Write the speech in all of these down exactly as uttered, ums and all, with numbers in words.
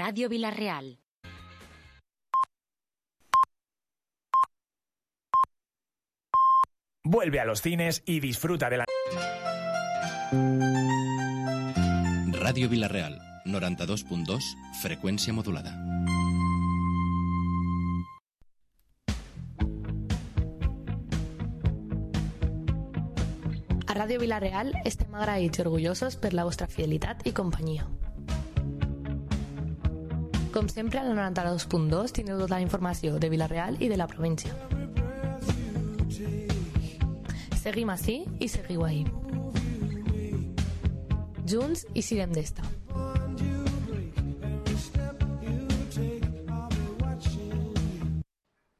Radio Vila-real. Vuelve a los cines y disfruta de la... Ràdio Vila-real, noranta-dos punt dos, freqüència modulada. A Ràdio Vila-real estem agraïts i orgullosos per la vostra fidelitat i companyia. Com sempre, al noranta-dos punt dos tindreu tota la informació de Vila-real i de la província. Seguim ací i seguiu ahí. Junts i siguem d'esta.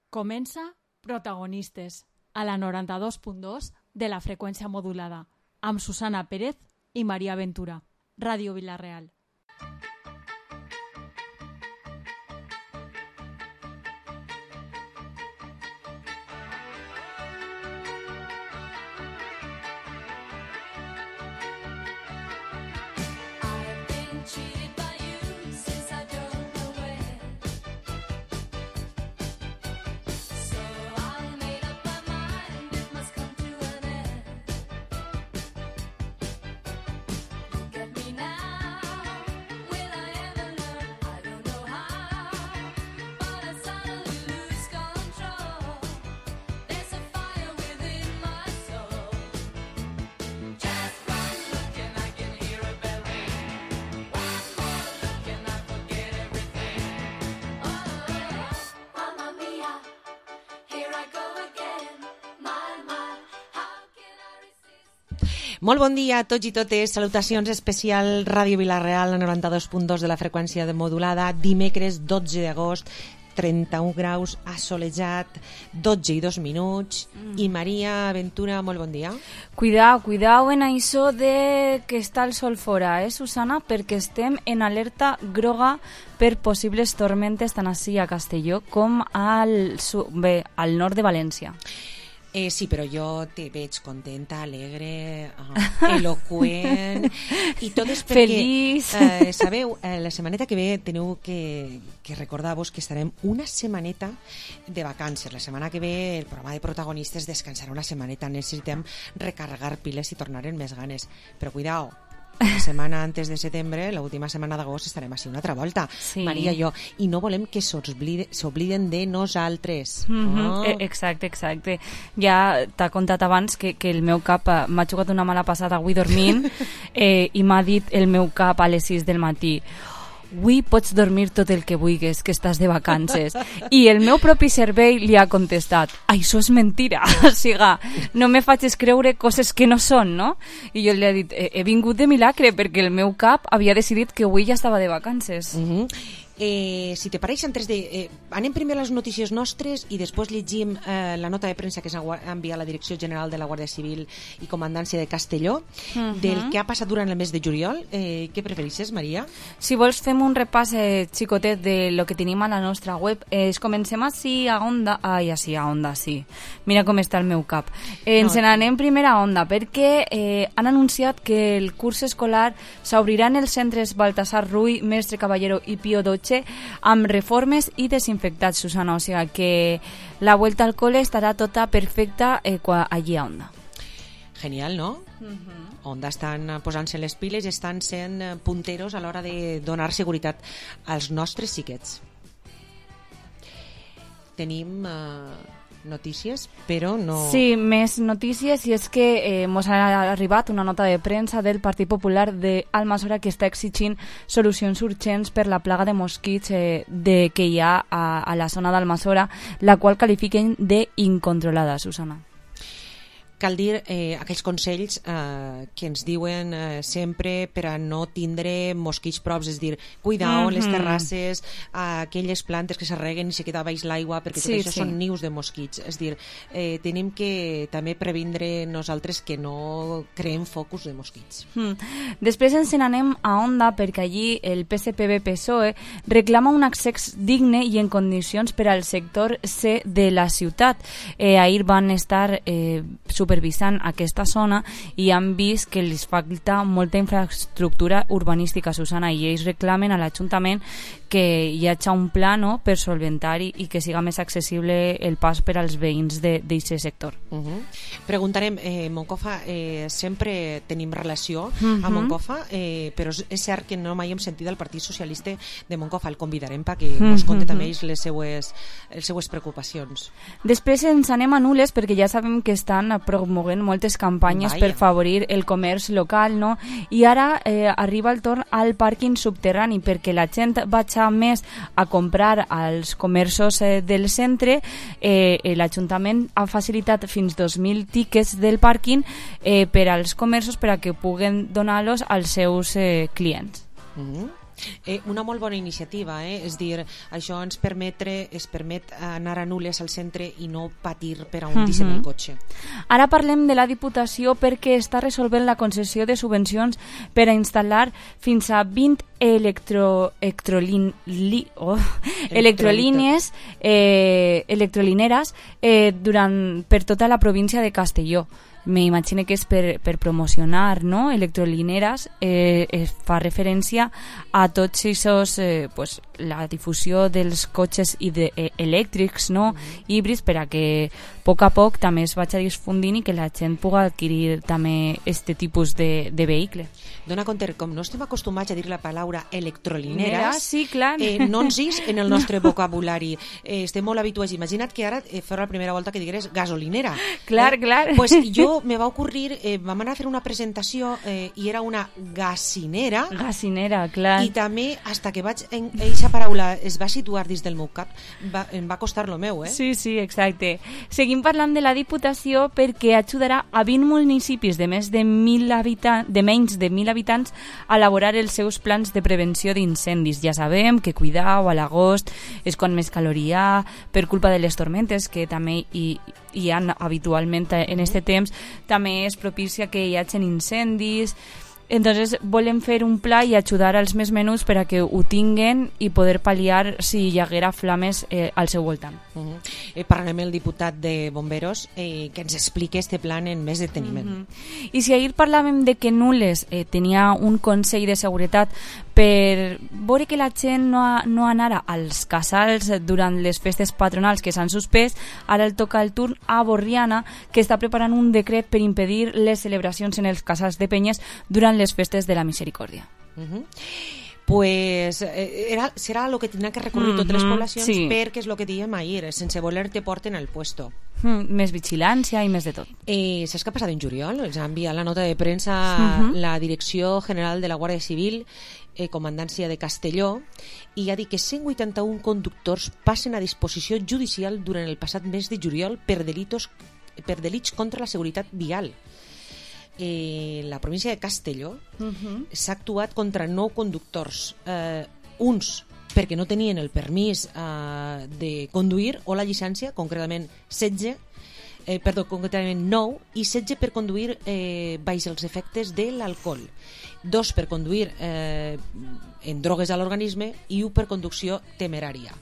Comença Protagonistes, a la noranta-dos punt dos de la freqüència modulada, amb Susana Pérez i Maria Ventura. Ràdio Vila-real. Molt bon dia a tots i totes. Salutacions especial Ràdio Vila-real, noranta-dos punt dos de la freqüència modulada. Dimecres dotze d'agost, trenta-un graus, assolejat, dotze i dos minuts. Mm. I Maria Ventura, molt bon dia. Cuidao, cuidao en això de que està el sol fora, eh, Susana? Perquè estem en alerta groga per possibles tormentes tant ací a Castelló com al, bé, al nord de València. Eh, sí, però jo te veig contenta, alegre, uh, eloqüent i tot és perquè, feliç. Eh, sabeu, eh, la setmaneta que ve teniu que, que recordar-vos que estarem una setmaneta de vacances. La setmana que ve el programa de protagonistes descansarà una setmaneta. Necessitem recarregar piles i tornar amb més ganes. Però cuidao, la setmana antes de setembre, l'última setmana d'agost, estarem així una altra volta, sí. Maria i jo, i no volem que s'obliden de nosaltres. Mm-hmm. Oh. Exacte, exacte. Ja t'ha contat abans que, que el meu cap m'ha jugat una mala passada avui dormint eh, i m'ha dit el meu cap a les sis del matí: avui pots dormir tot el que vulguis, que estàs de vacances. I el meu propi cervell li ha contestat: això és mentira, o sigui, no me facis creure coses que no són, no? I jo li he dit: he, he vingut de milagre perquè el meu cap havia decidit que avui ja estava de vacances. Mm-hmm. Eh, si te pareix, antes de... Eh, anem primer a les notícies nostres i després llegim eh, la nota de premsa que s'ha enviat la Direcció General de la Guàrdia Civil i Comandància de Castelló, uh-huh. del que ha passat durant el mes de juliol. Eh, què prefereixes, Maria? Si vols fem un repàs eh, xicotet de lo que tenim a la nostra web. Eh, comencem així a Onda. Ai, així a Onda, sí. Mira com està el meu cap. Eh, ens no. n'anem primer a Onda perquè eh, han anunciat que el curs escolar s'obrirà en els centres Baltasar Rull, Mestre Caballero i Pío dotze amb reformes i desinfectats, Susana, o sigui que la vuelta al cole estarà tota perfecta eh, allí a Onda. Genial, no? Uh-huh. Onda estan posant-se les piles i estan sent punteros a l'hora de donar seguretat als nostres xiquets. Tenim eh, notícies, però no... Sí, més notícies, i és que eh, mos ha arribat una nota de premsa del Partit Popular d'Almassora que està exigint solucions urgents per la plaga de mosquits eh, de, que hi ha a, a la zona d'Almassora, la qual qualifiquen d'incontrolada, Susana. Cal dir eh, aquells consells eh, que ens diuen eh, sempre per a no tindre mosquits props, és dir, cuidao mm-hmm. les terrasses, eh, aquelles plantes que s'arreguen i se queda baix l'aigua, perquè tot sí, això sí. són nius de mosquits. És dir, eh, tenim que també previndre nosaltres que no creem focus de mosquits. Mm. Després ens n'anem a Onda perquè allí el P S P B P S O E reclama un accés digne i en condicions per al sector C de la ciutat. Eh, ahir van estar eh, supervisant aquesta zona i han vist que els falta molta infraestructura urbanística, Susana, i ells reclamen a l'Ajuntament que hi hagi un pla, no?, per solventar i, i que siga més accessible el pas per als veïns d'aquest sector. Uh -huh. Preguntarem, eh, Moncofa, eh, sempre tenim relació uh -huh. amb Moncofa, eh, però és cert que no mai hem sentit el Partit Socialista de Moncofa. El convidarem perquè uh -huh. ens conti també les seues, les seues preocupacions. Després ens anem a Nules perquè ja sabem que estan promovent moltes campanyes Vaya. per favorir el comerç local, no? I ara eh, arriba el torn al pàrquing subterrani perquè la gent vagi més a comprar als comerços eh, del centre. eh, l'Ajuntament ha facilitat fins dos mil tickets del pàrquing eh, per als comerços per a que puguen donar-los als seus eh, clients. Mm-hmm. Eh, una molt bona iniciativa, eh? És dir, això ens permetre, es permet anar a Nules al centre i no patir per a un uh-huh. el cotxe. Ara parlem de la Diputació perquè està resolvent la concessió de subvencions per a instal·lar fins a vint electro, electrolin, li, oh, electrolínies eh, electrolineres eh, durant, per tota la província de Castelló. M'imagino que és per, per promocionar, no?, electrolineres. Eh, es fa referència a tots aquests, eh, pues, la difusió dels cotxes i de, eh, elèctrics, no?, mm. híbrids, per a que a poc a poc també es vagi difundint i que la gent pugui adquirir també aquest tipus de, de vehicle. Dona compte, com no estem acostumats a dir la paraula electrolineres, sí, clar. Eh, no ens és en el nostre vocabulari. Eh, estem molt habituats. Imagina't que ara eh, fos la primera volta que digueres gasolinera. Clar, eh? clar. Pues jo me va ocurrir, eh, vam anar a fer una presentació eh, i era una gasinera. Gasinera, clar. I també, hasta que vaig en eixa paraula es va situar dins del meu cap, va, em va costar lo meu, eh? Sí, sí, exacte. Seguim parlant de la Diputació perquè ajudarà a vint municipis de més de mil habitants, de menys de mil habitants a elaborar els seus plans de prevenció d'incendis. Ja sabem que cuidau, a l'agost és quan més calor hi ha, per culpa de les tormentes que també hi, hi ha habitualment en aquest temps, també és propicia que hi hagin incendis. Entonces volem fer un pla i ajudar als més menuts per a que ho tinguen i poder pal·liar si hi haguera flames eh, al seu voltant. Uh -huh. eh, parlarem amb el diputat de Bomberos eh, que ens expliqui este plan en més deteniment. Uh -huh. I si ahir parlàvem de que Nules eh, tenia un Consell de Seguretat per veure que la gent no, no anara als casals durant les festes patronals que s'han suspès, ara el toca el turn a Borriana, que està preparant un decret per impedir les celebracions en els casals de penyes durant les festes de la Misericòrdia. Uh-huh. Pues eh, era, serà el que tindran que recurrir uh-huh. totes les poblacions, sí. Perquè és el que dèiem ahir, sense voler te porten al puesto. Mm, més vigilància i més de tot. Eh, saps què ha passat en juliol? Ens ha enviat la nota de premsa uh-huh. la Direcció General de la Guàrdia Civil, eh, Comandància de Castelló, i ha dit que cent vuitanta-un conductors passen a disposició judicial durant el passat mes de juliol per delitos, per delits contra la seguretat vial. Eh, la província de Castelló uh-huh. s'ha actuat contra nou conductors, eh, uns perquè no tenien el permís eh, de conduir o la llicència, concretament setze, eh, perdó, concretament nou, i setze per conduir eh, baix els efectes de l'alcohol, dos per conduir eh, en drogues a l'organisme i un per conducció temerària.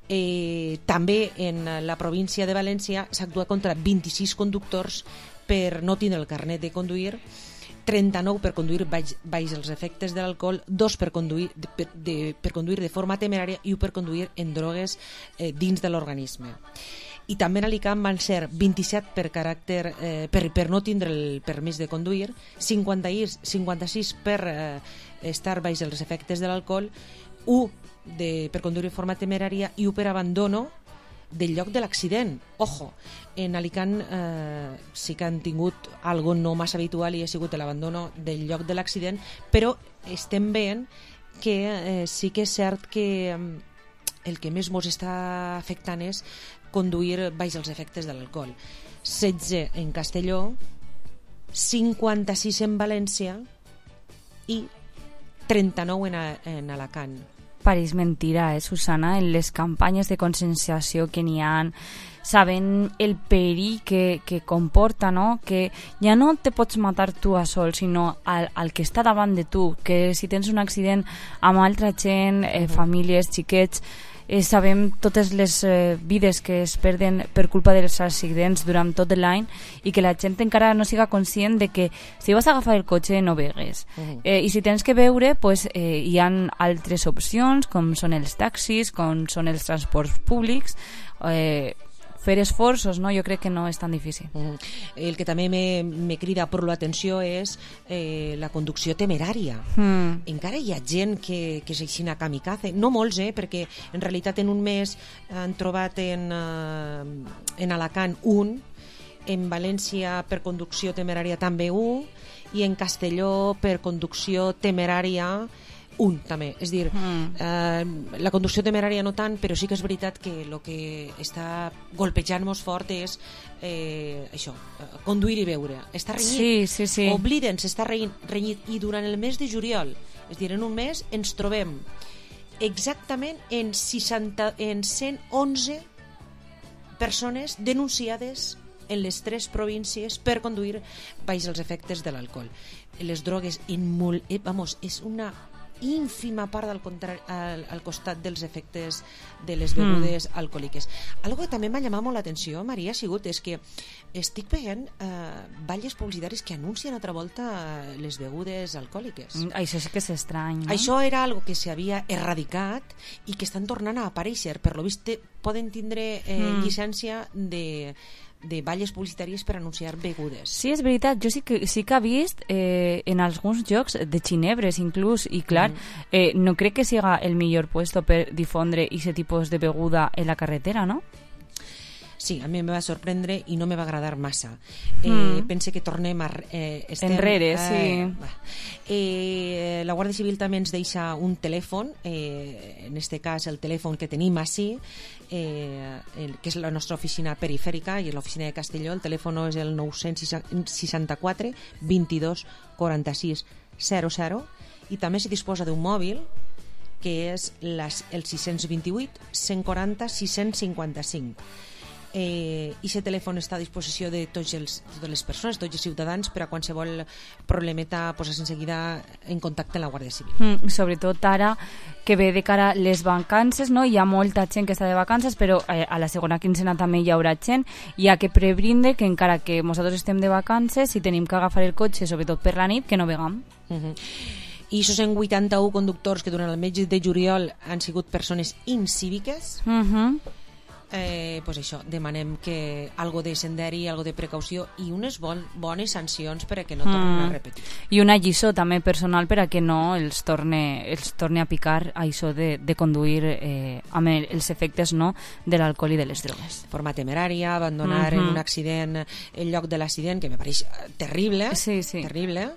Eh, també en la província de València s'ha actuat contra vint-i-sis conductors per no tindre el carnet de conduir, trenta-nou per conduir baix, baix els efectes de l'alcohol, dos per conduir de, per, de, per conduir de forma temerària i un per conduir en drogues eh, dins de l'organisme. I també en Alicant van ser vint-i-set per caràcter eh, per, per no tindre el permís de conduir, cinquanta-sis per eh, estar baix els efectes de l'alcohol, un de, per conduir de forma temerària i un per abandono del lloc de l'accident. Ojo, en Alicant eh, sí que han tingut algo no massa habitual i ha sigut l'abandono del lloc de l'accident, però estem veient que eh, sí que és cert que eh, el que més mos està afectant és conduir baix els efectes de l'alcohol. setze en Castelló, cinquanta-sis en València i trenta-nou en, a, en Alacant. Pareix mentira, eh, Susana, en les campanyes de conscienciació que n'hi ha, sabent el perill que, que comporta, no? Que ja no te pots matar tu a sol, sinó al, al que està davant de tu, que si tens un accident amb altra gent, eh, famílies, xiquets, eh, sabem totes les eh, vides que es perden per culpa dels accidents durant tot l'any i que la gent encara no siga conscient de que si vas a agafar el cotxe no vegues. Uh-huh. eh, I si tens que veure, pues, eh, hi ha altres opcions, com són els taxis, com són els transports públics, eh, fer esforços, no? Jo crec que no és tan difícil. Mm. El que també me, me crida per l'atenció és eh, la conducció temerària. Mm. Encara hi ha gent que, que és així a kamikaze, no molts, eh, perquè en realitat en un mes han trobat en, uh, en Alacant un, en València per conducció temerària també un, i en Castelló per conducció temerària un també, és dir, mm. eh, la conducció temerària no tant, però sí que és veritat que el que està golpejant-nos fort és eh, això, conduir i beure. Està renyit, sí, sí, sí. Oblida'ns, està renyit, i durant el mes de juliol, és dir, en un mes ens trobem exactament en, seixanta, en cent onze persones denunciades en les tres províncies per conduir baix els efectes de l'alcohol. Les drogues, en molt, eh, vamos, és una ínfima part al, contrari, al, al costat dels efectes de les begudes mm. alcohòliques. Algo que també m'ha llamat molt l'atenció, Maria, ha sigut és que estic veient eh, balles publicitaris que anuncien altra volta les begudes alcohòliques. Mm, això sí que és estrany, no? Això era algo que s'havia erradicat i que estan tornant a aparèixer. Per lo vist poden tindre eh, mm. llicència de de balles publicitàries per anunciar begudes. Sí, és veritat, jo sí que, sí que he vist eh, en alguns jocs de xinebres inclús, i clar, mm. eh, no crec que siga el millor puesto per difondre aquest tipus de beguda en la carretera, no? Sí, a mi em va sorprendre i no me va agradar massa. Eh, mm. Pense que tornem a... Eh, estem, enrere, eh, sí. Eh, la Guàrdia Civil també ens deixa un telèfon, eh, en este cas el telèfon que tenim així, eh, el, que és la nostra oficina perifèrica i és l'oficina de Castelló. El telèfon és el nou seixanta-quatre vint-i-dos quaranta-sis zero zero, i també se disposa d'un mòbil que és les, el sis dos vuit cent quaranta sis cents cinquanta-cinc. Eh, i aquest telèfon està a disposició de tots els, totes les persones, tots els ciutadans, per a qualsevol problemeta posar-se en seguida en contacte amb la Guàrdia Civil. Mm, sobretot ara que ve de cara les vacances, no? Hi ha molta gent que està de vacances, però eh, a la segona quincena també hi haurà gent, hi ha que prebrinde que encara que nosaltres estem de vacances, si tenim que agafar el cotxe, sobretot per la nit, que no vegam. Uh-huh. I això són vuitanta-un conductors que durant el mes de juliol han sigut persones incíviques. Uh-huh. Eh, pues això, demanem que algo de senderi, algo de precaució i unes bon, bones sancions per a que no tornin mm. a repetir. I una lliçó també personal per a que no els torne, els torne a picar a això de, de conduir eh, amb els efectes, no, de l'alcohol i de les drogues. Forma temerària, abandonar mm-hmm. en un accident el lloc de l'accident, que me pareix terrible, sí, sí. terrible,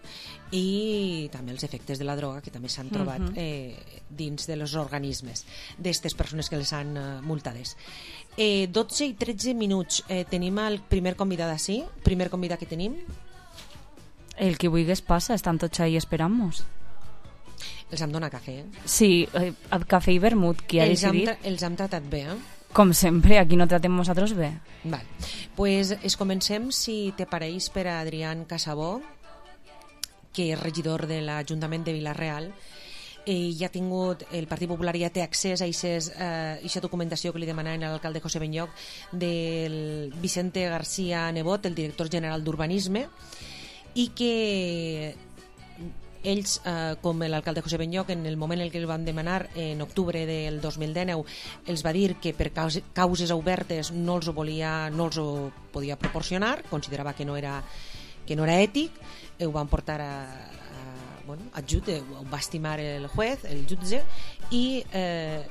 i també els efectes de la droga que també s'han trobat uh-huh. eh, dins dels organismes d'aquestes persones que les han eh, multades. Eh, dotze i tretze minuts. Eh, tenim el primer convidat així, primer convidat que tenim. El que vulguis passa, estan tots ahí esperant-nos. Els hem donat cafè, eh? Sí, eh, cafè i vermut, qui ha els decidit? Hem, els hem tratat bé, eh? Com sempre, aquí no tratem nosaltres bé. Val. Pues es comencem, si te pareix, per a Adrián Casabó, que és regidor de l'Ajuntament de Vila-real. Eh, ja ha tingut, el Partit Popular ja té accés a aquesta eh, documentació que li demanaven a l'alcalde José Benlloc del Vicente García Nebot, el director general d'Urbanisme, i que ells, eh, com l'alcalde José Benlloc, en el moment en què el van demanar, en octubre del dos mil dinou, els va dir que per causes obertes no els ho volia, no els ho podia proporcionar, considerava que no era que no era ètic, ho van portar a, a, bueno, a jutge, ho va estimar el juez, el jutge, i eh,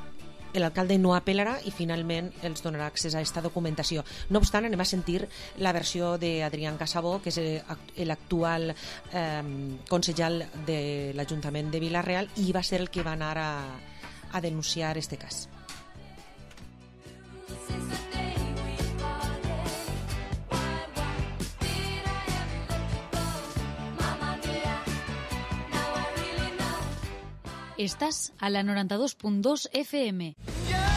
l'alcalde no apel·larà i finalment els donarà accés a aquesta documentació. No obstant, anem a sentir la versió d'Adrián Casabó, que és l'actual eh, consellal de l'Ajuntament de Vila-real i va ser el que va anar a, a denunciar este cas. Estás a la noranta dos punt dos F M.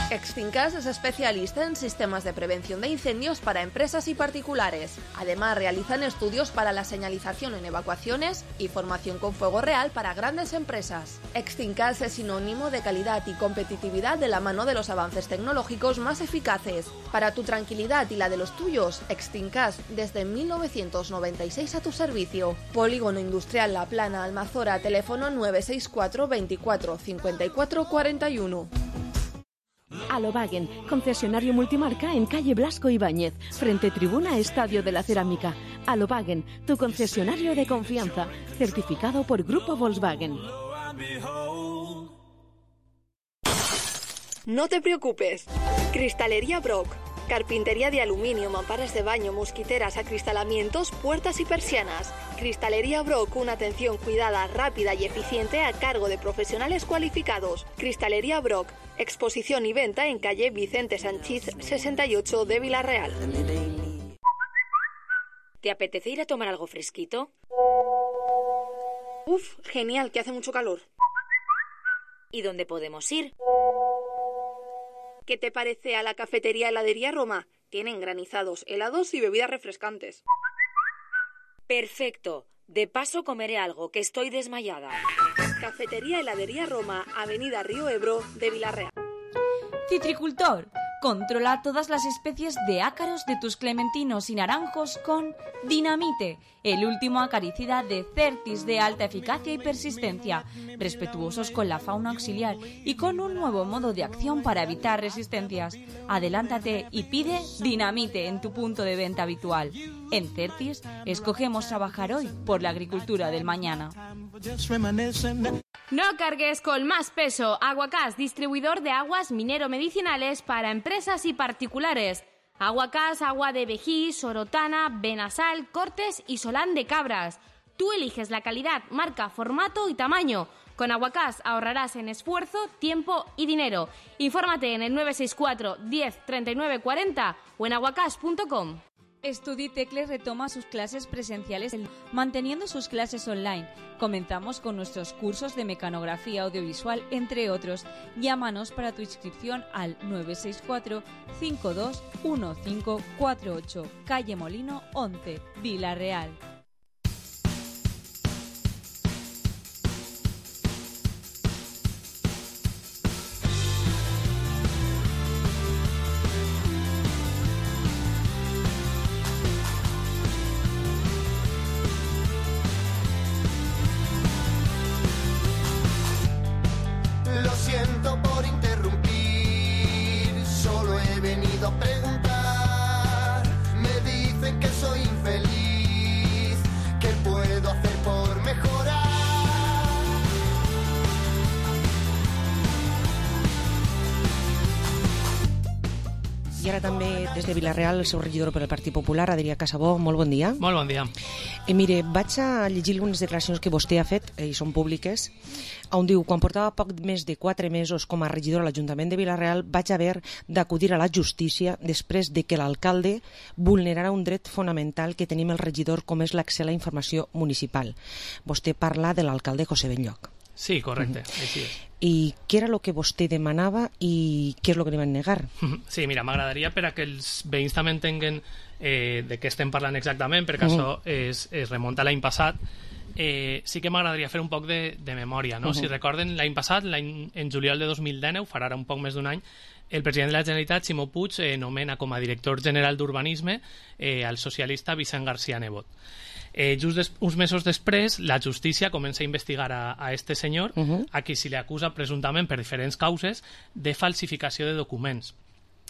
Extincas es especialista en sistemas de prevención de incendios para empresas y particulares. Además, realizan estudios para la señalización en evacuaciones y formación con fuego real para grandes empresas. Extincas es sinónimo de calidad y competitividad de la mano de los avances tecnológicos más eficaces. Para tu tranquilidad y la de los tuyos, Extincas desde mil novecientos noventa y seis a tu servicio. Polígono Industrial La Plana, Almazora, teléfono nueve seis cuatro veinticuatro cincuenta y cuatro cuarenta y uno. Alobagen, concesionario multimarca en calle Blasco Ibáñez, frente tribuna Estadio de la Cerámica. Alobagen, tu concesionario de confianza, certificado por Grupo Volkswagen. No te preocupes. Cristalería Brock. Carpintería de aluminio, mamparas de baño, mosquiteras, acristalamientos, puertas y persianas. Cristalería Brock, una atención cuidada, rápida y eficiente a cargo de profesionales cualificados. Cristalería Brock, exposición y venta en calle Vicente Sanchís sesenta y ocho de Vilarreal. ¿Te apetece ir a tomar algo fresquito? Uf, genial, que hace mucho calor. ¿Y dónde podemos ir? ¿Qué te parece a la cafetería Heladería Roma? Tienen granizados, helados y bebidas refrescantes. Perfecto. De paso comeré algo, que estoy desmayada. Cafetería Heladería Roma, Avenida Río Ebro de Vilarreal. Citricultor, controla todas las especies de ácaros de tus clementinos y naranjos con Dinamite, el último acaricida de Certis de alta eficacia y persistencia, respetuosos con la fauna auxiliar y con un nuevo modo de acción para evitar resistencias. Adelántate y pide Dinamite en tu punto de venta habitual. En Certis, escogemos trabajar hoy por la agricultura del mañana. No cargues con más peso. Aguacás, distribuidor de aguas minero-medicinales para empresas y particulares. Aguacás, agua de vejí, sorotana, benasal, cortes y solán de cabras. Tú eliges la calidad, marca, formato y tamaño. Con Aguacás ahorrarás en esfuerzo, tiempo y dinero. Infórmate en el nueve seis cuatro diez treinta y nueve cuarenta o en aguacás punto com. Studitecle retoma sus clases presenciales manteniendo sus clases online. Comenzamos con nuestros cursos de mecanografía audiovisual, entre otros. Llámanos para tu inscripción al nueve seis cuatro cinco dos uno cinco cuatro ocho, calle Molino once, Vilarreal. I ara també des de Vilarreal, el seu regidor per al Partit Popular, Adrià Casabó. Molt bon dia. Molt bon dia. I mire, vaig a llegir algunes declaracions que vostè ha fet, i són públiques, on diu: quan portava poc més de quatre mesos com a regidor a l'Ajuntament de Vilarreal vaig haver d'acudir a la justícia després de que l'alcalde vulnerara un dret fonamental que tenim el regidor, com és l'accés a la informació municipal. Vostè parla de l'alcalde José Benlloch. Sí, correcte, mm-hmm. Així és. I què era el que vostè demanava i què és el que li van negar? Sí, mira, m'agradaria per a que els veïns també entenguen eh, de què estem parlant exactament, perquè mm-hmm. això es, es remunta a l'any passat. Eh, sí que m'agradaria fer un poc de, de memòria, no? Uh-huh. Si recorden, l'any passat, l'any, en juliol de dos mil dinou, farà ara un poc més d'un any, el president de la Generalitat, Ximo Puig, eh, nomena com a director general d'Urbanisme eh, al socialista Vicent García Nebot. Eh, just des, uns mesos després, la justícia comença a investigar a, a este senyor, uh-huh. a qui se li acusa presumptament per diferents causes de falsificació de documents.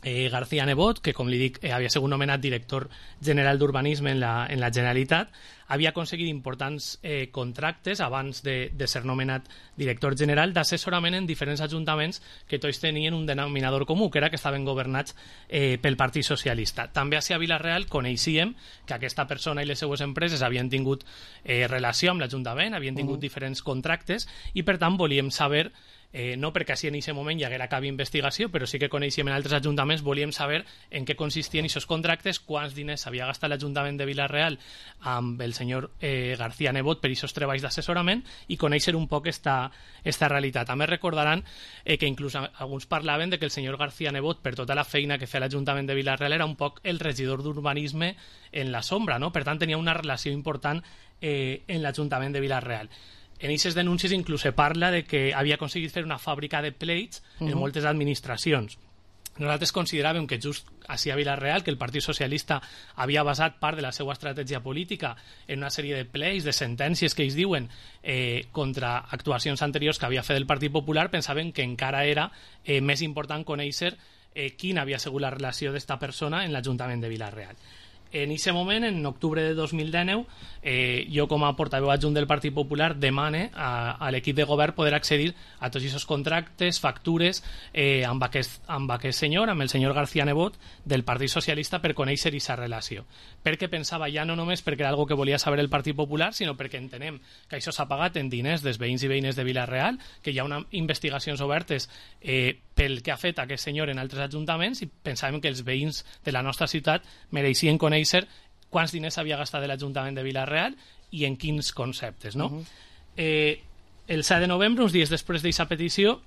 Eh, García Nebot, que com li dic eh, havia sigut nomenat director general d'Urbanisme en, la, en la Generalitat, havia aconseguit importants eh, contractes abans de, de ser nomenat director general d'assessorament en diferents ajuntaments que tots tenien un denominador comú, que era que estaven governats eh, pel Partit Socialista. També a Vilarreal coneixíem que aquesta persona i les seues empreses havien tingut eh, relació amb l'Ajuntament, havien tingut uh-huh. diferents contractes i per tant volíem saber eh, no perquè així en aquest moment hi haguera cap investigació, però sí que coneixíem en altres ajuntaments, volíem saber en què consistien aquests contractes, quants diners havia gastat l'Ajuntament de Vila-real amb el senyor eh, García Nebot per aquests treballs d'assessorament i conèixer un poc esta, esta realitat. També recordaran eh, que inclús alguns parlaven de que el senyor García Nebot, per tota la feina que feia l'Ajuntament de Vila-real, era un poc el regidor d'urbanisme en la sombra, no? Per tant tenia una relació important eh, en l'Ajuntament de Vila-real. En aquestes denúncies inclús se parla de que havia aconseguit fer una fàbrica de pleits en uh-huh. moltes administracions. Nosaltres consideràvem que just així a Vila-real, que el Partit Socialista havia basat part de la seva estratègia política en una sèrie de pleis, de sentències que ells diuen eh, contra actuacions anteriors que havia fet el Partit Popular, pensaven que encara era eh, més important conèixer eh, quina havia sigut la relació d'esta persona en l'Ajuntament de Vila-real. En aquest moment, en octubre de dos mil dinou, eh, jo com a portaveu adjunt del Partit Popular demane a, a l'equip de govern poder accedir a tots aquests contractes, factures eh, amb, aquest, amb aquest senyor, amb el senyor García Nebot del Partit Socialista, per conèixer aquesta relació. Perquè pensava ja no només perquè era algo que volia saber el Partit Popular, sinó perquè entenem que això s'ha pagat en diners dels veïns i veïnes de Vila-real, que hi ha unes investigacions obertes eh, pel que ha fet aquest senyor en altres ajuntaments, i pensàvem que els veïns de la nostra ciutat mereixien conèixer quants diners havia gastat l'Ajuntament de Vila-real i en quins conceptes, no? Uh-huh. eh, el set de novembre, uns dies després d'aquesta petició,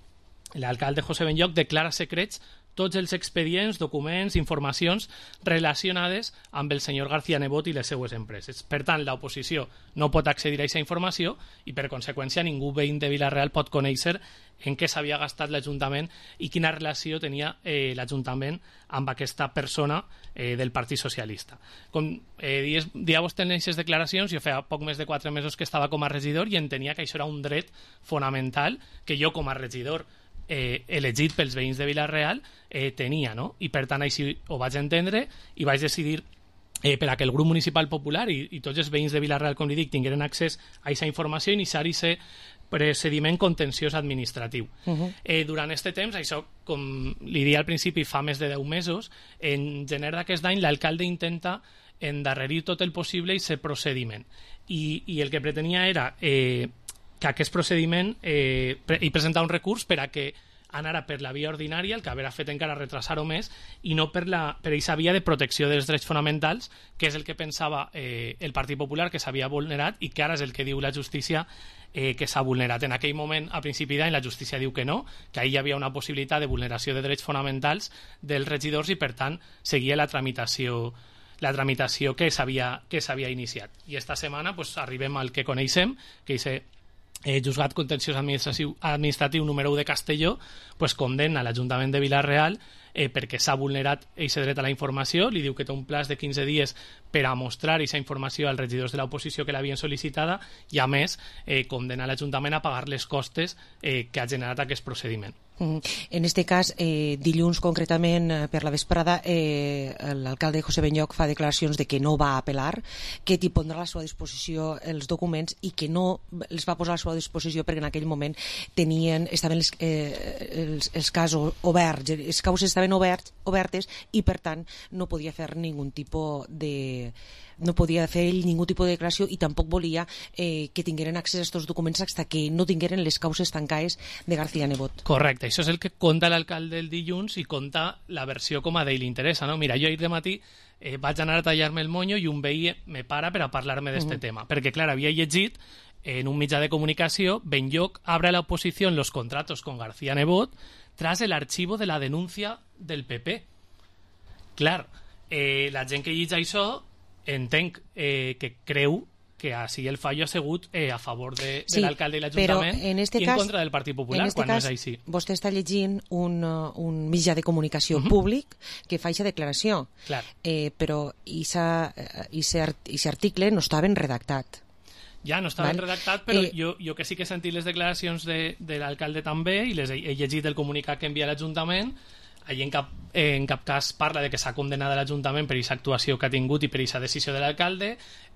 l'alcalde José Benlloch declara secrets tots els expedients, documents, informacions relacionades amb el senyor García Nebot i les seues empreses. Per tant, l'oposició no pot accedir a aquesta informació i, per conseqüència, ningú veïn de Vila-real pot conèixer en què s'havia gastat l'Ajuntament i quina relació tenia eh, l'Ajuntament amb aquesta persona eh, del Partit Socialista. Com eh, dies, dia vostè en aquestes declaracions, jo feia poc més de quatre mesos que estava com a regidor i entenia que això era un dret fonamental que jo com a regidor eh, elegit pels veïns de Vila-real eh, tenia, no? I per tant així ho vaig entendre i vaig decidir eh, per a que el grup municipal popular i, i tots els veïns de Vila-real, com li dic, tingueren accés a aquesta informació i iniciar aquest procediment contenciós administratiu. Uh-huh. Eh, durant aquest temps, això, com li deia al principi, fa més de deu mesos, en gener d'aquest any l'alcalde intenta endarrerir tot el possible aquest procediment. I, i el que pretenia era eh, que aquest procediment eh, pre i presentar un recurs per a que anara per la via ordinària, el que haurà fet encara retrasar-ho més, i no per la per aquesta via de protecció dels drets fonamentals, que és el que pensava eh, el Partit Popular que s'havia vulnerat i que ara és el que diu la justícia eh, que s'ha vulnerat. En aquell moment, a principi d'any, la justícia diu que no, que ahir hi havia una possibilitat de vulneració de drets fonamentals dels regidors i, per tant, seguia la tramitació la tramitació que s'havia que s'havia iniciat. I esta setmana pues, arribem al que coneixem, que és Eh, Juzgat Contenciós Administratiu, Administratiu número u de Castelló, pues, condemna l'Ajuntament de Vila-real eh, perquè s'ha vulnerat aquest dret a la informació, li diu que té un plaç de quinze dies per a mostrar aquesta informació als regidors de l'oposició que l'havien sol·licitada i, a més, eh, condemna l'Ajuntament a pagar les costes eh, que ha generat aquest procediment. En este cas, eh, dilluns concretament per la vesprada, eh, l'alcalde José Benlloch fa declaracions de que no va apel·lar, que t'hi pondrà a la seva disposició els documents i que no els va posar a la seva disposició perquè en aquell moment tenien, estaven els, eh, els, els casos oberts, les causes estaven oberts, obertes i per tant no podia fer ningun tipus de no podia fer ell ningú tipus de declaració i tampoc volia eh, que tingueren accés a aquests documents fins que no tingueren les causes tancades de García Nebot. Correcte, això és el que conta l'alcalde el dilluns i conta la versió com a d'ell li interessa, no? Mira, jo ahir de matí eh, vaig anar a tallar-me el monyo i un veí me para per a parlar-me d'este uh-huh. tema, perquè clar, havia llegit en un mitjà de comunicació Benlloch abre a la oposición los contratos con García Nebot tras el archivo de la denuncia del P P. Clar, eh, la gent que llegeix això entenc eh, que creu que així el fallo ha sigut eh, a favor de, sí, de l'alcalde i l'Ajuntament en este i cas, en contra del Partit Popular, en este quan cas, no és així. Vostè està llegint un, un mitjà de comunicació uh-huh. públic que fa aquesta declaració, Clar. eh, però aquest article no estava redactat. Ja, no estava Val? redactat, però eh, jo, jo que sí que he sentit les declaracions de, de l'alcalde també i les he, he llegit el comunicat que envia l'Ajuntament. Allí en cap, eh, en cap cas parla de que s'ha condemnat l'Ajuntament per aquesta actuació que ha tingut i per aquesta decisió de l'alcalde.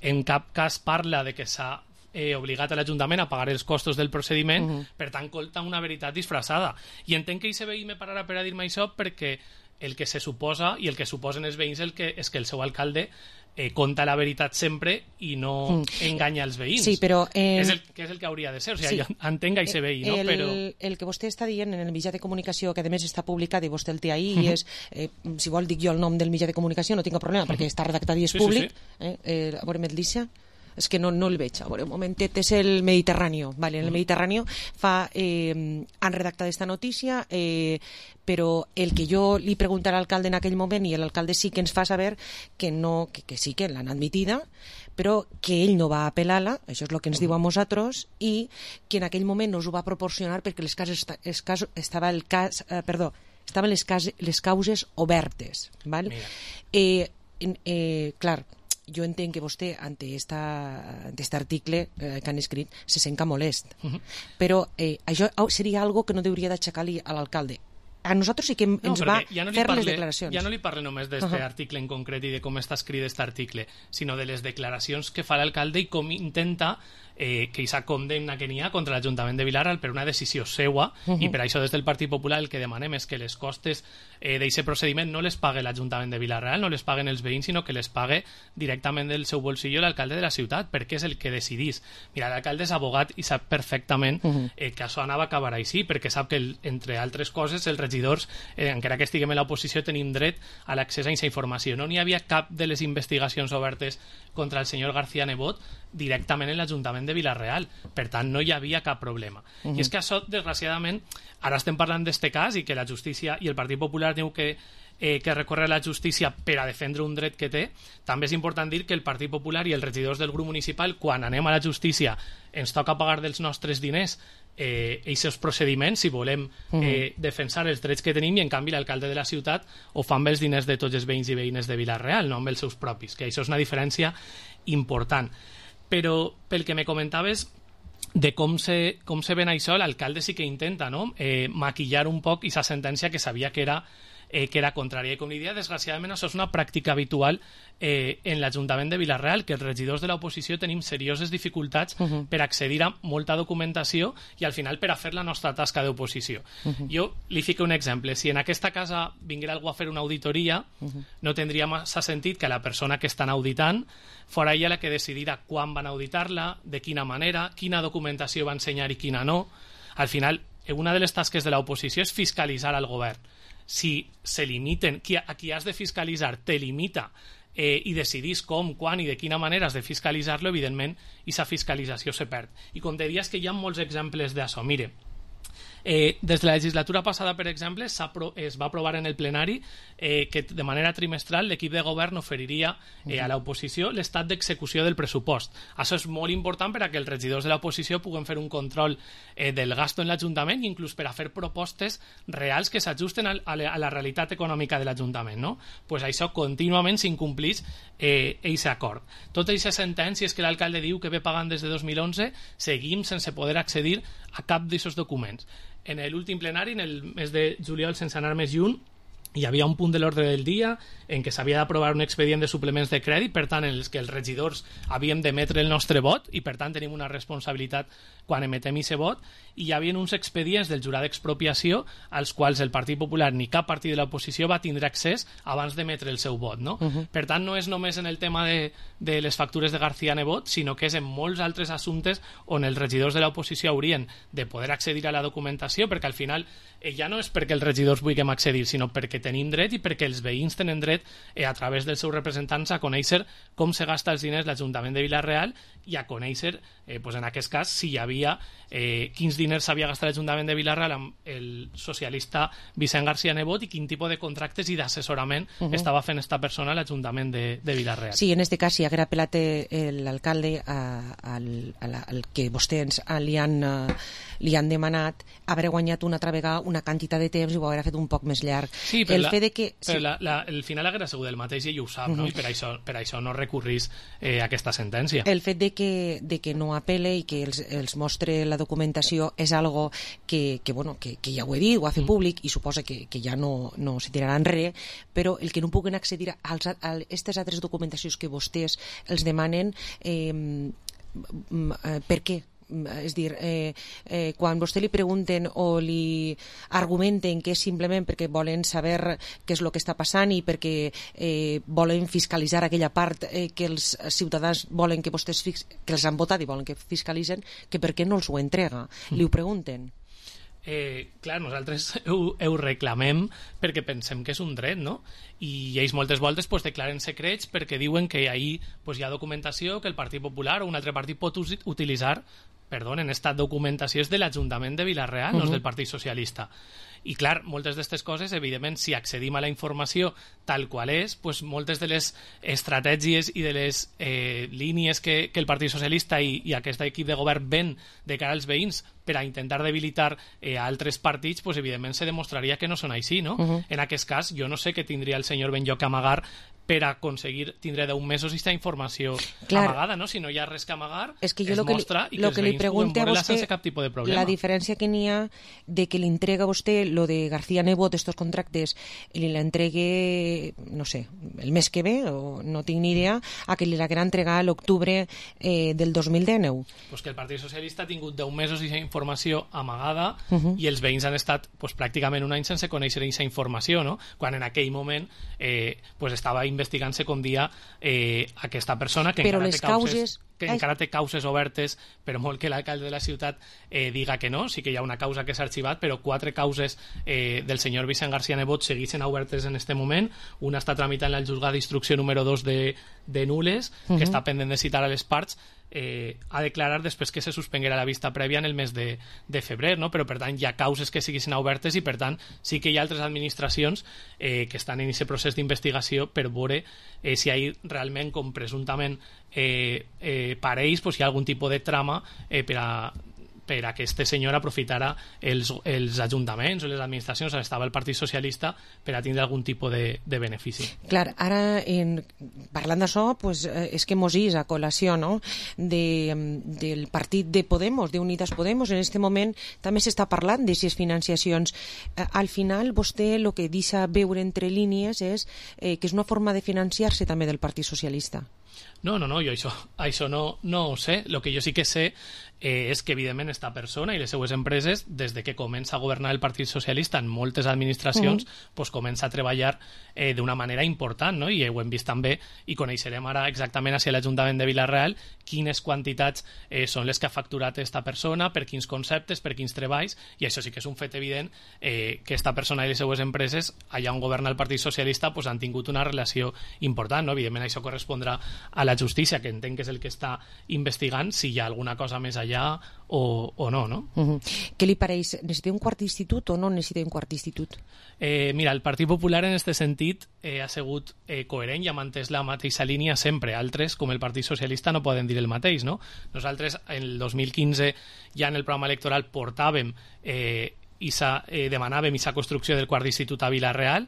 En cap cas parla de que s'ha eh, obligat a l'Ajuntament a pagar els costos del procediment. Uh-huh. Per tant, colta una veritat disfressada. I entenc que aquest veí me pararà per a dir-me això perquè el que se suposa i el que suposen els veïns el que, és que el seu alcalde eh, conta la veritat sempre i no mm. enganya els veïns. Sí, però... Eh... És el, que és el que hauria de ser. O sigui, sí. jo entenc que hi se veí, no? El, Però... el que vostè està dient en el mitjà de comunicació, que a més està publicat i vostè el té ahir, uh -huh. és, eh, si vol dic jo el nom del mitjà de comunicació, no tinc problema, uh -huh. perquè està redactat i és sí, públic. Sí, sí. Eh, eh, a veure, Medlícia... és que no, no el veig, a veure, un momentet, és el Mediterrani, vale, en el Mediterrani fa, eh, han redactat esta notícia, eh, però el que jo li pregunté a l'alcalde en aquell moment, i l'alcalde sí que ens fa saber que, no, que, que sí que l'han admitida, però que ell no va apel·lar-la, això és el que ens diu a nosaltres, i que en aquell moment no us ho va proporcionar perquè les cases, les casos, estava el cas, eh, perdó, estaven les, cas, les causes obertes, val? Eh, eh, clar, jo entenc que vostè, ante aquest article eh, que han escrit, se sent molest. Uh -huh. Però eh, això seria algo que no hauria d'aixecar-li a l'alcalde. A nosaltres sí que ens no, va ja no fer parle, les declaracions. Ja no li parle només d'aquest uh -huh. article en concret i de com està escrit aquest article, sinó de les declaracions que fa l'alcalde i com intenta eh, que aquesta condemna que n'hi ha contra l'Ajuntament de Vilarreal per una decisió seua, uh -huh. i per això des del Partit Popular el que demanem és que les costes eh, d'aquest procediment no les pague l'Ajuntament de Vilarreal, no les paguen els veïns, sinó que les pague directament del seu bolsillo l'alcalde de la ciutat, perquè és el que decidís. Mira, l'alcalde és abogat i sap perfectament uh -huh. eh, que això anava a acabar així, perquè sap que, el, entre altres coses, els regidors, eh, encara que estiguem en l'oposició, tenim dret a l'accés a aquesta informació. No n'hi havia cap de les investigacions obertes contra el senyor García Nebot directament en l'Ajuntament de Vilarreal. Per tant, no hi havia cap problema. Uh -huh. I és que això, desgraciadament, ara estem parlant d'este cas i que la justícia i el Partit Popular diu que eh, que recórrer a la justícia per a defendre un dret que té. També és important dir que el Partit Popular i els regidors del grup municipal, quan anem a la justícia, ens toca pagar dels nostres diners eh, aquests procediments si volem eh, defensar els drets que tenim, i en canvi l'alcalde de la ciutat ho fa amb els diners de tots els veïns i veïnes de Vilarreal, no amb els seus propis, que això és una diferència important. Però pel que me comentaves de com se, com se ven això, l'alcalde sí que intenta, no?, eh, maquillar un poc aquesta sentència que sabia que era Eh, que era contrària. I com li dia, desgraciadament, això és una pràctica habitual eh, en l'Ajuntament de Vilarreal, que els regidors de l'oposició tenim serioses dificultats uh -huh. per accedir a molta documentació i al final per a fer la nostra tasca d'oposició. Uh -huh. Jo li fico un exemple. Si en aquesta casa vinguera algú a fer una auditoria, uh -huh. no tindria massa sentit que la persona que estan auditant fora ella la que decidira quan van auditar-la, de quina manera, quina documentació va ensenyar i quina no. Al final, una de les tasques de l'oposició és fiscalitzar al govern. Si se limiten, qui, a qui has de fiscalitzar te limita eh, i decidís com, quan i de quina manera has de fiscalitzar-lo, evidentment, aquesta fiscalització se perd. I com te dies que hi ha molts exemples d'això. Mire, Eh, des de la legislatura passada, per exemple, es va aprovar en el plenari eh, que de manera trimestral l'equip de govern oferiria eh, a l'oposició l'estat d'execució del pressupost. Això és molt important per a que els regidors de l'oposició puguin fer un control eh, del gasto en l'Ajuntament i inclús per a fer propostes reals que s'ajusten a, a, la, a la realitat econòmica de l'Ajuntament, no? Pues això contínuament s'incomplís eh, aquest acord. Totes aquestes sentències que l'alcalde diu que ve pagant des de dos mil onze, seguim sense poder accedir a cap d'aquests documents. En l'últim plenari, en el mes de juliol, sense anar més lluny, hi havia un punt de l'ordre del dia en què s'havia d'aprovar un expedient de suplements de crèdit, per tant, en els que els regidors havíem d'emetre el nostre vot i, per tant, tenim una responsabilitat quan emetem aquest vot, i hi havia uns expedients del jurat d'expropiació als quals el Partit Popular ni cap partit de l'oposició va tindre accés abans d'emetre el seu vot, no? Uh -huh. Per tant, no és només en el tema de, de les factures de García Nebot, sinó que és en molts altres assumptes on els regidors de l'oposició haurien de poder accedir a la documentació, perquè al final eh, ja no és perquè els regidors vulguem accedir, sinó perquè tenim dret i perquè els veïns tenen dret eh, a través dels seus representants a conèixer com se gasta els diners l'Ajuntament de Vilarreal i a conèixer, eh, pues en aquest cas, si hi havia eh, quins diners s'havia gastat l'Ajuntament de Vilarreal amb el socialista Vicent García Nebot i quin tipus de contractes i d'assessorament uh -huh. estava fent esta persona a l'Ajuntament de, de Vilarreal. Sí, en este cas, si haguera apel·lat l'alcalde al, al, al que vostès li han, uh, li han demanat, haver guanyat una altra vegada una quantitat de temps i ho haurà fet un poc més llarg. Sí, però, el la, fet de que, però sí. la, la, el final haguera sigut el mateix i ell ho sap, uh -huh. no? I per això, per això no recurrís eh, a aquesta sentència. El fet de que, de que no apel·le i que els, els mostre la documentació és algo que, que, bueno, que, que ja ho he dit, ho ha fet públic i suposa que, que ja no, no se tirarà enrere, però el que no puguen accedir a aquestes altres documentacions que vostès els demanen, eh, per què? és dir, eh, eh, quan vostè li pregunten o li argumenten que és simplement perquè volen saber què és el que està passant i perquè eh, volen fiscalitzar aquella part eh, que els ciutadans volen que vostès fix... que els han votat i volen que fiscalitzen, que per què no els ho entrega? Mm. Li ho pregunten? Eh, clar, nosaltres ho, ho reclamem perquè pensem que és un dret, no? I ells moltes voltes pues, declaren secrets perquè diuen que ahí pues, hi ha documentació que el Partit Popular o un altre partit pot utilitzar. Perdonen, esta documentació és de l'Ajuntament de Vila-real, uh-huh. no és del Partit Socialista. I clar, moltes d'aquestes coses, evidentment, si accedim a la informació tal qual és, pues, moltes de les estratègies i de les eh, línies que, que el Partit Socialista i, i aquest equip de govern ven de cara als veïns per a intentar debilitar eh, a altres partits, pues, evidentment se demostraria que no són així, no? Uh-huh. En aquest cas, jo no sé què tindria el senyor Benlloc a amagar per a aconseguir tindre deu mesos aquesta informació Clar. amagada, no? Si no hi ha res que amagar, es, que es lo que mostra li, i que els veïns puguen veure-la sense cap tipus de problema. La diferència que n'hi ha de que li entrega a vostè lo de García Nebot, estos contractes, li l'entregue, no sé, el mes que ve, o no tinc ni idea, a que li l'haguera entregar a l'octubre eh, del dos mil dinou. Pues que el Partit Socialista ha tingut deu mesos d'aquesta informació amagada uh-huh. i els veïns han estat pues, pràcticament un any sense conèixer aquesta informació, no? Quan en aquell moment eh, pues, estava investigant-se com dia eh, aquesta persona que però encara les té causes... causes que encara té causes obertes, però molt que l'alcalde de la ciutat eh, diga que no, sí que hi ha una causa que s'ha arxivat, però quatre causes eh, del senyor Vicent García Nebot segueixen obertes en este moment. Una està tramitant el juzgat d'instrucció número dos de, de Nules, uh-huh. que està pendent de citar a les parts, eh, a declarar després que se suspenguera la vista prèvia en el mes de, de febrer, no? Però per tant hi ha causes que siguin obertes i per tant sí que hi ha altres administracions eh, que estan en aquest procés d'investigació per veure eh, si hi ha realment com presumptament eh, eh, parells, pues, hi ha algun tipus de trama eh, per a per a que este senyor aprofitara els, els ajuntaments o les administracions on estava el Partit Socialista per a tindre algun tipus de, de benefici. Clar, ara en, parlant d'això, pues, és que mos is a col·lació, no? de, del partit de Podemos, d'Unidas Podemos, en aquest moment també s'està parlant d'aquestes financiacions. Al final, vostè el que deixa veure entre línies és eh, que és una forma de financiar-se també del Partit Socialista. No, no, no, jo això, això no, no ho sé. El que jo sí que sé eh, és que, evidentment, esta persona i les seues empreses, des de que comença a governar el Partit Socialista en moltes administracions, uh-huh. pues, comença a treballar eh, d'una manera important, no? I ho hem vist també, i coneixerem ara exactament hacia l'Ajuntament de Vila-real quines quantitats eh, són les que ha facturat esta persona, per quins conceptes, per quins treballs, i això sí que és un fet evident eh, que esta persona i les seues empreses, allà on governa el Partit Socialista, pues, han tingut una relació important, no? Evidentment, això correspondrà a la justícia, que entenc que és el que està investigant si hi ha alguna cosa més allà o, o no, no? Uh-huh. Què li pareix? Necessita un quart d'institut o no necessita un quart d'institut? Eh, mira, el Partit Popular en aquest sentit eh, ha sigut eh, coherent i ha mantès la mateixa línia sempre. Altres, com el Partit Socialista, no poden dir el mateix, no? Nosaltres, en el dos mil quinze, ja en el programa electoral portàvem eh, i eh, demanàvem aquesta construcció del quart d'institut a Vila-real.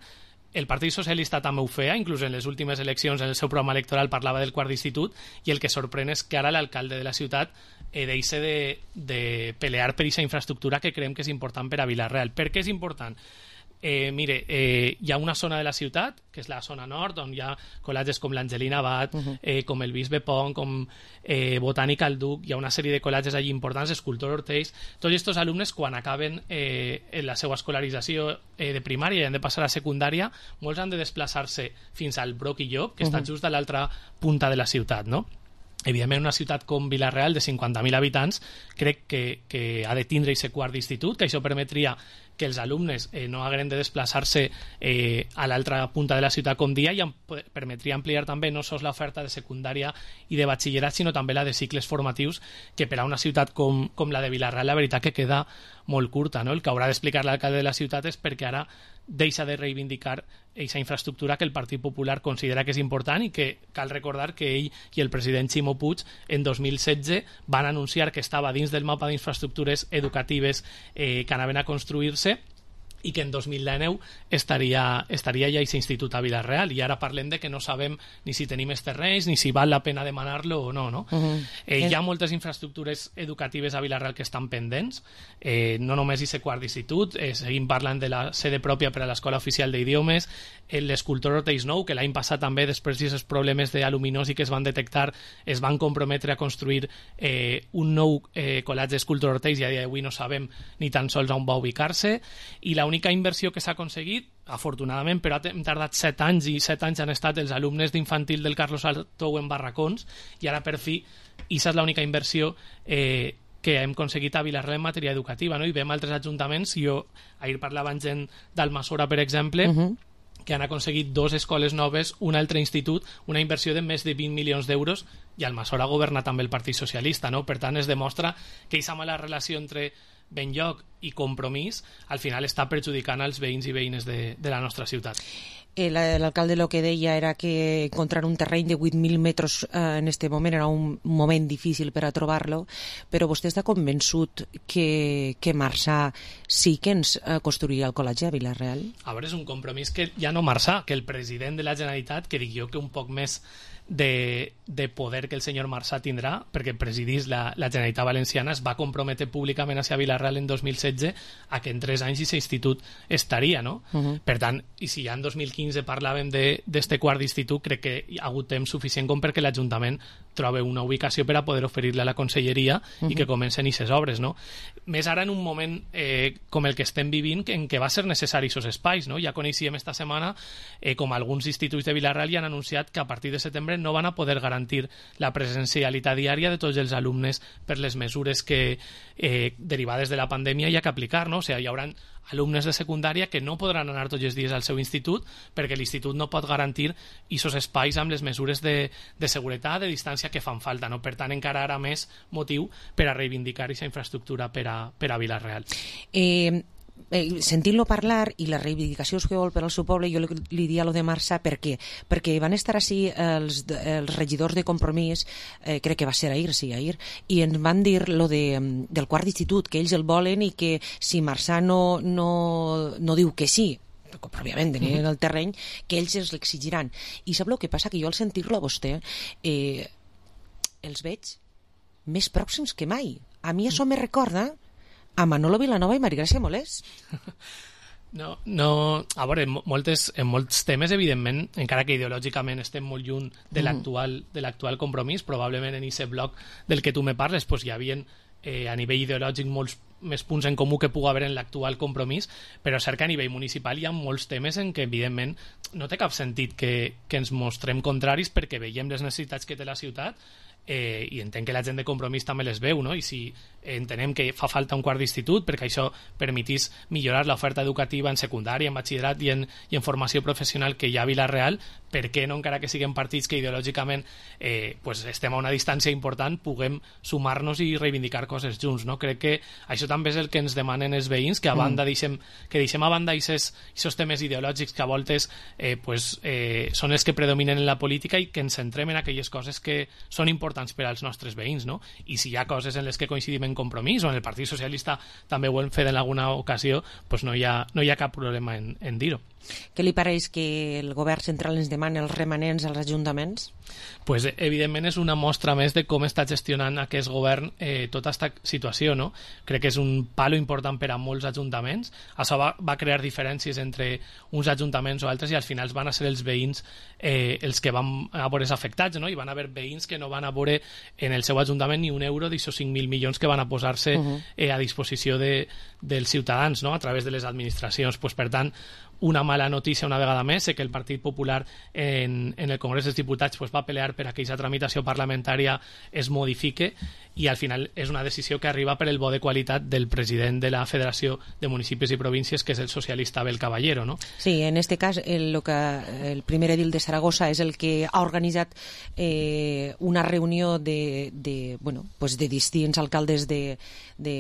El Partit Socialista també ho feia, inclús en les últimes eleccions en el seu programa electoral parlava del quart d'institut, i el que sorprèn és que ara l'alcalde de la ciutat eh, deixa de, de pelear per aquesta infraestructura que creiem que és important per a Vila-real. Per què és important? Eh, mire, eh, hi ha una zona de la ciutat, que és la zona nord, on hi ha col·latges com l'Angelina Abad, uh-huh. eh, com el Bisbe Pont, com eh, Botànica al Duc, hi ha una sèrie de col·latges allí importants, Escultor Ortells. Tots aquests alumnes, quan acaben eh, la seva escolarització eh, de primària i han de passar a secundària, molts han de desplaçar-se fins al Broc i Llop, que uh-huh. estan just a l'altra punta de la ciutat, no? Evidentment, una ciutat com Vila-real, de cinquanta mil habitants, crec que, que ha de tindre aquest quart d'institut, que això permetria que els alumnes eh, no hagueren de desplaçar-se eh, a l'altra punta de la ciutat com dia, i am permetria ampliar també no sols l'oferta de secundària i de batxillerat, sinó també la de cicles formatius, que per a una ciutat com, com la de Vila-real, la veritat que queda molt curta, no? El que haurà d'explicar l'alcalde de la ciutat és perquè ara deixa de reivindicar aquesta infraestructura que el Partit Popular considera que és important, i que cal recordar que ell i el president Ximo Puig en dos mil setze van anunciar que estava dins del mapa d'infraestructures educatives eh, que anaven a construir-se, i que en dos mil dinou estaria, estaria ja aquest institut a Vila-real, i ara parlem de que no sabem ni si tenim els terrenys ni si val la pena demanar-lo o no, no? Uh-huh. eh, hi ha moltes infraestructures educatives a Vila-real que estan pendents, eh, no només aquest quart d'institut, eh, seguim parlant de la sede pròpia per a l'Escola Oficial d'Idiomes, l'escultor Orteix Nou, que l'any passat també, després d'aquests problemes d'aluminosi que es van detectar, es van comprometre a construir eh, un nou eh, col·legi d'escultor Orteix, i a dia d'avui no sabem ni tan sols on va ubicar-se, i l'única inversió que s'ha aconseguit, afortunadament, però hem tardat set anys, i set anys han estat els alumnes d'infantil del Carlos Artou en barracons, i ara per fi, i aquesta és l'única inversió eh, que hem aconseguit a Vila-real en matèria educativa, no? I veiem altres ajuntaments, jo ahir parlava amb gent d'Almassora, per exemple, uh-huh. que han aconseguit dos escoles noves, un altre institut, una inversió de més de vint milions d'euros, i Almassora governa també el Partit Socialista, no? Per tant, es demostra que aquesta mala relació entre Benlloc i Compromís al final està perjudicant als veïns i veïnes de, de la nostra ciutat. L'alcalde el que deia era que encontrar un terreny de vuit mil metres eh, en este moment era un moment difícil per a trobar-lo, però vostè està convençut que, que Marçà sí que ens eh, construiria el col·legi a Vila-real? A veure, és un compromís que ja no Marçà, que el president de la Generalitat, que dic jo que un poc més de, de poder que el senyor Marçà tindrà, perquè presidís la, la Generalitat Valenciana, es va comprometre públicament hacia Vila-real en dos mil setze a que en tres anys aquest institut estaria, no? Uh-huh. Per tant, i si ja en dos mil quinze parlàvem d'este quart d'institut, crec que hi ha hagut temps suficient com perquè l'Ajuntament trobi una ubicació per a poder oferir-la a la conselleria uh-huh. i que comencen aquestes obres, no? Més ara en un moment eh, com el que estem vivint, en què va ser necessari aquests espais, no? Ja coneixíem esta setmana eh, com alguns instituts de Vila-real ja han anunciat que a partir de setembre no van a poder garantir la presencialitat diària de tots els alumnes per les mesures que eh, derivades de la pandèmia hi ha que aplicar, no? O sigui, hi haurà alumnes de secundària que no podran anar tots els dies al seu institut perquè l'institut no pot garantir aquests espais amb les mesures de, de seguretat, de distància que fan falta, no? Per tant, encara ara més motiu per a reivindicar aquesta infraestructura per a, per a Vila-real. Eh... Eh, sentint-lo parlar i les reivindicacions que vol per al seu poble, jo li, li dia lo de Marçà, per què? Perquè van estar així els, els regidors de Compromís, eh, crec que va ser ahir, sí, ahir, i ens van dir lo de, del quart d'institut, que ells el volen i que si Marçà no, no, no diu que sí, òbviament tenien el terreny, que ells els l'exigiran. I sap el que passa? Que jo al sentir-lo a vostè eh, els veig més pròxims que mai. A mi això me recorda a Manolo Vilanova i Maria Gràcia Molés. No, no, a veure, en, moltes, en molts temes, evidentment, encara que ideològicament estem molt lluny de l'actual de l'actual Compromís, probablement en aquest bloc del que tu me parles, pues, hi havia eh, a nivell ideològic molts més punts en comú que pugui haver en l'actual Compromís, però cert que a nivell municipal hi ha molts temes en què, evidentment, no té cap sentit que, que ens mostrem contraris perquè veiem les necessitats que té la ciutat, eh, i entenc que la gent de Compromís també les veu, no? I si entenem que fa falta un quart d'institut perquè això permetís millorar l'oferta educativa en secundària, en batxillerat i en, i en formació professional que hi ha a Vila-real, per què no, encara que siguem partits que ideològicament eh, pues estem a una distància important, puguem sumar-nos i reivindicar coses junts, no? Crec que això també és el que ens demanen els veïns, que a banda mm. deixem, que deixem a banda aquests temes ideològics que a voltes eh, pues, eh, són els que predominen en la política i que ens centrem en aquelles coses que són importants per als nostres veïns, no? I si hi ha coses en les que coincidim en Compromís o en el Partit Socialista també ho hem fet en alguna ocasió, pues no hi ha, no hi ha cap problema en, en dir-ho. Què li pareix que el govern central ens demani els remanents als ajuntaments? Pues, evidentment és una mostra més de com està gestionant aquest govern eh, tota aquesta situació, no? Crec que és un palo important per a molts ajuntaments. Això va, va crear diferències entre uns ajuntaments o altres i al final van a ser els veïns eh, els que van a veure afectats, no? I van haver veïns que no van a veure en el seu ajuntament ni un euro d'aquests cinc mil milions que van a posar-se uh-huh. eh, a disposició de, dels ciutadans, no? A través de les administracions. Pues, per tant, una mala notícia una vegada més, sé que el Partit Popular en, en el Congrés dels Diputats pues, va pelear per a que aquesta tramitació parlamentària es modifique i al final és una decisió que arriba per el bo de qualitat del president de la Federació de Municipis i Províncies, que és el socialista Abel Caballero, no? Sí, en este cas el, lo que, el primer edil de Saragossa és el que ha organitzat eh, una reunió de, de, bueno, pues de distints alcaldes de, de,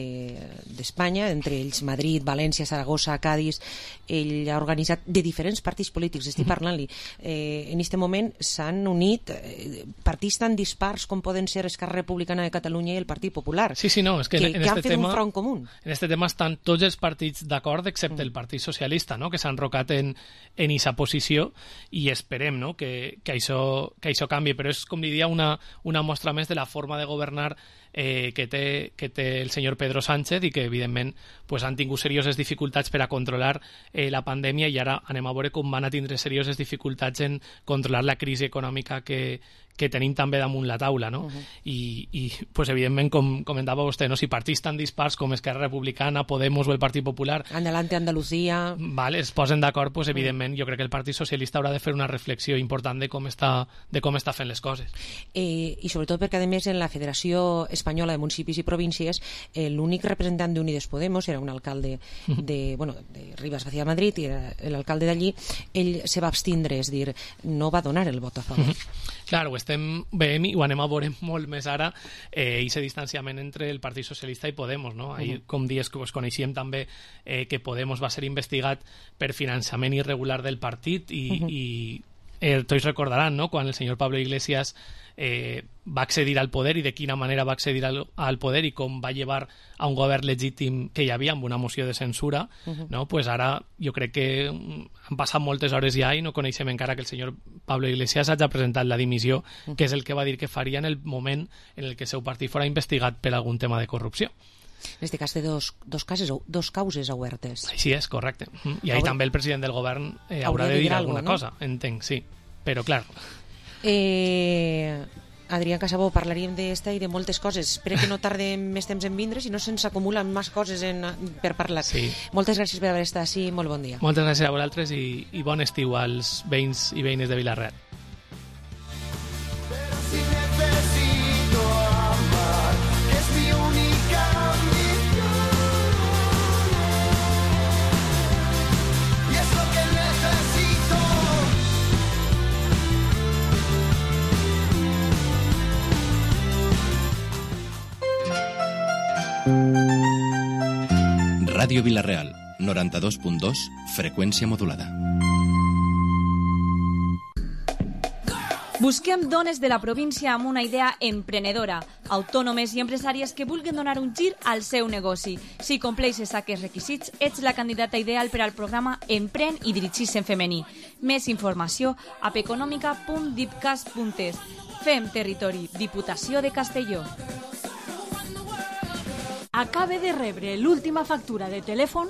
d'Espanya, entre ells Madrid, València, Saragossa, Cádiz. Ell ha organitzat de diferents partits polítics, estic parlant-li, eh, en aquest moment s'han unit eh, partits tan dispars com poden ser Esquerra Republicana de Catalunya i el Partit Popular, sí, sí, no, és que, que, en, en que este han fet tema, un front comú. En aquest tema estan tots els partits d'acord, excepte mm. el Partit Socialista, no?, que s'han enrocat en en aquesta posició, i esperem, no?, que, que, això, que això canvi, però és, com diria, una, una mostra més de la forma de governar eh, que, té, que té el senyor Pedro Sánchez, i que evidentment pues, han tingut serioses dificultats per a controlar eh, la pandèmia, i ara anem a veure com van a tindre serioses dificultats en controlar la crisi econòmica que, que tenim també damunt la taula, no? Uh-huh. I, i pues, evidentment, com comentava vostè, no? Si partits tan dispars com Esquerra Republicana, Podemos o el Partit Popular Adelante Andalucía vale, es posen d'acord, pues, evidentment jo crec que el Partit Socialista haurà de fer una reflexió important de com està, de com està fent les coses. Eh, I sobretot perquè, a més, en la Federació Espanyola de Municipis i Províncies, eh, l'únic representant d'Unides Podemos era un alcalde de, bueno, de Rivas Vacía de Madrid, i era l'alcalde d'allí, ell se va abstindre, és dir, no va donar el vot a favor. Clar, ho estem veient i ho anem a veure molt més ara, eh, i ese distanciament entre el Partit Socialista i Podemos, no? Ahir, uh-huh. com dies que pues, coneixíem també eh, que Podemos va ser investigat per finançament irregular del partit, i, uh-huh. i eh, tots recordaran, no?, quan el senyor Pablo Iglesias eh, va accedir al poder, i de quina manera va accedir al, al poder, i com va llevar a un govern legítim que hi havia amb una moció de censura, uh-huh. no? Pues ara jo crec que han passat moltes hores ja i no coneixem encara que el senyor Pablo Iglesias hagi presentat la dimissió, uh-huh. que és el que va dir que faria en el moment en el que el seu partit fora investigat per algun tema de corrupció. En aquest cas té dos, dos, cases, dos causes obertes. Així és, correcte. I ahí també el president del govern eh, haurà de dir alguna algo, no? cosa, entenc, sí. Però, clar... Eh... Adrià Casabó, parlaríem d'esta i de moltes coses. Espero que no tardem més temps en vindre, si no se'ns acumulen més coses en, per parlar. Sí. Moltes gràcies per haver estat així, molt bon dia. Moltes gràcies a vosaltres i, i bon estiu als veïns i veïnes de Vila-real. Ràdio Vila-real, noranta-dos punt dos, freqüència modulada. Busquem dones de la província amb una idea emprenedora, autònomes i empresàries que vulguin donar un gir al seu negoci. Si compleixes aquests requisits, ets la candidata ideal per al programa Empren i dirigís en femení. Més informació a peconòmica punt dipcas punt es. Fem territori, Diputació de Castelló. Acabe de rebre l'última factura de telèfon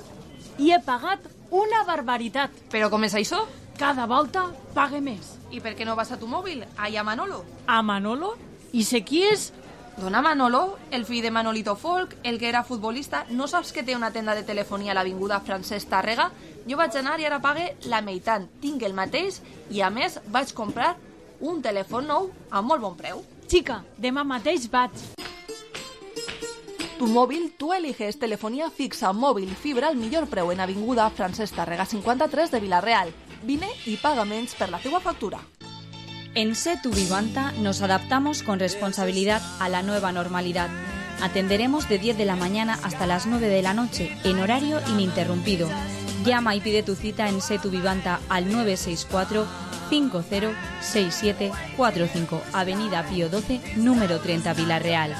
i he pagat una barbaritat. Però com és això? Cada volta pague més. I per què no vas a tu mòbil? Allà a Manolo. A Manolo? I sé qui és? Dona Manolo, el fill de Manolito Folk, el que era futbolista. No saps que té una tenda de telefonia a l'avinguda Francesc Tàrrega? Jo vaig anar i ara pague la meitat. Tinc el mateix i, a més, vaig comprar un telèfon nou a molt bon preu. Xica, demà mateix vaig. Tu móvil, tú eliges telefonía fixa, móvil, fibra al millor preu en avinguda Francesc Tàrrega cinquanta-tres de Vila-real. Vine y paga menys per la teua factura. En Setu Vivanta nos adaptamos con responsabilidad a la nueva normalidad. Atenderemos de diez de la mañana hasta las nueve de la noche, en horario ininterrumpido. Llama y pide tu cita en Setu Vivanta al nueve seis cuatro cinco cero seis siete cuatro cinco, Avenida Pío doce, número treinta, Vila-real.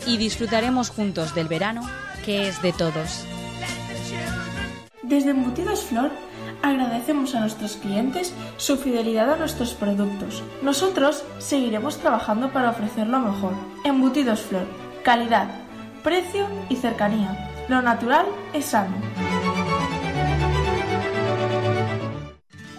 Y disfrutaremos juntos del verano, que es de todos. Desde Embutidos Flor agradecemos a nuestros clientes su fidelidad a nuestros productos. Nosotros seguiremos trabajando para ofrecer lo mejor. Embutidos Flor, calidad, precio y cercanía. Lo natural es sano.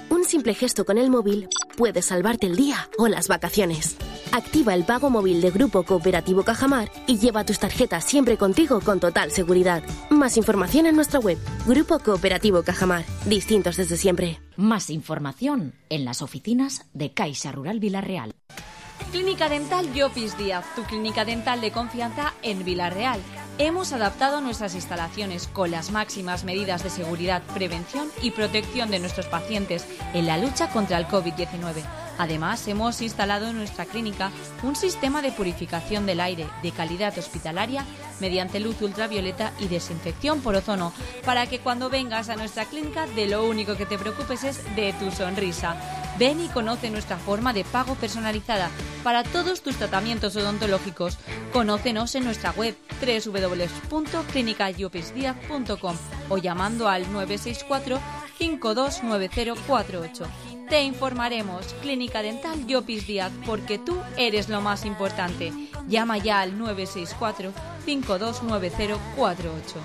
Un simple gesto con el móvil puede salvarte el día o las vacaciones. Activa el pago móvil de Grupo Cooperativo Cajamar y lleva tus tarjetas siempre contigo con total seguridad. Más información en nuestra web, Grupo Cooperativo Cajamar. Distintos desde siempre. Más información en las oficinas de Caixa Rural Vila-real. Clínica Dental Llopis Díaz, tu clínica dental de confianza en Vila-real. Hemos adaptado nuestras instalaciones con las máximas medidas de seguridad, prevención y protección de nuestros pacientes en la lucha contra el COVID diecinueve. Además, hemos instalado en nuestra clínica un sistema de purificación del aire de calidad hospitalaria mediante luz ultravioleta y desinfección por ozono, para que cuando vengas a nuestra clínica de lo único que te preocupes es de tu sonrisa. Ven y conoce nuestra forma de pago personalizada para todos tus tratamientos odontológicos. Conócenos en nuestra web doble u doble u doble u punto clínica llopis díaz punto com o llamando al nueve seis cuatro, cinco dos nueve cero cuatro ocho. Te informaremos. Clínica Dental Llopis Díaz, porque tú eres lo más importante. Llama ya al nueve seis cuatro, cinco dos nueve cero cuatro ocho.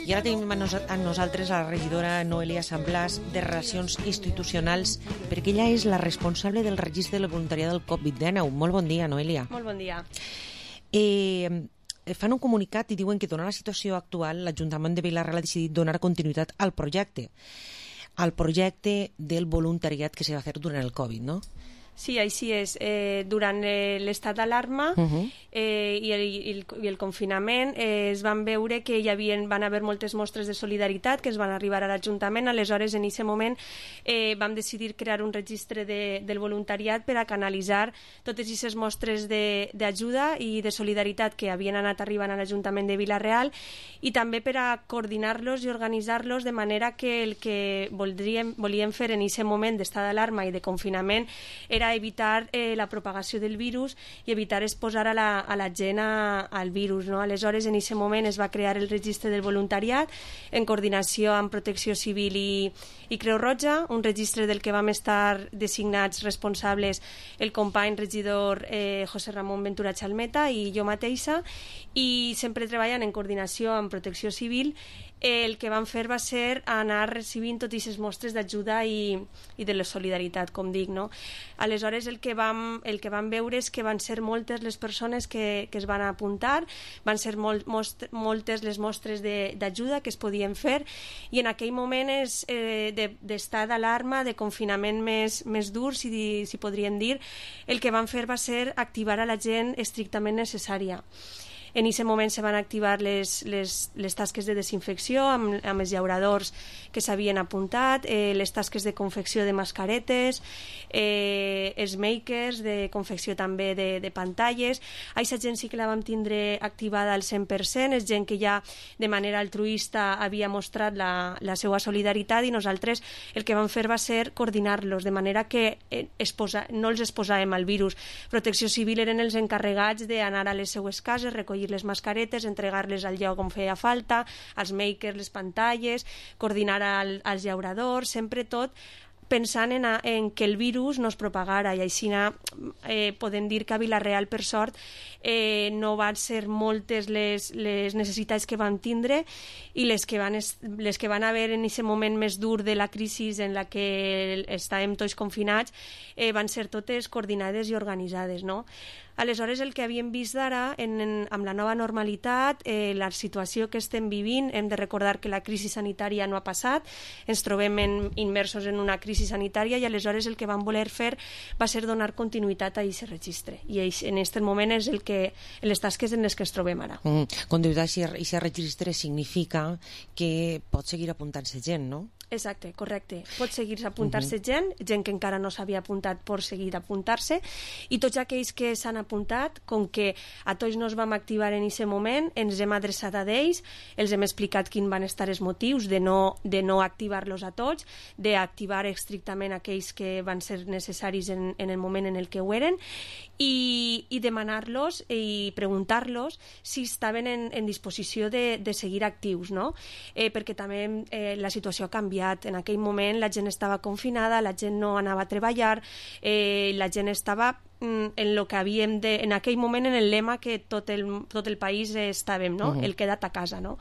I ara tenim a, nos a nosaltres a la regidora Noelia Samblàs de Relacions Institucionals, perquè ella és la responsable del registre del voluntariat del covid dinou. Molt bon dia, Noelia. Molt bon dia. Eh, fan un comunicat i diuen que, donant la situació actual, l'Ajuntament de Vila-real ha decidit donar continuïtat al projecte, al projecte del voluntariat que se va fer durant el Covid, no? Sí, així és. Eh, durant eh, l'estat d'alarma Uh-huh. eh, i, el, i, el, i el confinament eh, es van veure que hi havia, van haver moltes mostres de solidaritat que es van arribar a l'Ajuntament. Aleshores, en aquest moment eh, vam decidir crear un registre de, del voluntariat per a canalitzar totes aquestes mostres d'ajuda i de solidaritat que havien anat arribant a l'Ajuntament de Vila-real, i també per a coordinar-los i organitzar-los de manera que el que voldríem, volíem fer en aquest moment d'estat d'alarma i de confinament era evitar eh, la propagació del virus i evitar exposar a la, a la gent a, al virus, no? Aleshores, en aquest moment es va crear el registre del voluntariat en coordinació amb Protecció Civil i, i Creu Roja, un registre del que vam estar designats responsables el company regidor eh, José Ramon Ventura Chalmeta i jo mateixa, i sempre treballant en coordinació amb Protecció Civil. El que vam fer va ser anar recibint totes aquestes mostres d'ajuda i, i de la solidaritat, com dic, no? Aleshores, el que, vam, el que vam veure és que van ser moltes les persones que, que es van apuntar, van ser molt, most, moltes les mostres d'ajuda que es podien fer, i en aquell moment és eh, d'estar d'alarma, de confinament més, més dur, si, si podríem dir, el que vam fer va ser activar a la gent estrictament necessària. En aquest moment se van activar les, les, les tasques de desinfecció amb, amb els llauradors que s'havien apuntat, eh, les tasques de confecció de mascaretes, eh, els makers de confecció també de, de pantalles. Aquesta gent sí que la vam tindre activada al cent per cent, és gent que ja de manera altruista havia mostrat la, la seva solidaritat, i nosaltres el que vam fer va ser coordinar-los de manera que eh, exposa, no els exposàvem al virus. Protecció Civil eren els encarregats d'anar a les seues cases, recollir les mascaretes, entregar-les al lloc on feia falta, als makers, les pantalles, coordinar al, als llauradors, sempre tot pensant en, a, en que el virus no es propagara, i així eh, podem dir que a Vila-real, per sort, eh, no van ser moltes les, les necessitats que vam tindre, i les que van, es, les que van haver en aquest moment més dur de la crisi en la que estàvem tots confinats, eh, van ser totes coordinades i organitzades, no? Aleshores, el que havíem vist d'ara, amb la nova normalitat, eh, la situació que estem vivint, hem de recordar que la crisi sanitària no ha passat, ens trobem en, immersos en una crisi sanitària, i aleshores el que vam voler fer va ser donar continuïtat a aquest registre, i en aquest moment és el que, les tasques en les que ens trobem ara. Mm, continuïtat a aquest registre significa que pot seguir apuntant-se gent, no? Exacte, correcte. Pot seguir apuntar-se uh -huh. gent, gent que encara no s'havia apuntat pot seguir apuntar-se, i tots aquells que s'han apuntat, com que a tots no es vam activar en aquest moment, ens hem adreçat a ells, els hem explicat quins van estar els motius de no, de no activar-los a tots, d'activar estrictament aquells que van ser necessaris en, en el moment en el que ho eren, i, i demanar-los i preguntar-los si estaven en, en disposició de, de seguir actius, no? Eh, perquè també eh, la situació ha canviat. En aquell moment la gent estava confinada, la gent no anava a treballar, eh, la gent estava en lo que havíem de, en aquell moment, en el lema que tot el, tot el país estàvem, no? Uh-huh. El queda't a casa, no?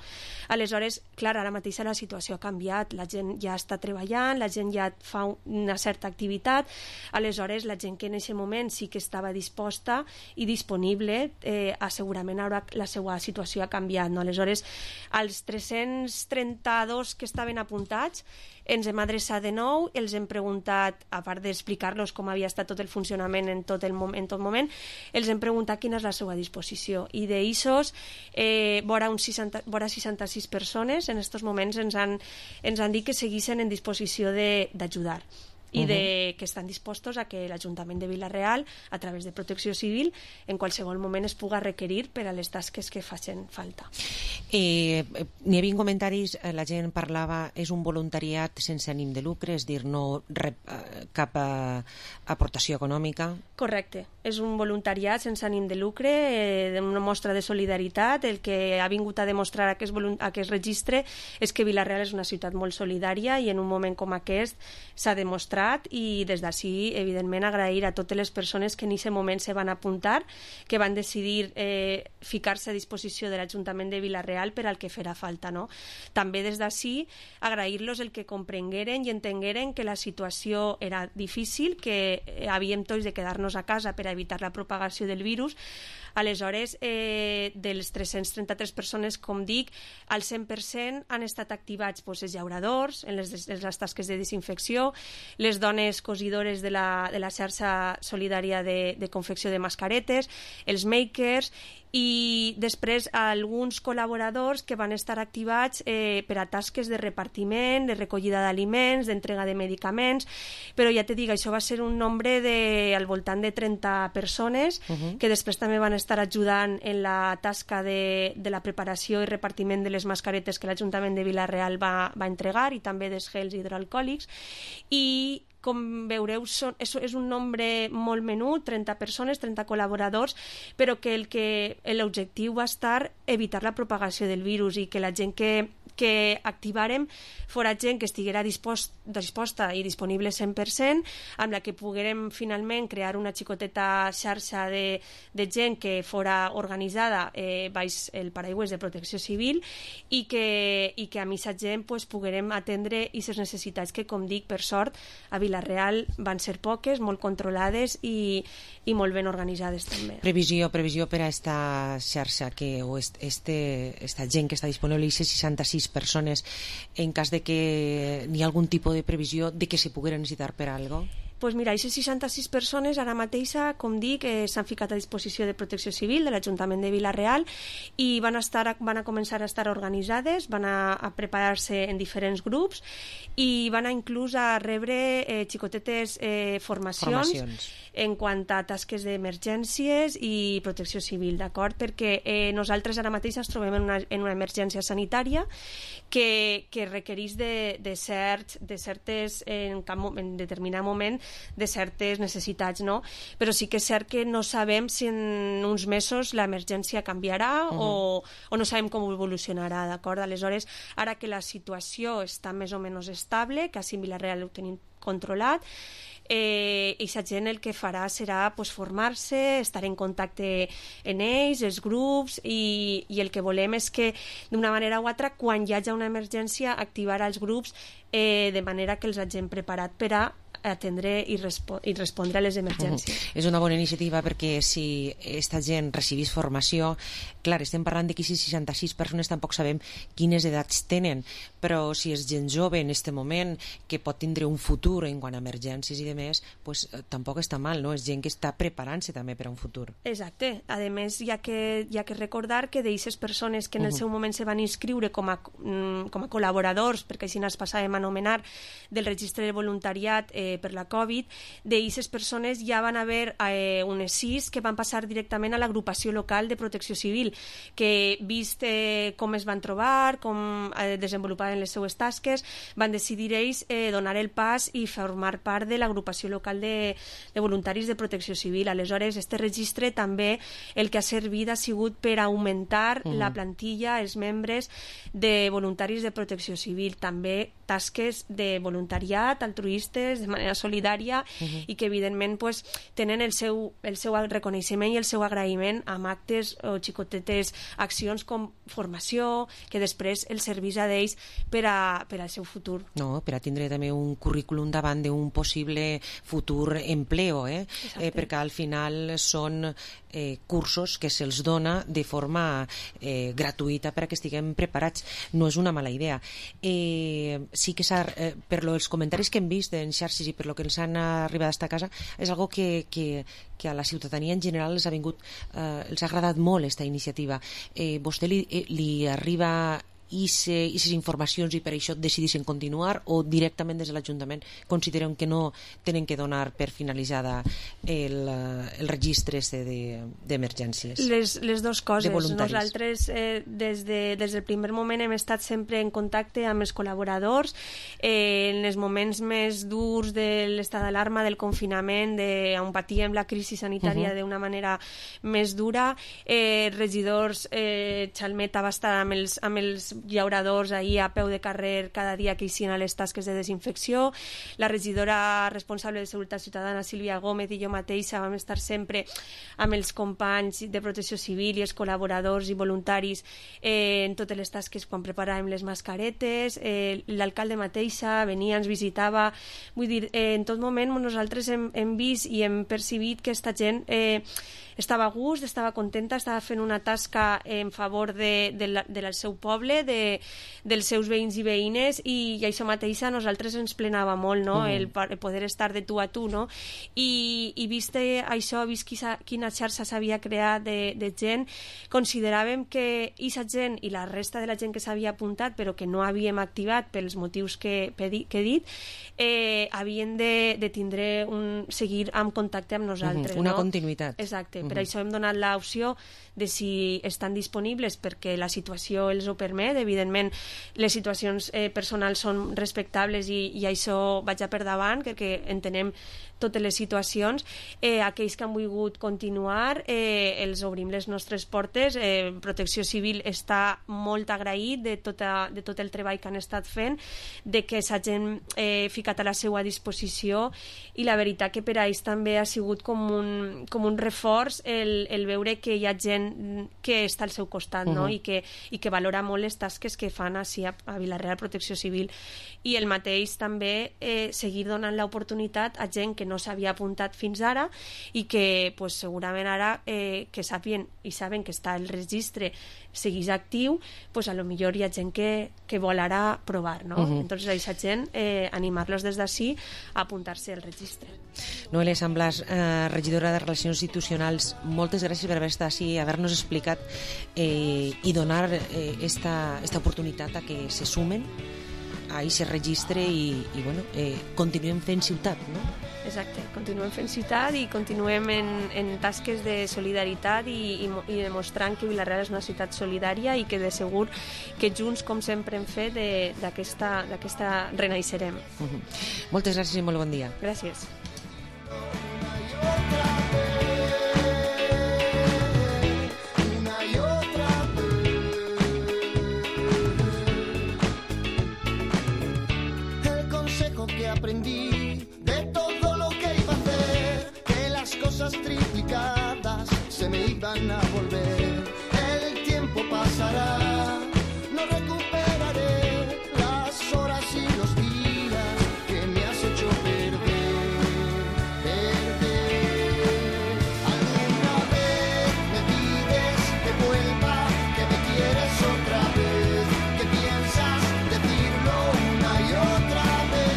Aleshores, clar, ara mateix la situació ha canviat, la gent ja està treballant, la gent ja fa una certa activitat, aleshores la gent que en aquest moment sí que estava disposta i disponible, eh, segurament ara la seva situació ha canviat, no? Aleshores, als tres-cents trenta-dos que estaven apuntats, ens hem adreçat de nou, els hem preguntat, a part d'explicar-los com havia estat tot el funcionament en tot, el moment, en tot moment, els hem preguntat quina és la seva disposició. I d'eixos, eh, vora, uns seixanta, vora seixanta-sis persones, en aquests moments ens han, ens han dit que seguissin en disposició d'ajudar. I de, uh-huh. que estan dispostos a que l'Ajuntament de Vila-real, a través de Protecció Civil, en qualsevol moment es puga requerir per a les tasques que facin falta. Eh, N'hi havia comentaris, la gent parlava, és un voluntariat sense ànim de lucre, és dir, no rep cap a, aportació econòmica? Correcte, és un voluntariat sense ànim de lucre, eh, una mostra de solidaritat. El que ha vingut a demostrar aquest, aquest registre és que Vila-real és una ciutat molt solidària i en un moment com aquest s'ha demostrat, i des d'ací, evidentment, agrair a totes les persones que en aquest moment se van apuntar, que van decidir eh, ficar-se a disposició de l'Ajuntament de Vila-real per al que farà falta, no? També des d'ací agrair-los el que comprengueren i entengueren que la situació era difícil, que havíem tots de quedar-nos a casa per a evitar la propagació del virus. Aleshores, eh, dels tres-cents trenta-tres persones, com dic, al cent per cent han estat activats doncs, els llauradors, en les, en les tasques de desinfecció, les dones cosidores de la, de la xarxa solidària de, de confecció de mascaretes, els makers, i després alguns col·laboradors que van estar activats eh, per a tasques de repartiment, de recollida d'aliments, d'entrega de medicaments, però ja te dic, això va ser un nombre de, al voltant de trenta persones, uh-huh. que després també van estar ajudant en la tasca de, de la preparació i repartiment de les mascaretes que l'Ajuntament de Vila-real va, va entregar, i també dels gels hidroalcohòlics, i com veureu, són, és, és un nombre molt menut, trenta persones, trenta col·laboradors, però que el que l'objectiu va estar evitar la propagació del virus i que la gent que, que activàrem fora gent que estiguera dispost, disposta i disponible cent per cent, amb la que poguérem finalment crear una xicoteta xarxa de, de gent que fora organitzada eh, baix el paraigües de Protecció Civil, i que, i que a aquesta gent pues, poguérem atendre aquestes necessitats que, com dic, per sort, a Vila-real van ser poques, molt controlades i, i molt ben organitzades també. Previsió, previsió per a esta xarxa que, o este, esta gent que està disponible, aquestes seixanta-sis persones, en cas de que n'hi ha algun tipus de previsió de que se poguera necessitar per a algo? Pues mira, aquestes seixanta-sis persones ara mateixa, com dic, eh, s'han ficat a disposició de Protecció Civil, de l'Ajuntament de Vila-real, i van, estar, van a començar a estar organitzades, van a, a preparar-se en diferents grups i van a inclús a rebre eh, xicotetes eh, formacions, formacions en quant a tasques d'emergències i protecció civil, d'acord? Perquè eh, nosaltres ara mateix ens trobem en una, en una emergència sanitària que, que requereix de, de, cert, de certes, en, cap, en determinat moment, de certes necessitats, no? Però sí que és cert que no sabem si en uns mesos l'emergència canviarà uh-huh. o, o no sabem com evolucionarà, d'acord? Aleshores, ara que la situació està més o menys estable, que a Vila-real ho tenim controlat, eh, i la gent el que farà serà pues, formar-se, estar en contacte en ells, els grups, i, i el que volem és que d'una manera o altra, quan hi hagi una emergència, activar els grups eh, de manera que els hagin preparat per a atendre i, respo i respondre a les emergències. Uh-huh. És una bona iniciativa perquè si aquesta gent recibís formació, clar, estem parlant de que si seixanta-sis persones tampoc sabem quines edats tenen, però si és gent jove en aquest moment que pot tindre un futur en quant a emergències i demés, pues, eh, tampoc està mal, no? És gent que està preparant-se també per a un futur. Exacte. A més, hi ha que, hi ha que recordar que d'aquestes persones que en el uh-huh. seu moment se van inscriure com a, com a col·laboradors, perquè així ens passàvem a anomenar, del registre de voluntariat eh, per la Covid, d'aquestes persones ja van haver eh, unes sis que van passar directament a l'agrupació local de Protecció Civil, que vist eh, com es van trobar, com eh, desenvolupaven les seues tasques, van decidir ells eh, donar el pas i formar part de l'agrupació local de, de voluntaris de Protecció Civil. Aleshores, este registre també el que ha servit ha sigut per augmentar uh-huh. la plantilla, els membres de voluntaris de Protecció Civil. També tasques de voluntariat, altruistes, de manera solidària, uh-huh. i que evidentment pues, tenen el seu, el seu reconeixement i el seu agraïment amb actes o xicotetes accions com formació, que després els serveix a d'ells per, a, per al seu futur. No, per a tindre també un currículum davant d'un possible futur empleo, eh? eh perquè al final són eh, cursos que se'ls dona de forma eh, gratuïta per a que estiguem preparats. No és una mala idea. Eh, sí que s'ha, eh, per lo, els comentaris que hem vist en xarxes i per lo que ens han arribat a esta casa, és algo que, que, que a la ciutadania en general els ha vingut, eh, els ha agradat molt aquesta iniciativa. Eh, vostè li, eh, li arriba aquestes informacions i per això decidissin continuar, o directament des de l'Ajuntament consideren que no tenen que donar per finalitzada el, el registre d'emergències? Les, les dues coses. Nosaltres eh, des, de, des del primer moment hem estat sempre en contacte amb els col·laboradors, eh, en els moments més durs de l'estat d'alarma, del confinament, de, on patíem la crisi sanitària uh-huh. d'una manera més dura. Eh, regidors, eh, Xalmeta va estar amb els, amb els llauradors ahir a peu de carrer cada dia que eixien a les tasques de desinfecció. La regidora responsable de Seguretat Ciutadana, Sílvia Gómez, i jo mateixa vam estar sempre amb els companys de Protecció Civil i els col·laboradors i voluntaris eh, en totes les tasques quan preparàvem les mascaretes. Eh, l'alcalde mateixa venia, ens visitava. Vull dir, eh, en tot moment nosaltres hem, hem vist i hem percibit que aquesta gent eh, estava a gust, estava contenta, estava fent una tasca en favor de, de la, del seu poble, de, dels seus veïns i veïnes, i, i això mateix a nosaltres ens plenava molt, no? Uh-huh. el, el poder estar de tu a tu, no? I, i vist això, vist quina, quina xarxa s'havia creat de, de gent, consideràvem que aquesta gent i la resta de la gent que s'havia apuntat però que no havíem activat pels motius que, que he dit, eh, havien de, de tindre un, seguir amb contacte amb nosaltres. Uh-huh. Una no? continuïtat. Exacte. Per això hem donat l'opció de si estan disponibles perquè la situació els ho permet. Evidentment, les situacions eh, personals són respectables i, i això vaig a per davant, perquè entenem totes les situacions. Eh, aquells que han volgut continuar, eh, els obrim les nostres portes. Eh, Protecció Civil està molt agraït de, tota, de tot el treball que han estat fent, de que s'hagin eh, ficat a la seva disposició, i la veritat que per a ells també ha sigut com un, com un reforç el, el veure que hi ha gent que està al seu costat, no? Uh-huh. I, que, i que valora molt les tasques que fan així a, a Vila-real Protecció Civil. I el mateix també eh, seguir donant l'oportunitat a gent que no s'havia apuntat fins ara i que pues, segurament ara eh, que sàpien i saben que està el registre seguís actiu, pues a lo millor hi ha gent que, que vol ara provar, no? Uh-huh. Entonces a aquesta gent eh, animar-los des d'ací a apuntar-se al registre. Noelia Samblas, eh, regidora de Relacions Institucionals, moltes gràcies per haver estat així, haver-nos explicat eh, i donar eh, esta, esta oportunitat a que se sumen a aquest registre i, i bueno, eh, continuem fent ciutat, no? Exacte, continuem fent ciutat i continuem en, en tasques de solidaritat i, i, i demostrant que Vila-real és una ciutat solidària i que de segur que junts, com sempre hem fet, d'aquesta renaixerem. Uh-huh. Moltes gràcies i molt bon dia. Gràcies. Que aprendí de todo lo que iba a hacer, que las cosas triplicadas se me iban a volver. El tiempo pasará, no recuperaré las horas y los días que me has hecho perder, perder. Alguna vez me pides que vuelva, que me quieres otra vez, que piensas decirlo una y otra vez.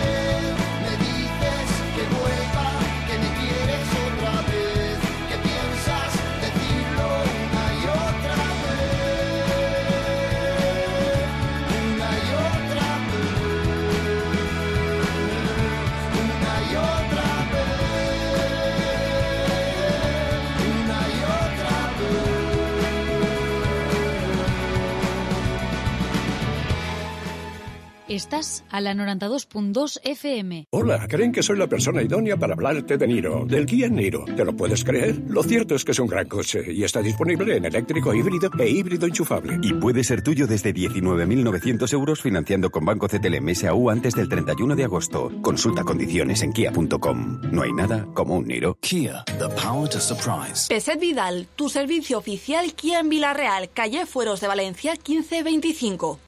Que vuelva, que me quieres otra vez, que piensas decirlo una Estás a la noventa y dos punto dos F M. Hola, creen que soy la persona idónea para hablarte de Niro, del Kia Niro. ¿Te lo puedes creer? Lo cierto es que es un gran coche y está disponible en eléctrico híbrido e híbrido enchufable. Y puede ser tuyo desde diecinueve mil novecientos euros financiando con Banco C T L M S A U antes del treinta y uno de agosto. Consulta condiciones en kia punto com. No hay nada como un Niro. Kia, the power to surprise. Peset Vidal, tu servicio oficial Kia en Villarreal, calle Fueros de Valencia quince veinticinco.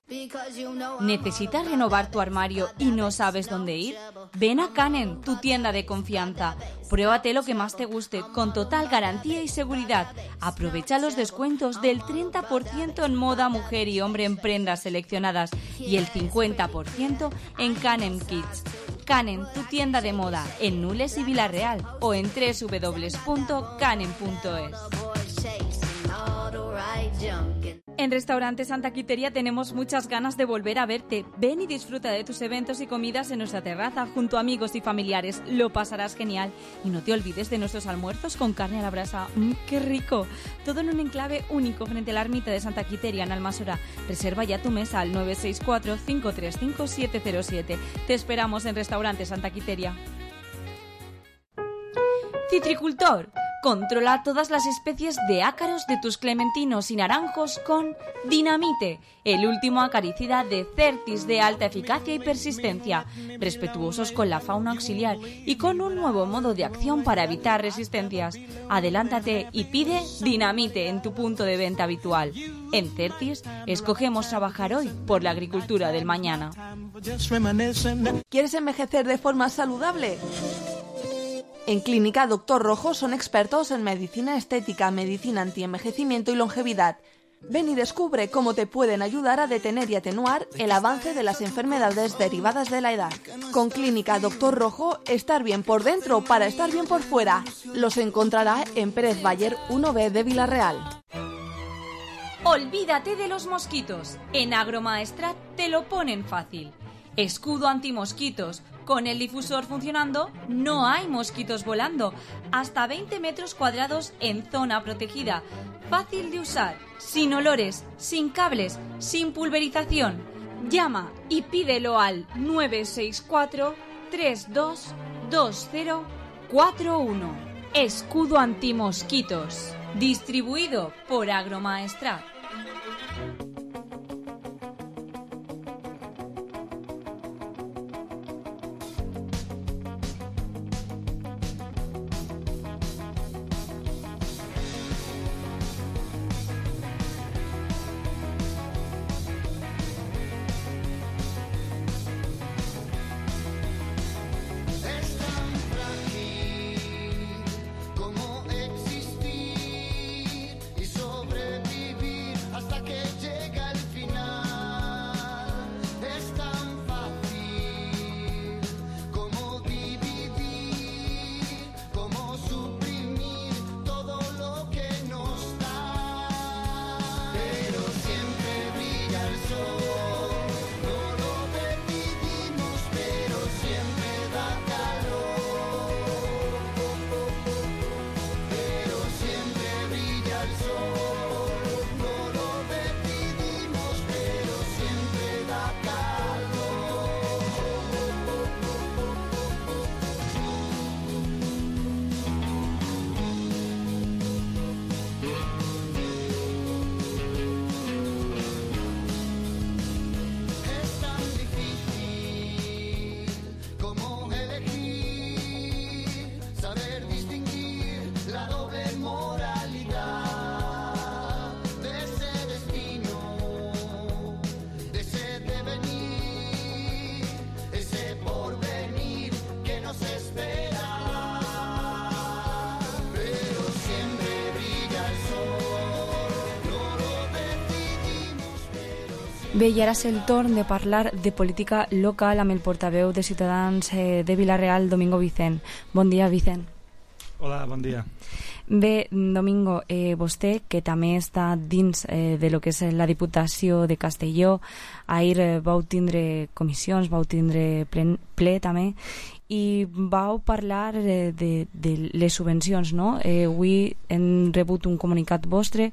¿Necesitas renovar tu armario y no sabes dónde ir? Ven a Canen, tu tienda de confianza. Pruébate lo que más te guste, con total garantía y seguridad. Aprovecha los descuentos del treinta por ciento en moda, mujer y hombre en prendas seleccionadas y el cincuenta por ciento en Canen Kids. Canen, tu tienda de moda, en Nules y Villarreal o en doble u doble u doble u punto canen punto es. En Restaurante Santa Quiteria tenemos muchas ganas de volver a verte. Ven y disfruta de tus eventos y comidas en nuestra terraza junto a amigos y familiares. Lo pasarás genial. Y no te olvides de nuestros almuerzos con carne a la brasa. ¡Mmm, qué rico! Todo en un enclave único frente a la ermita de Santa Quiteria en Almasora. Reserva ya tu mesa al nueve seis cuatro, cinco tres cinco, siete cero siete. Te esperamos en Restaurante Santa Quiteria. Citricultor. Controla todas las especies de ácaros de tus clementinos y naranjos con Dinamite, el último acaricida de Certis de alta eficacia y persistencia, respetuosos con la fauna auxiliar y con un nuevo modo de acción para evitar resistencias. Adelántate y pide Dinamite en tu punto de venta habitual. En Certis, escogemos trabajar hoy por la agricultura del mañana. ¿Quieres envejecer de forma saludable? En Clínica Doctor Rojo son expertos en medicina estética, medicina antienvejecimiento y longevidad. Ven y descubre cómo te pueden ayudar a detener y atenuar el avance de las enfermedades derivadas de la edad. Con Clínica Doctor Rojo, estar bien por dentro para estar bien por fuera. Los encontrará en Pérez Bayer uno B de Villarreal. Olvídate de los mosquitos. En Agromaestrat te lo ponen fácil. Escudo antimosquitos. Con el difusor funcionando, no hay mosquitos volando. Hasta veinte metros cuadrados en zona protegida. Fácil de usar, sin olores, sin cables, sin pulverización. Llama y pídelo al nueve seis cuatro, tres dos dos cero cuatro uno. Escudo antimosquitos. Distribuido por Agromaestrat. Bé, i ara és el torn de parlar de política local amb el portaveu de Ciutadans eh, de Villarreal, Domingo Vicent. Bon dia, Vicent. Hola, bon dia. Bé, Domingo, eh, vostè, que també està dins eh, de lo que és la Diputació de Castelló, ahir eh, vau tindre comissions, vau tindre ple, ple també, i vau parlar de, de, de les subvencions, no? Eh, avui hem rebut un comunicat vostre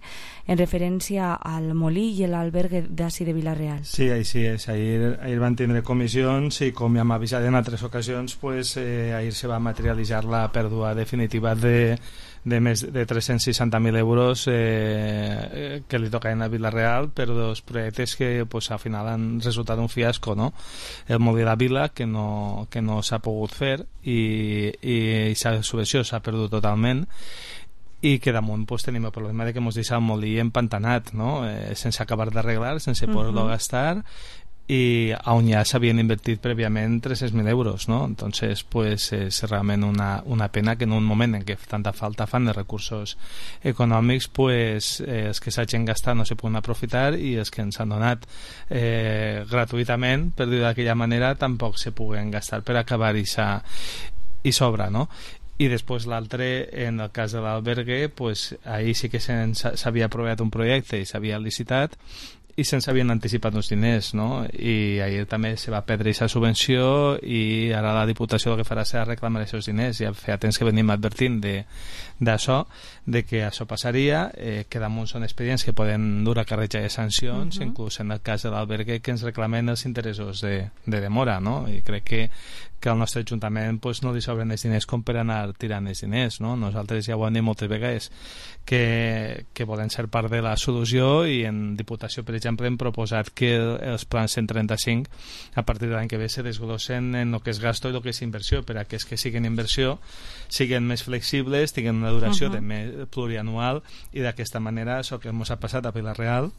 en referència al molí i l'albergue d'ací de Vila-real. Sí, així és. Ahir, ahir van tindre comissions i, com ja m'ha avisat en altres ocasions, pues, eh, ahir se va materialitzar la pèrdua definitiva de de més de tres-cents seixanta mil euros eh, que li tocaven a Vila-real per dos projectes que pues, al final han resultat un fiasco, no? El molí de la Vila, que no, que no s'ha pogut fer i, i la subvenció s'ha perdut totalment, i que damunt pues, tenim el problema de que ens deixa el molí empantanat, no? Eh, sense acabar d'arreglar, sense poder-lo uh-huh. gastar, i on ja s'havien invertit prèviament tres-cents mil euros, no? Entonces, pues, és realment una, una pena que en un moment en què tanta falta fan de recursos econòmics, pues, eh, els que s'hagin gastat no se poden aprofitar i els que ens han donat eh, gratuïtament, per dir d'aquella manera, tampoc se puguen gastar per acabar i sobra, no? I després l'altre, en el cas de l'albergue, pues, ahir sí que s'havia aprovat un projecte i s'havia licitat i se'ns havien anticipat uns diners, no? I ahir també se va perdre aquesta subvenció i ara la Diputació el que farà serà reclamar aquests diners. Ja feia temps que venim advertint d'això, de, de que això passaria, eh, que damunt són expedients que poden dur a càrrec de sancions, uh-huh. inclús en el cas de l'albergue, que ens reclamen els interessos de, de demora, no? I crec que que al nostre Ajuntament pues, no li sobren els diners com per anar tirant els diners, no? Nosaltres ja ho hem dit moltes vegades que, que volen ser part de la solució i en Diputació, per exemple, hem proposat que els plans cent trenta-cinc a partir de l'any que ve se desglossen en el que és gasto i el que és inversió, per a que els que siguin inversió siguin més flexibles, tinguin una duració uh-huh. de més plurianual i d'aquesta manera això que ens ha passat a Vila-real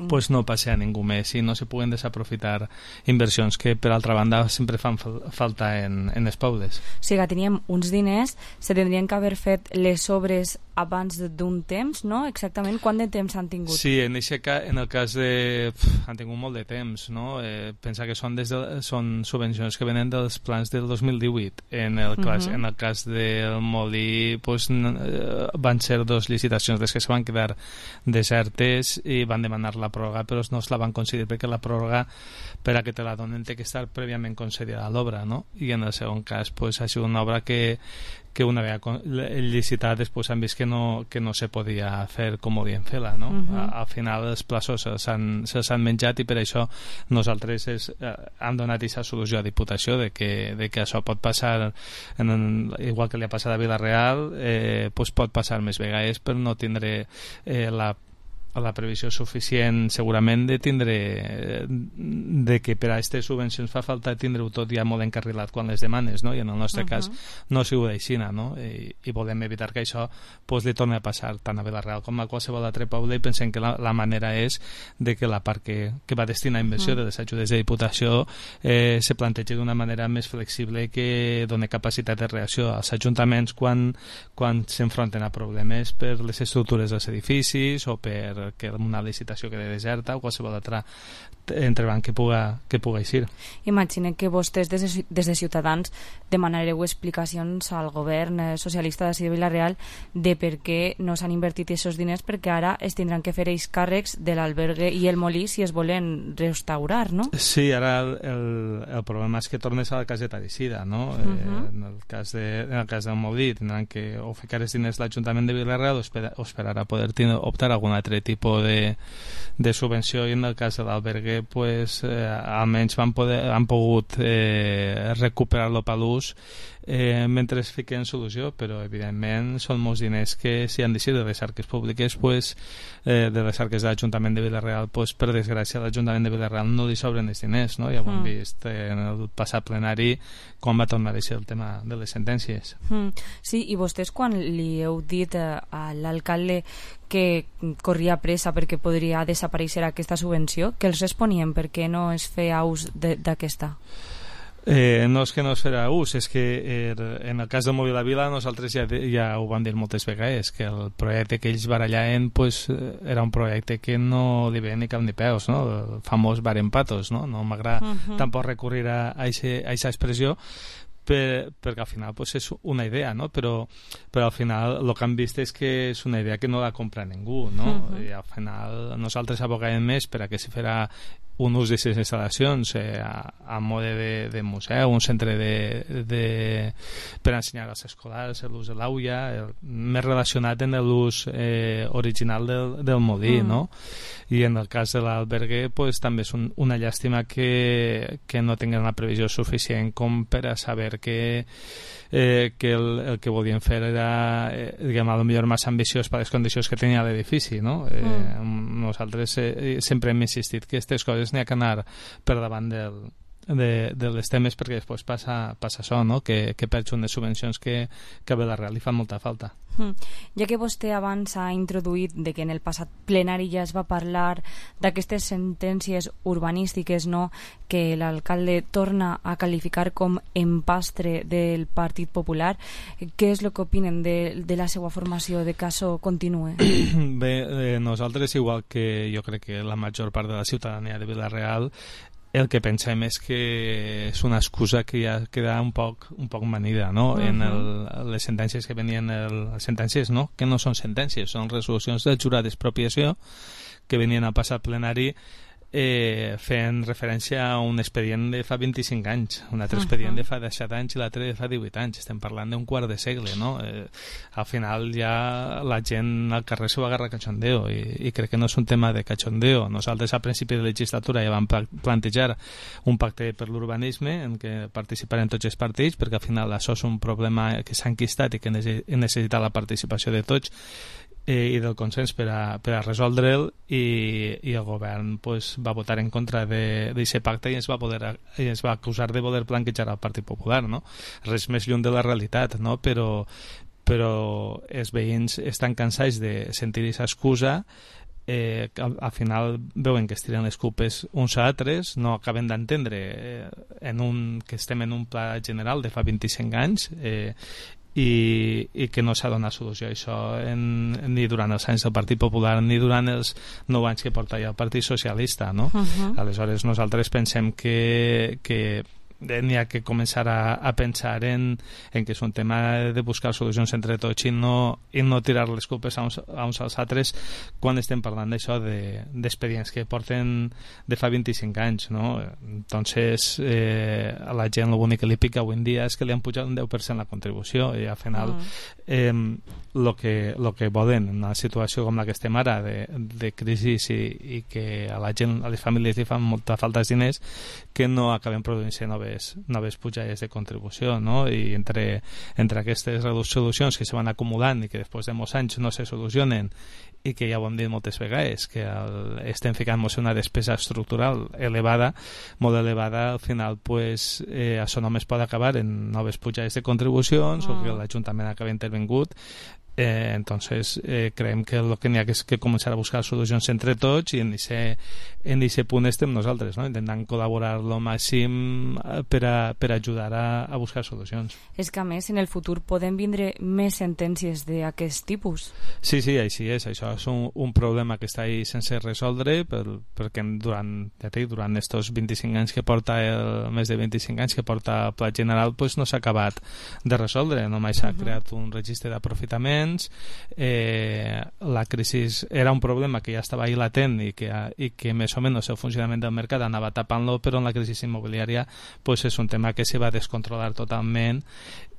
pues no passe a ningú més i no se puguen desaprofitar inversions que per altra banda sempre fan falta en, en els pobles. O sigui que teníem uns diners, se tindrien que haver fet les obres abans d'un temps, no? Exactament quant de temps han tingut? Sí, en, ca, en el cas de... Pff, han tingut molt de temps, no? Eh, pensa que són, des de, són subvencions que venen dels plans del dos mil divuit. En el, cas, uh-huh. en el cas del molí pues, van ser dos licitacions des que se van quedar desertes i van demanar la pròrroga, però no es la van concedir perquè la pròrroga, per a que te la donen, té que estar prèviament concedida a l'obra, no? I en el segon cas pues, ha sigut una obra que que una vegada licitat després han vist que no, que no se podia fer com volien fer-la, no? Uh-huh. A, al final els plaços se'ls han, se han menjat i per això nosaltres és, eh, hem donat aquesta solució a Diputació de que, de que això pot passar en, en, igual que li ha passat a Vila-real eh, pues pot passar més vegades per no tindre eh, la la previsió suficient segurament de tindre de que per a aquestes subvencions fa falta tindre-ho tot ja molt encarrilat quan les demanes, no? I en el nostre uh-huh. cas no ha sigut així, no? I, i volem evitar que això pues, li torni a passar tant a Vila-real com a qualsevol altre poble i pensem que la, la manera és de que la part que, que va destinar a inversió uh-huh. de les ajudes de Diputació eh, se plantegi d'una manera més flexible que doni capacitat de reacció als ajuntaments quan, quan s'enfronten a problemes per les estructures dels edificis o per que una licitació quede deserta o qualsevol altre entrebanc que puga, que puga eixir. Imagina que vostès des de, des de Ciutadans demanareu explicacions al govern socialista de Vila-real de per què no s'han invertit aquests diners, perquè ara es tindran que fer ells càrrecs de l'albergue i el molí si es volen restaurar, no? Sí, ara el, el, el problema és que tornes a la caseta d'Eixida, no? Uh-huh. eh, en, el cas de, en el cas del molí tindran que o ficar els diners l'Ajuntament de Vila-real o, espera, o esperar a poder tindre, optar a algun altre tipus de, de subvenció, i en el cas de l'albergue pues, eh, almenys van poder, han pogut eh, recuperar-lo per l'ús eh, mentre es fiquen solució, però evidentment són molts diners que si han deixat de les arques públiques pues, eh, de les arques de l'Ajuntament de Vila-real pues, per desgràcia l'Ajuntament de Vila-real no li sobren els diners, no? Ja ho hem mm. vist eh, en el passat plenari quan va tornar a ser el tema de les sentències. Mm. Sí, i vostès quan li heu dit eh, a l'alcalde que corria pressa perquè podria desaparèixer aquesta subvenció, que els responien per què no es feia ús d'aquesta? Eh, no és que no es farà ús, és que er, en el cas del Molí de la Vila nosaltres ja, ja ho vam dir moltes vegades, que el projecte que ells barallaven pues, era un projecte que no li veia ni cap ni peus, no? El famós barem patos, no? No m'agrada uh-huh. tampoc recurrir a aquesta expressió, per, perquè al final pues, és una idea, no? però, però al final el que han vist és que és una idea que no la compra ningú, no? Uh-huh. I al final nosaltres abogàvem més per a que se farà un ús d'aquestes instal·lacions eh, a, a mode de, de museu, un centre de, de, per ensenyar als escolars l'ús de l'aulla, més relacionat amb l'ús eh, original del, del molí, mm. no? I en el cas de l'albergue pues, també és un, una llàstima que, que no tinguin una previsió suficient com per a saber que Eh, que el, el que volien fer era eh, diguem, a lo millor massa ambiciós per les condicions que tenia l'edifici, no? Eh, mm. Nosaltres eh, sempre hem insistit que aquestes coses n'hi ha que anar per davant del, de, de les temes, perquè després passa, passa això, no? Que, que perds unes subvencions que, que a Vila-real li fan molta falta. Mm. Ja que vostè abans ha introduït de que en el passat plenari ja es va parlar d'aquestes sentències urbanístiques, no?, que l'alcalde torna a qualificar com empastre del Partit Popular, què és el que opinen de, de la seva formació de que això continue? Bé, eh, nosaltres, igual que jo crec que la major part de la ciutadania de Vila-real, el que pensem és que és una excusa que ja queda un poc, un poc manida, no? Uh-huh. En el, les sentències que venien, el, les sentències, no? Que no són sentències, són resolucions del jurat d'expropiació que venien al passat plenari eh, fent referència a un expedient de fa vint-i-cinc anys, un altre uh-huh. expedient de fa disset anys i l'altre de fa divuit anys. Estem parlant d'un quart de segle, no? Eh, al final ja la gent al carrer s'ho agarra a cachondeo i, i crec que no és un tema de cachondeo. Nosaltres a principi de legislatura ja vam plantejar un pacte per l'urbanisme en què participaren tots els partits, perquè al final això és un problema que s'ha enquistat i que necessita la participació de tots eh, i del consens per a, per a resoldre'l, i, i el govern pues, va votar en contra d'aquest pacte i es va, poder, i es va acusar de voler blanquejar el Partit Popular, no? Res més lluny de la realitat, no? Però, però els veïns estan cansats de sentir aquesta excusa. Eh, al, al final veuen que es tiren les culpes uns a altres, no acaben d'entendre eh, en un, que estem en un pla general de fa vint-i-cinc anys eh, i, i que no s'ha donat solució a això en, ni durant els anys del Partit Popular ni durant els nou anys que porta ja el Partit Socialista, no? Uh-huh. Aleshores nosaltres pensem que, que n'hi ha que començar a, a pensar en, en que és un tema de buscar solucions entre tots i no, i no tirar les culpes a uns, a uns als altres quan estem parlant d'això d'expedients de, que porten de fa vint-i-cinc anys, no? Entonces eh, a la gent l'únic que li pica avui en dia és que li han pujat un deu per cent la contribució i al final eh, lo que, lo que volen en una situació com la que estem ara de, de crisi i, i que a la gent, a les famílies li fan molta falta de diners, que no acaben produint-se noves, noves pujades de contribució, no? I entre, entre aquestes solucions que se van acumulant i que després de molts anys no se solucionen i que ja ho hem dit moltes vegades, que el, estem ficant-nos una despesa estructural elevada, molt elevada, al final pues, eh, això només pot acabar en noves pujades de contribucions oh. o que l'Ajuntament acabi intervingut. Eh, entonces eh, creiem que el que n'hi ha que és que començar a buscar solucions entre tots i en aquest punt estem nosaltres, no? Intentant col·laborar lo màxim per a, per a ajudar a, a buscar solucions. És que a més en el futur poden vindre més sentències d'aquest tipus. Sí, sí, així és, això és un, un problema que està ahí sense resoldre per, perquè durant, ja dic, durant estos vint-i-cinc anys que porta el, més de vint-i-cinc anys que porta el Pla General pues no s'ha acabat de resoldre, només s'ha uh-huh. creat un registre d'aprofitament. Eh, la crisi era un problema que ja estava ahí latent i que, i que més o menys el funcionament del mercat anava tapant-lo, però en la crisi immobiliària pues, és un tema que se va descontrolar totalment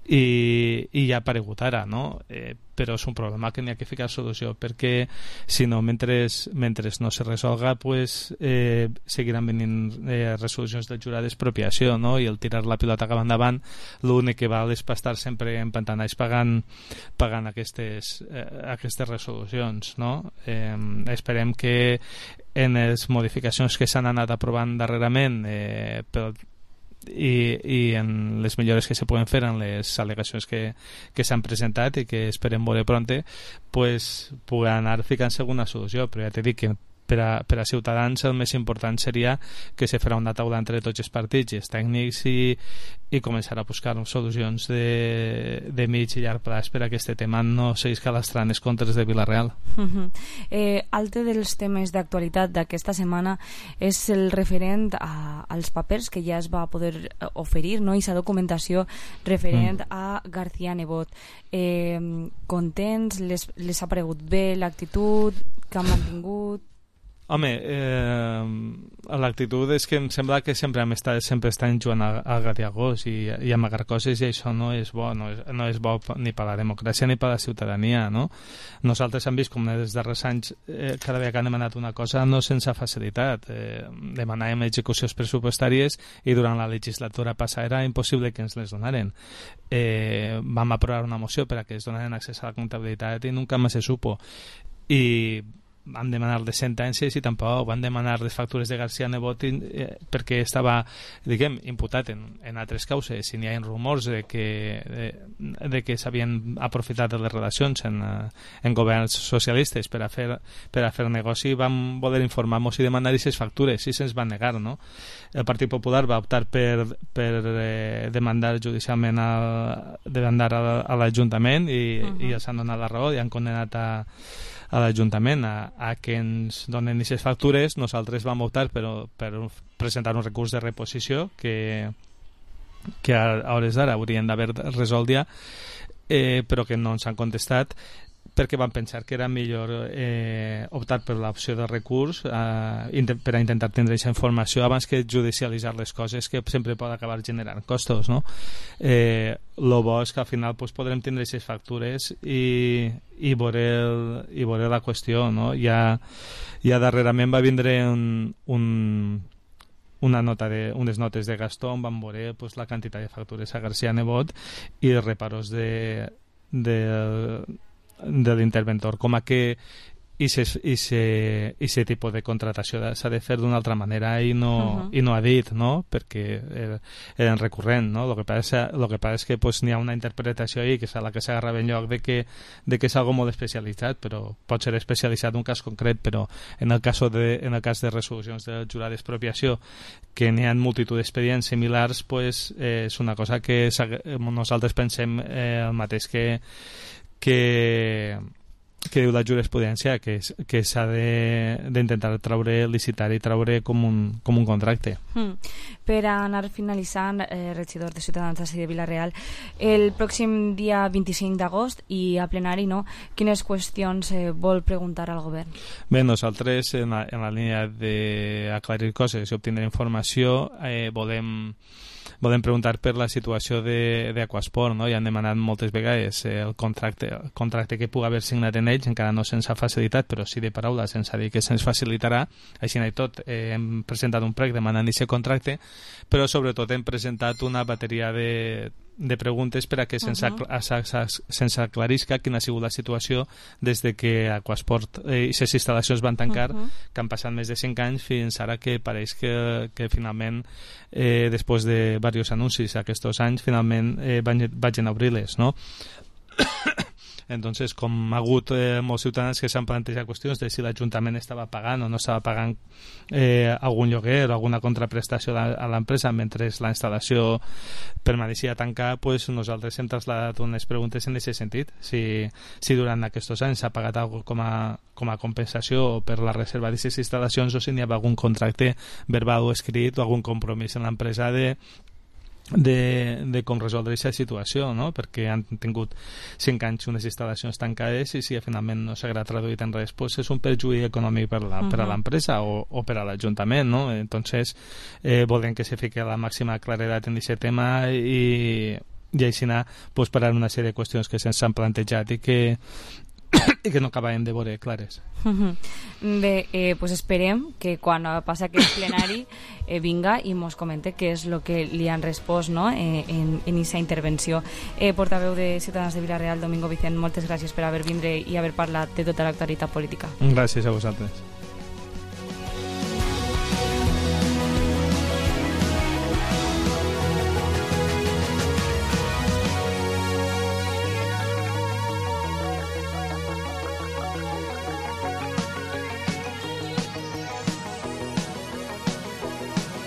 i, i ja ha aparegut ara, no? Eh, però és un problema que n'hi ha que ficar solució, perquè si no, mentre, mentre no se resolga pues, eh, seguiran venint eh, resolucions del jurat d'expropiació, no? I el tirar la pilota cap endavant l'únic que val és per estar sempre empantanats pagant, pagant aquestes, eh, aquestes resolucions, no? Eh, esperem que en les modificacions que s'han anat aprovant darrerament eh, pel I, i en les millores que se poden fer en les al·legacions que, que s'han presentat i que esperem veure pronte pues, pugui anar ficant-se alguna solució, però ja t'he dit que per a, per a Ciutadans el més important seria que se farà una taula entre tots els partits i els tècnics i, i començar a buscar solucions de, de mig i llarg plaç per a aquest tema no seguisca lastrant els contres de Vila-real. Uh-huh. eh, altre dels temes d'actualitat d'aquesta setmana és el referent a, als papers que ja es va poder oferir, no? I sa documentació referent mm. a García Nebot. Eh, contents? Les, les ha paregut bé l'actitud que han mantingut? Home, eh, l'actitud és que em sembla que sempre hem estat, sempre estan jugant a, a gatiagós i, i a amagar coses, i això no és bo, no és, no és bo ni per la democràcia ni per la ciutadania, no? Nosaltres hem vist com en els darrers anys eh, cada vegada que han demanat una cosa no sense facilitat. Eh, demanàvem execucions pressupostàries i durant la legislatura passada era impossible que ens les donaren. Eh, vam aprovar una moció per a que es donaren accés a la comptabilitat i nunca més se supo. I van demanar les sentències i tampoc van demanar les factures de García Nebot eh, perquè estava, diguem, imputat en, en altres causes, i n'hi ha rumors de que, de, de que s'havien aprofitat de les relacions en, en governs socialistes per a fer, per a fer negoci. Vam voler informar-nos i demanar aquestes factures i se'ns van negar, no? El Partit Popular va optar per, per eh, demandar judicialment a, demandar a, a l'Ajuntament i, uh-huh. i els han donat la raó i han condenat a a l'Ajuntament a, a que ens donen aquestes factures. Nosaltres vam optar per, per presentar un recurs de reposició que, que a hores d'ara haurien d'haver resolt ja, eh, però que no ens han contestat perquè van pensar que era millor eh, optar per l'opció de recurs eh, per a intentar tindre aquesta informació abans que judicialitzar les coses, que sempre pot acabar generant costos, no? Eh, lo bo és que al final pues, podrem tindre aquestes factures i, i, veure el, i veure la qüestió, no? Ja, ja darrerament va vindre un, un una nota de, unes notes de Gastó on van veure pues, la quantitat de factures a García Nebot i els reparos de, de de l'interventor, com a que aquest tipus de contratació s'ha de fer d'una altra manera i no, uh-huh. i no ha dit, no? Perquè eren recurrent, no? El que passa, lo que passa és que pues, n'hi ha una interpretació ahí que és a la que s'agarrava en lloc de que, de que és algo molt especialitzat, però pot ser especialitzat en un cas concret, però en el cas de, en el cas de resolucions del jurat d'expropiació, que n'hi ha multitud d'expedients similars, pues, eh, és una cosa que nosaltres pensem eh, el mateix que que que diu la jurisprudència, que, que s'ha d'intentar traure, licitar i traure com un, com un contracte. Mm. Per anar finalitzant, eh, regidor de Ciutadans d'ací de Vila-real, el pròxim dia vint-i-cinc d'agost i a plenari, no? Quines qüestions eh, vol preguntar al govern? Bé, nosaltres en la, en la línia d'aclarir coses i obtindre informació eh, volem volem preguntar per la situació d'Aquasport, no? Ja han demanat moltes vegades el contracte, el contracte que pugui haver signat en ells, encara no se'ns ha facilitat, però sí de paraula se'ns ha dit que se'ns facilitarà. Així i tot, eh, hem presentat un prec demanant aquest contracte, però sobretot hem presentat una bateria de de preguntes per a que se'ns uh-huh. aclarisca quina ha sigut la situació des de que Aquasport i eh, les instal·lacions van tancar, uh-huh. que han passat més de cinc anys fins ara, que pareix que, que finalment eh, després de diversos anuncis aquests anys finalment eh, van, vagin a obrir-les, no? Entonces, com ha hagut eh, molts ciutadans que s'han plantejat qüestions de si l'Ajuntament estava pagant o no estava pagant eh, algun lloguer o alguna contraprestació a l'empresa mentre la instal·lació permaneixia tancada, pues nosaltres hem traslladat unes preguntes en aquest sentit. Si, si durant aquests anys s'ha pagat alguna com a, com a compensació per la reserva d'aquestes instal·lacions, o si n'hi ha algun contracte verbal o escrit o algun compromís en l'empresa de de, de com resoldre aquesta situació, no? Perquè han tingut cinc anys unes instal·lacions tancades i si finalment no s'haurà traduït en res, pues és un perjuí econòmic per la, uh-huh. per a l'empresa o, o per a l'Ajuntament, no? Entonces eh, volem que se fique la màxima claredat en aquest tema i, i així anar pues, parar una sèrie de qüestions que se'ns han plantejat i que i que no acabem de veure clares. Bé, eh, pues esperem que quan passa aquest plenari eh, vinga i mos comente què és el que li han respost, no? eh, en aquesta intervenció. Eh, portaveu de Ciutadans de Vila-real, Domingo Vicent, moltes gràcies per haver vindre i haver parlat de tota l'actualitat política. Gràcies a vosaltres.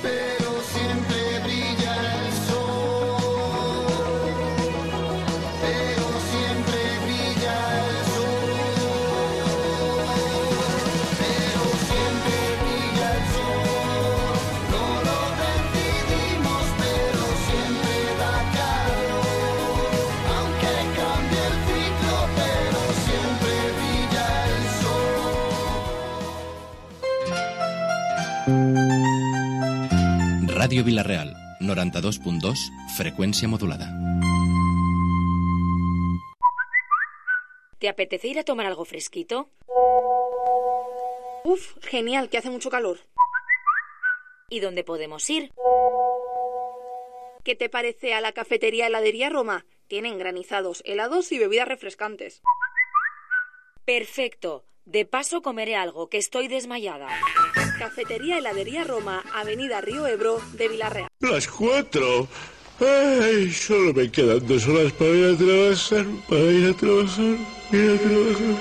Pero Ràdio Vila-real, noranta-dos punt dos, frecuencia modulada. ¿Te apetece ir a tomar algo fresquito? Uf, genial, que hace mucho calor. ¿Y dónde podemos ir? ¿Qué te parece a la cafetería Heladería Roma? Tienen granizados, helados y bebidas refrescantes. Perfecto. De paso comeré algo, que estoy desmayada. Cafetería Heladería Roma, Avenida Río Ebro, de Vila-real. Las cuatro. Ay, solo me quedan dos horas para ir a trabajar, para ir a trabajar, ir a trabajar.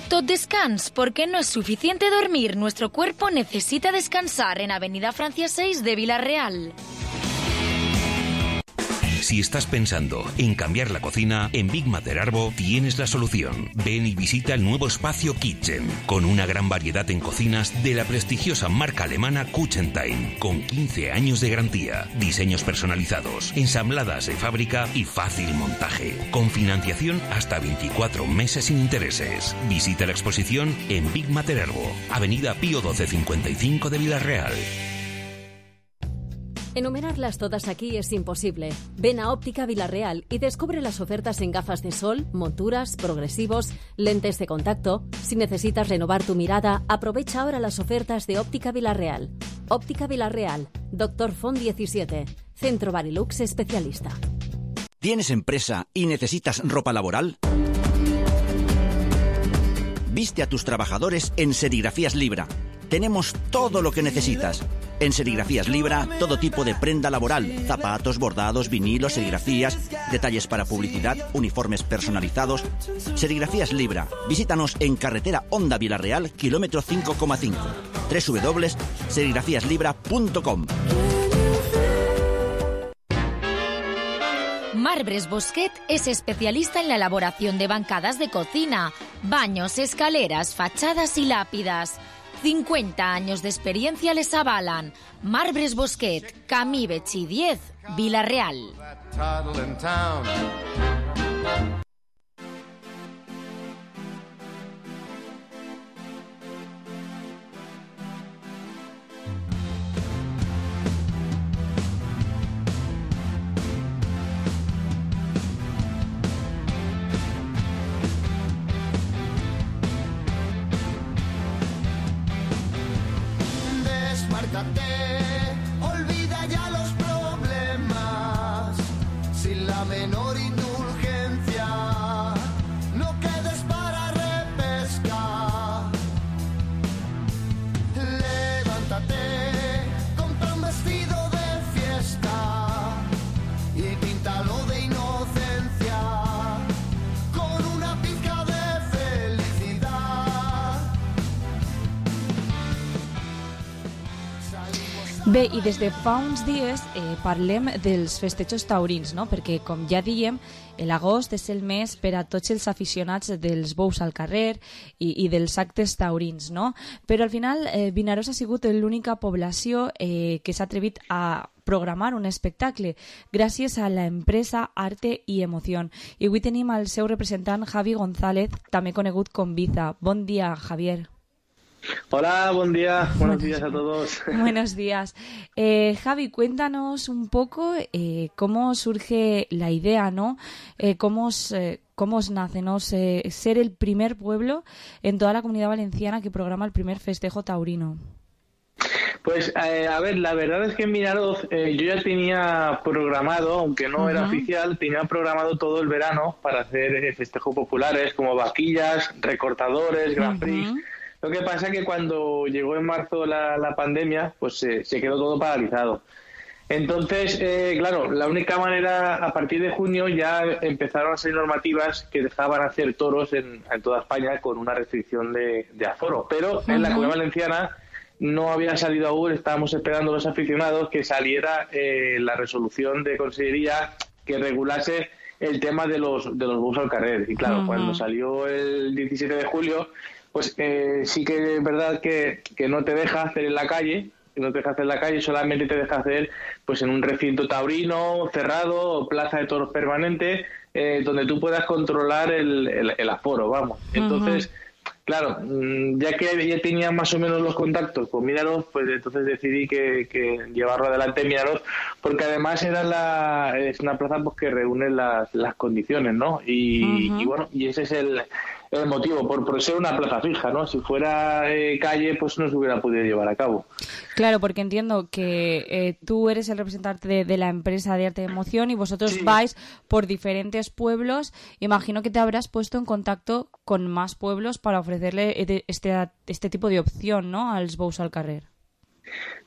Tot descans, porque no es suficiente dormir. Nuestro cuerpo necesita descansar en Avenida Francia seis de Vila-real. Si estás pensando en cambiar la cocina, en Big Mater Arbo tienes la solución. Ven y visita el nuevo espacio Kitchen, con una gran variedad en cocinas de la prestigiosa marca alemana Kuchentime, con quince años de garantía, diseños personalizados, ensambladas de fábrica y fácil montaje, con financiación hasta veinticuatro meses sin intereses. Visita la exposición en Big Mater Arbo, Avenida Pío doce cincuenta y cinco de Vila-real. Enumerarlas todas aquí es imposible. Ven a Óptica Vila-real y descubre las ofertas en gafas de sol, monturas, progresivos, lentes de contacto. Si necesitas renovar tu mirada, aprovecha ahora las ofertas de Óptica Vila-real. Óptica Vila-real, Doctor Font diecisiete, Centro Barilux especialista. ¿Tienes empresa y necesitas ropa laboral? Viste a tus trabajadores en Serigrafías Libra. Tenemos todo lo que necesitas. En Serigrafías Libra, todo tipo de prenda laboral, zapatos, bordados, vinilos, serigrafías, detalles para publicidad, uniformes personalizados. Serigrafías Libra. Visítanos en carretera Honda Vila-real, kilómetro cinco coma cinco. doble u doble u doble u punto serigrafías libra punto com. Marbres Bosquet es especialista en la elaboración de bancadas de cocina, baños, escaleras, fachadas y lápidas. cincuenta años de experiencia les avalan. Marbres Bosquet, Camí Betxí diez, Vila-real. Olvida ya los problemas, sin la menor indulgencia, no quedes para repescar. Levántate, compra un vestido de fiesta y píntalo de inocencia, con una pizca de felicidad. Bé, i des de fa uns dies eh, parlem dels festejos taurins, no? Perquè, com ja diem, l'agost és el mes per a tots els aficionats dels bous al carrer i, i dels actes taurins, no? Però al final eh, Vinaròs ha sigut l'única població eh, que s'ha atrevit a programar un espectacle gràcies a l'empresa Arte i Emoción. I avui tenim el seu representant Javi González, també conegut com Biza. Bon dia, Javier. Hola, buen día, buenos días a todos. Buenos días. Eh, Javi, cuéntanos un poco eh, cómo surge la idea, ¿no? Eh, cómo, os, eh, cómo os nace, ¿no? Se, ser el primer pueblo en toda la Comunidad Valenciana que programa el primer festejo taurino. Pues, eh, a ver, la verdad es que en Vinaroz eh, yo ya tenía programado, aunque no uh-huh. era oficial, tenía programado todo el verano para hacer eh, festejos populares como vaquillas, recortadores, Grand Prix. Uh-huh. Lo que pasa es que cuando llegó en marzo la, la pandemia, pues eh, se quedó todo paralizado. Entonces, eh, claro, la única manera, a partir de junio ya empezaron a salir normativas que dejaban hacer toros en, en toda España con una restricción de, de aforo. Pero uh-huh. en la Comunidad Valenciana no había salido aún, estábamos esperando los aficionados que saliera eh, la resolución de Consellería que regulase el tema de los, de los bous al carrer. Y claro, uh-huh. cuando salió el diecisiete de julio... pues eh, sí que es verdad que, que no te deja hacer en la calle, no te deja hacer en la calle, solamente te deja hacer pues en un recinto taurino cerrado o plaza de toros permanente, eh, donde tú puedas controlar el, el, el aforo, vamos. Entonces, uh-huh. claro, ya que ya tenía más o menos los contactos con Minaroz, pues entonces decidí que, que llevarlo adelante en Minaroz, porque además era la, es una plaza pues que reúne las, las condiciones, ¿no? Y, uh-huh. y bueno, y ese es el, el motivo, por, por ser una plaza fija, ¿no? Si fuera eh, calle, pues no se hubiera podido llevar a cabo. Claro, porque entiendo que eh, tú eres el representante de, de la empresa de Arte de Emoción y vosotros sí. vais por diferentes pueblos. Imagino que te habrás puesto en contacto con más pueblos para ofrecerle este, este tipo de opción, ¿no?, als Bous al Carrer.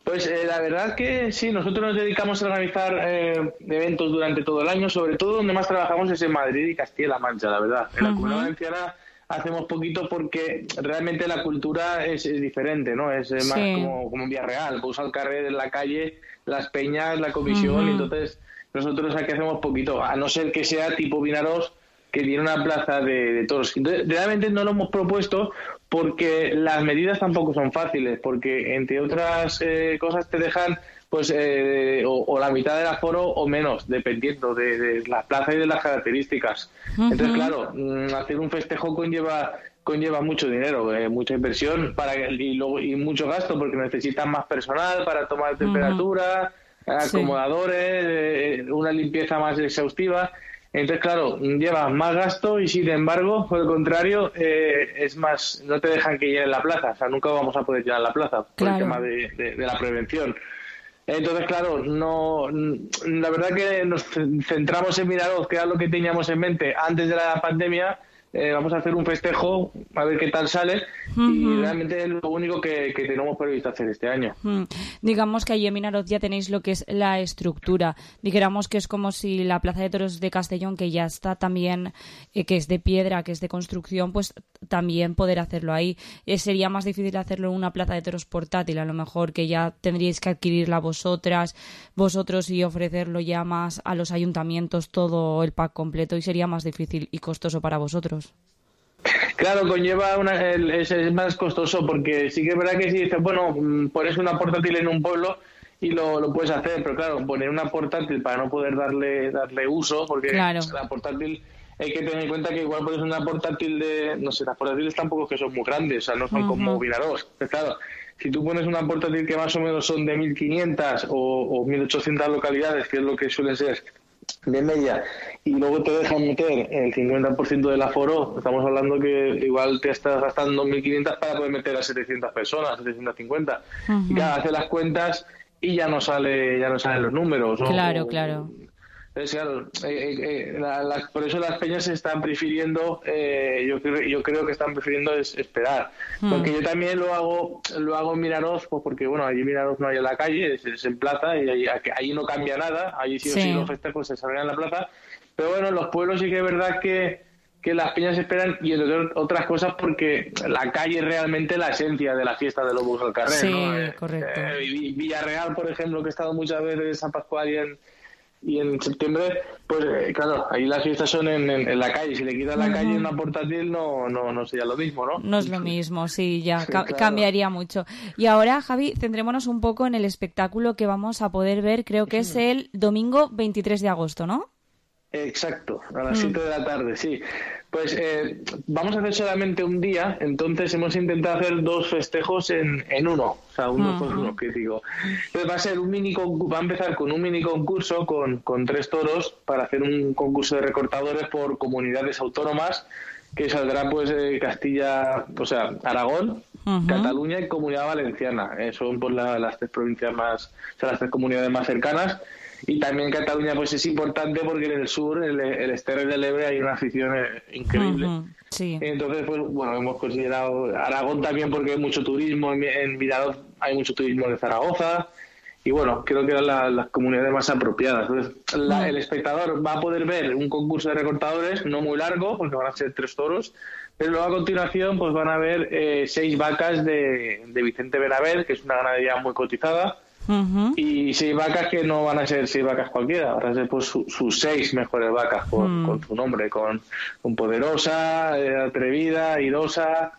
Pues eh, la verdad que sí, nosotros nos dedicamos a organizar eh, eventos durante todo el año, sobre todo donde más trabajamos es en Madrid y Castilla-La Mancha, la verdad. En la uh-huh. Comunidad Valenciana hacemos poquito porque realmente la cultura es, es diferente, ¿no? Es eh, más sí. como, como en Villarreal, Bous al Carrer en la calle, las peñas, la comisión, uh-huh. y entonces nosotros aquí hacemos poquito, a no ser que sea tipo Vinaroz, que tiene una plaza de, de toros. Entonces, realmente no lo hemos propuesto porque las medidas tampoco son fáciles, porque entre otras eh, cosas te dejan pues eh, o, o la mitad del aforo o menos, dependiendo de, de la plaza y de las características. Uh-huh. Entonces, claro, hacer un festejo conlleva conlleva mucho dinero, eh, mucha inversión para y luego y mucho gasto, porque necesitan más personal para tomar temperatura, uh-huh. acomodadores, sí. eh, una limpieza más exhaustiva. Entonces, claro, llevas más gasto y, sin embargo, por el contrario, eh, es más, no te dejan que llenen la plaza. O sea, nunca vamos a poder llenar la plaza por claro. el tema de, de, de la prevención. Entonces, claro, no, la verdad que nos centramos en Minaroz, que era lo que teníamos en mente antes de la pandemia. Eh, vamos a hacer un festejo, a ver qué tal sale, uh-huh. y realmente es lo único que, que tenemos previsto hacer este año. Uh-huh. Digamos que allí en Minaroz ya tenéis lo que es la estructura. Dijéramos que es como si la Plaza de Toros de Castellón, que ya está también, eh, que es de piedra, que es de construcción, pues también poder hacerlo ahí. Eh, sería más difícil hacerlo en una Plaza de Toros portátil, a lo mejor, que ya tendríais que adquirirla vosotras, vosotros y ofrecerlo ya más a los ayuntamientos, todo el pack completo, y sería más difícil y costoso para vosotros. Claro, conlleva una, es, es más costoso, porque sí que es verdad que si dices, bueno, pones una portátil en un pueblo y lo, lo puedes hacer, pero claro, poner una portátil para no poder darle darle uso, porque claro. la portátil hay que tener en cuenta que igual pones una portátil de, no sé, las portátiles tampoco que son muy grandes, o sea, no son uh-huh. como Vinaroz. Pues claro, si tú pones una portátil que más o menos son de mil quinientas o, o mil ochocientas localidades, que es lo que suele ser de media, y luego te dejan meter el cincuenta por ciento del aforo, estamos hablando que igual te estás gastando mil quinientas para poder meter a setecientas personas, setecientas cincuenta. Uh-huh. Y claro, hace las cuentas y ya no sale ya no salen los números, ¿no? Claro, o, claro. Entonces, claro, eh, eh, la, la, por eso las peñas se están prefiriendo, eh, yo, creo, yo creo que están prefiriendo es, esperar. Mm. Porque yo también lo hago lo hago en Minaroz, pues porque, bueno, allí en Minaroz no hay en la calle, es, es en plaza, y allí, allí no cambia nada, allí sí o sí, sí los festejos se salen en la plaza. Pero bueno, en los pueblos sí que es verdad que, que las peñas esperan, y entre otras cosas porque la calle es realmente la esencia de la fiesta de los Bous al Carrer, sí, ¿no? Eh, correcto. Eh, Villarreal, por ejemplo, que he estado muchas veces en San Pascual y en y en septiembre, pues eh, claro, ahí las fiestas son en, en, en la calle. Si le quitas la uh-huh. calle una portátil no, no, no sería lo mismo, ¿no? No es lo mismo, sí, ya ca- claro. cambiaría mucho. Y ahora, Javi, centrémonos un poco en el espectáculo que vamos a poder ver, creo que es el domingo veintitrés de agosto, ¿no? Exacto, a las siete mm. de la tarde, sí. Pues eh, vamos a hacer solamente un día, entonces hemos intentado hacer dos festejos en, en uno, o sea, uno uh-huh. por uno, que digo. Entonces va a ser un mini concurso, va a empezar con un mini concurso con, con tres toros para hacer un concurso de recortadores por comunidades autónomas, que saldrá pues eh, Castilla, o sea, Aragón, uh-huh. Cataluña y Comunidad Valenciana. Eh, son pues la, las tres provincias más, o sea, las tres comunidades más cercanas. Y también Cataluña pues es importante porque en el sur, el, el Esterri del Ebre, hay una afición eh, increíble. Uh-huh, sí. Entonces, pues bueno, hemos considerado Aragón también porque hay mucho turismo, en, en Vinaroz hay mucho turismo de Zaragoza, y bueno, creo que eran la, las comunidades más apropiadas. Entonces, la, uh-huh. el espectador va a poder ver un concurso de recortadores, no muy largo, porque van a ser tres toros, pero luego a continuación pues van a ver eh, seis vacas de, de Vicente Benaver, que es una ganadería muy cotizada. Uh-huh. Y seis vacas que no van a ser seis vacas cualquiera, van a ser pues su, sus seis mejores vacas con, uh-huh. con su nombre, con, con Poderosa, eh, Atrevida, Airosa,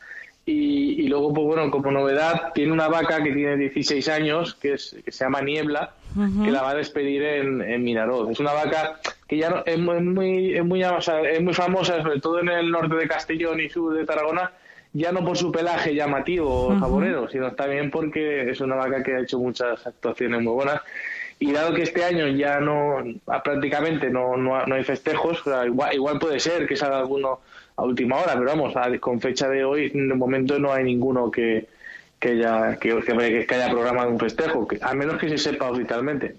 y, y luego pues bueno, como novedad tiene una vaca que tiene dieciséis años, que es que se llama Niebla, uh-huh. que la va a despedir en, en Minaroz. Es una vaca que ya no, es muy es muy es muy, o sea, es muy famosa, sobre todo en el norte de Castellón y sur de Tarragona. ya no por su pelaje llamativo o Ujú. saborero, sino también porque es una vaca que ha hecho muchas actuaciones muy buenas. Y dado que este año ya no, prácticamente no, no, no hay festejos, o sea, igual, igual puede ser que salga alguno a última hora, pero vamos, a- con fecha de hoy, de momento no hay ninguno que que haya, que, que, que haya programado un festejo, que, a menos que se sepa oficialmente.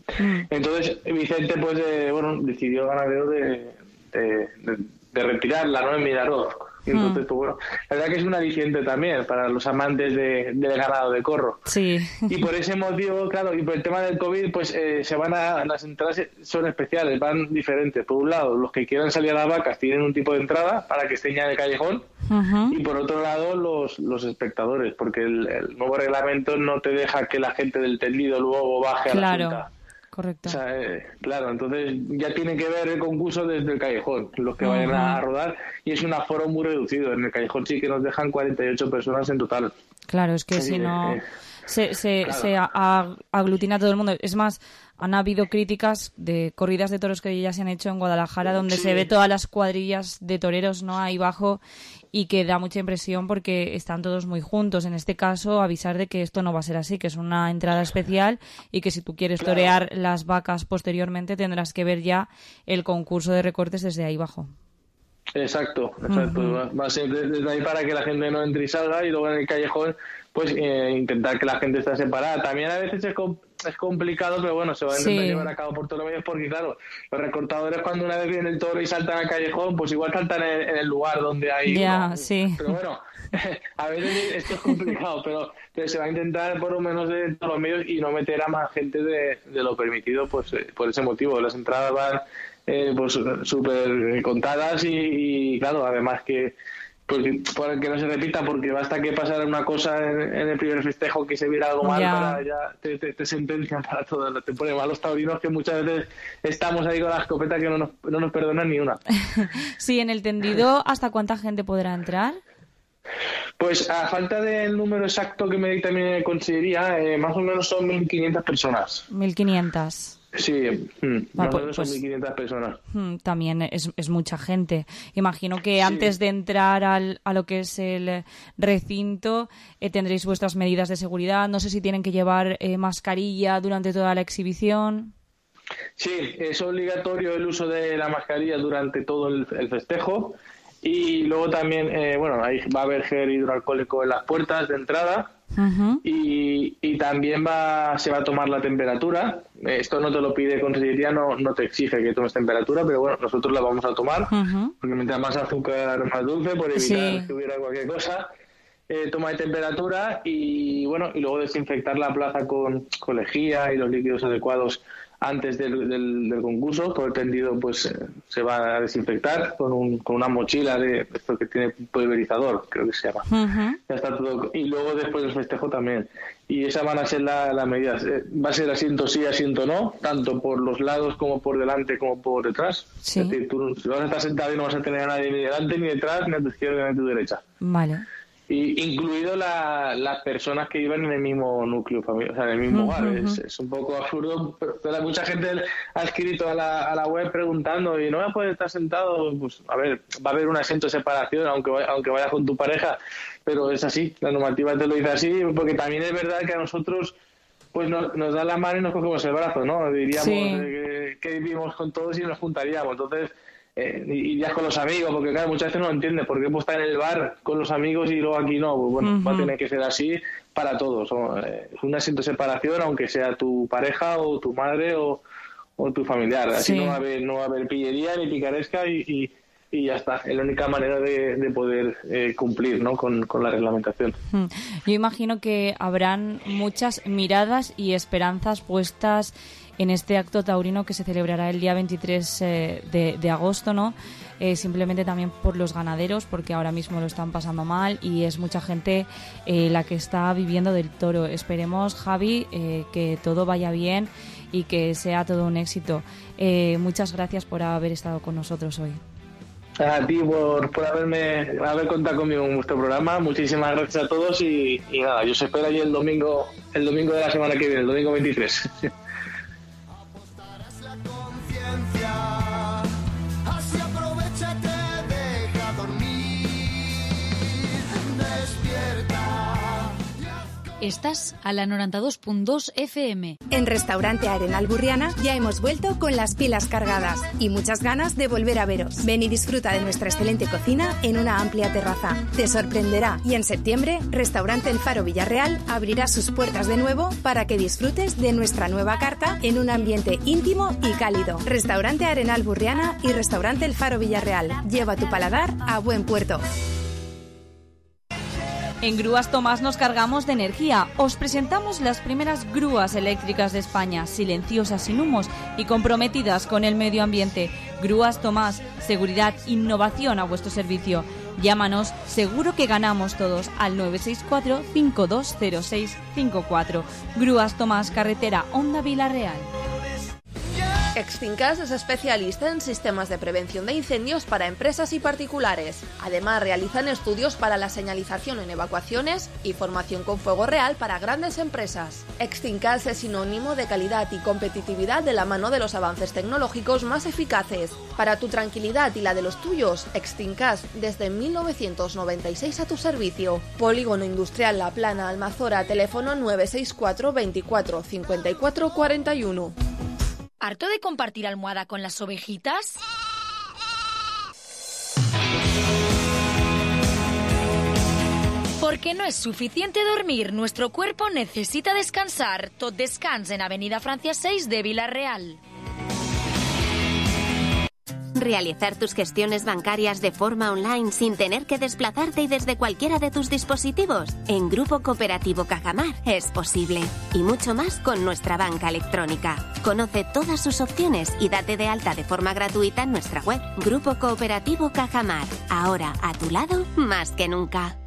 Entonces, Vicente, pues, eh, bueno, decidió ganadero de, de, de, de retirarla, ¿no?, en Midaroz. Y entonces, pues bueno, la verdad que es un aliciente también para los amantes de, del ganado de corro. Sí. Y por ese motivo, claro, y por el tema del COVID, pues eh, se van a, las entradas son especiales, van diferentes. Por un lado, los que quieran salir a las vacas tienen un tipo de entrada para que estén ya en el callejón, Ujú. y por otro lado, los, los espectadores, porque el, el nuevo reglamento no te deja que la gente del tendido luego baje a la Claro, cinta. correcto. O sea, eh, claro, entonces ya tiene que ver el concurso desde el callejón, los que vayan a Ujú. rodar, y es un aforo muy reducido. En el callejón sí que nos dejan cuarenta y ocho personas en total. Claro, es que Sí, si no eh, se, se, claro. se a- a- aglutina todo el mundo. Es más, han habido críticas de corridas de toros que ya se han hecho en Guadalajara, donde Sí. se ve todas las cuadrillas de toreros, ¿no?, ahí bajo, y que da mucha impresión porque están todos muy juntos. En este caso, avisar de que esto no va a ser así, que es una entrada especial y que si tú quieres Claro. torear las vacas posteriormente tendrás que ver ya el concurso de recortes desde ahí bajo. Exacto, exacto. Ujú. Va- Va a ser de- desde ahí para que la gente no entre y salga, y luego en el callejón, pues eh, intentar que la gente esté separada. También a veces es, com- es complicado, pero bueno, se va a intentar Sí. llevar a cabo por todos los medios, porque claro, los recortadores cuando una vez viene el toro y saltan al callejón, pues igual saltan en, en el lugar donde hay Ya, uno. sí. Pero bueno, a veces esto es complicado, pero, pero se va a intentar por lo menos de todos los medios y no meter a más gente de, de lo permitido, pues eh, por ese motivo. Las entradas van eh, pues súper contadas y, y, claro, además que pues, para que no se repita, porque basta que pasara una cosa en, en el primer festejo, que se viera algo mal, Ya. para ya te, te, te sentencian para todo, te ponen mal los taurinos, que muchas veces estamos ahí con la escopeta que no nos, no nos perdonan ni una. Sí, en el tendido, ¿hasta cuánta gente podrá entrar? Pues a falta del número exacto que me di también en Consellería, eh, más o menos son mil quinientas personas. mil quinientas. Sí, mm, Ah, más o pues- menos son pues- mil quinientas personas. Mm, También es, es mucha gente. Imagino que antes de entrar al, a lo que es el recinto eh, tendréis vuestras medidas de seguridad. No sé si tienen que llevar eh, mascarilla durante toda la exhibición. Sí, es obligatorio el uso de la mascarilla durante todo el, el festejo, y luego también, eh, bueno, ahí va a haber gel hidroalcohólico en las puertas de entrada, Ujú. y, y también va se va a tomar la temperatura. Eh, Esto no te lo pide Consellería, no, no te exige que tomes temperatura, pero bueno, nosotros la vamos a tomar, Ujú. porque mientras más azúcar, más dulce, por evitar Sí. que hubiera cualquier cosa. Eh, toma de temperatura y bueno, y luego desinfectar la plaza con, con lejía y los líquidos adecuados antes del, del, del concurso. Todo el tendido pues eh, se va a desinfectar con, un, con una mochila de esto que tiene pulverizador, creo que se llama. Ujú. Ya está todo. Y luego después del festejo también. Y esas van a ser la- las medidas. Eh, va a ser asiento sí, asiento no, tanto por los lados como por delante como por detrás. Sí. Es decir, tú si vas a estar sentado y no vas a tener a nadie ni delante ni detrás, ni a tu izquierda ni a tu derecha. Vale. Y incluido la- las personas que iban en el mismo núcleo familiar, o sea, en el mismo Ujú, hogar. Es, ujú. es un poco absurdo, pero, pero mucha gente ha escrito a la, a la web preguntando, ¿y no vas a poder estar sentado? Pues, a ver, va a haber un asiento de separación, aunque, vaya- aunque vayas con tu pareja, pero es así, la normativa te lo dice así, porque también es verdad que a nosotros pues nos, nos da la mano y nos cogemos el brazo, ¿no? Diríamos Sí. eh, que, que vivimos con todos y nos juntaríamos, entonces... Eh, y, y ya con los amigos, porque claro, muchas veces no entiendes por qué puedo estar en el bar con los amigos y luego aquí no. Pues bueno, Ujú. va a tener que ser así para todos. O, eh, un asiento de separación, aunque sea tu pareja o tu madre o, o tu familiar. Así Sí. no va a haber, no va a haber pillería ni picaresca y, y, y ya está. Es la única manera de, de poder eh, cumplir, ¿no? con, con la reglamentación. Mm. Yo imagino que habrán muchas miradas y esperanzas puestas en este acto taurino que se celebrará el día veintitrés eh, de, de agosto, ¿no? Eh, simplemente también por los ganaderos, porque ahora mismo lo están pasando mal y es mucha gente eh, la que está viviendo del toro. Esperemos, Javi, eh, que todo vaya bien y que sea todo un éxito. Eh, muchas gracias por haber estado con nosotros hoy. A ti por, por haberme haber contado conmigo en vuestro programa. Muchísimas gracias a todos y, y nada, yo os espero allí el domingo, el domingo de la semana que viene, el domingo veintitrés. Así aprovecha y te deja dormir. Estás a la noventa y dos punto dos F M. En Restaurante Arenal Burriana ya hemos vuelto con las pilas cargadas y muchas ganas de volver a veros. Ven y disfruta de nuestra excelente cocina en una amplia terraza. Te sorprenderá y en septiembre Restaurante El Faro Villarreal abrirá sus puertas de nuevo para que disfrutes de nuestra nueva carta en un ambiente íntimo y cálido. Restaurante Arenal Burriana y Restaurante El Faro Villarreal. Lleva tu paladar a buen puerto. En Grúas Tomás nos cargamos de energía. Os presentamos las primeras grúas eléctricas de España, silenciosas, sin humos y comprometidas con el medio ambiente. Grúas Tomás, seguridad, innovación a vuestro servicio. Llámanos, seguro que ganamos todos, al nueve seis cuatro, cinco dos cero seis cinco cuatro. Grúas Tomás, carretera Honda Vila-Real. Extincas es especialista en sistemas de prevención de incendios para empresas y particulares. Además, realizan estudios para la señalización en evacuaciones y formación con fuego real para grandes empresas. Extincas es sinónimo de calidad y competitividad de la mano de los avances tecnológicos más eficaces. Para tu tranquilidad y la de los tuyos, Extincas desde mil novecientos noventa y seis a tu servicio. Polígono Industrial La Plana, Almazora, teléfono nueve seis cuatro, veinticuatro, cincuenta y cuatro cuarenta y uno. ¿Harto de compartir almohada con las ovejitas? Porque no es suficiente dormir, nuestro cuerpo necesita descansar. Tot Descans en Avenida Francia seis de Vila-real. Realizar tus gestiones bancarias de forma online sin tener que desplazarte y desde cualquiera de tus dispositivos. En Grupo Cooperativo Cajamar es posible. Y mucho más con nuestra banca electrónica. Conoce todas sus opciones y date de alta de forma gratuita en nuestra web. Grupo Cooperativo Cajamar. Ahora a tu lado más que nunca.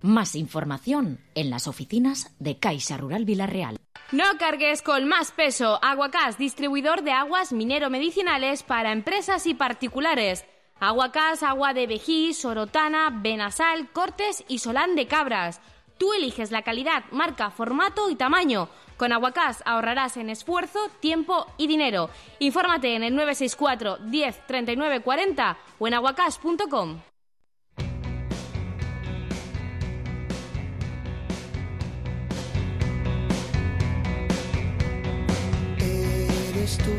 Más información en las oficinas de Caixa Rural Vila-real. No cargues con más peso. Aguacás, distribuidor de aguas minero-medicinales para empresas y particulares. Aguacás, agua de Vejí, Sorotana, Benasal, Cortes y Solán de Cabras. Tú eliges la calidad, marca, formato y tamaño. Con Aguacás ahorrarás en esfuerzo, tiempo y dinero. Infórmate en el nueve seis cuatro, diez, treinta y nueve cuarenta o en aguacás punto com. Eres tú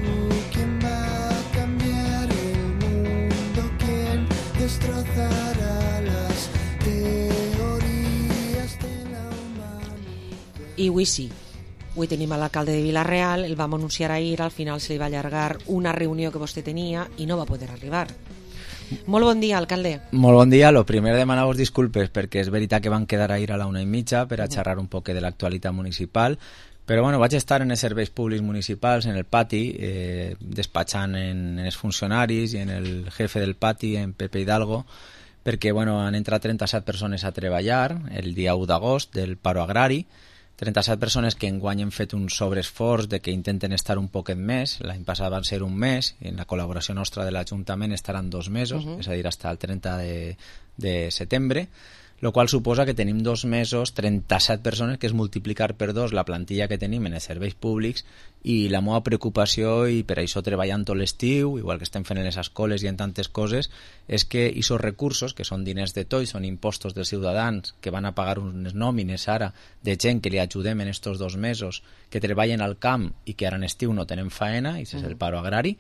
quien va a cambiar el mundo, quien destrozará las teorías de la humanidad. I avui sí, avui tenim a l'alcalde de Vila-real, el vam anunciar ahir, al final se li va allargar una reunió que vostè tenia i no va poder arribar. Molt bon dia, alcalde. Molt bon dia. Lo primer demanar-vos disculpes perquè és veritat que van quedar ahir a la una i mitja per a xerrar un poc de l'actualitat municipal, però bueno, vaig estar en els serveis públics municipals, en el pati, eh, despatxant en, en els funcionaris i en el jefe del pati, en Pepe Hidalgo, perquè bueno, han entrat trenta-set persones a treballar el dia u d'agost del paro agrari, trenta-set persones que enguany han fet un sobreesforç de que intenten estar un poquet més. L'any passat van ser un mes, i en la col·laboració nostra de l'Ajuntament estaran dos mesos, uh-huh. és a dir, fins al trenta de, de setembre, lo qual suposa que tenim dos mesos, trenta-set persones, que és multiplicar per dos la plantilla que tenim en els serveis públics, i la meva preocupació, i per això treballant tot l'estiu, igual que estem fent en les escoles i en tantes coses, és que aquests recursos, que són diners de tots, són impostos dels ciutadans, que van a pagar unes nòmines ara de gent que li ajudem en estos dos mesos, que treballen al camp i que ara en estiu no tenen faena, i és el paro agrari,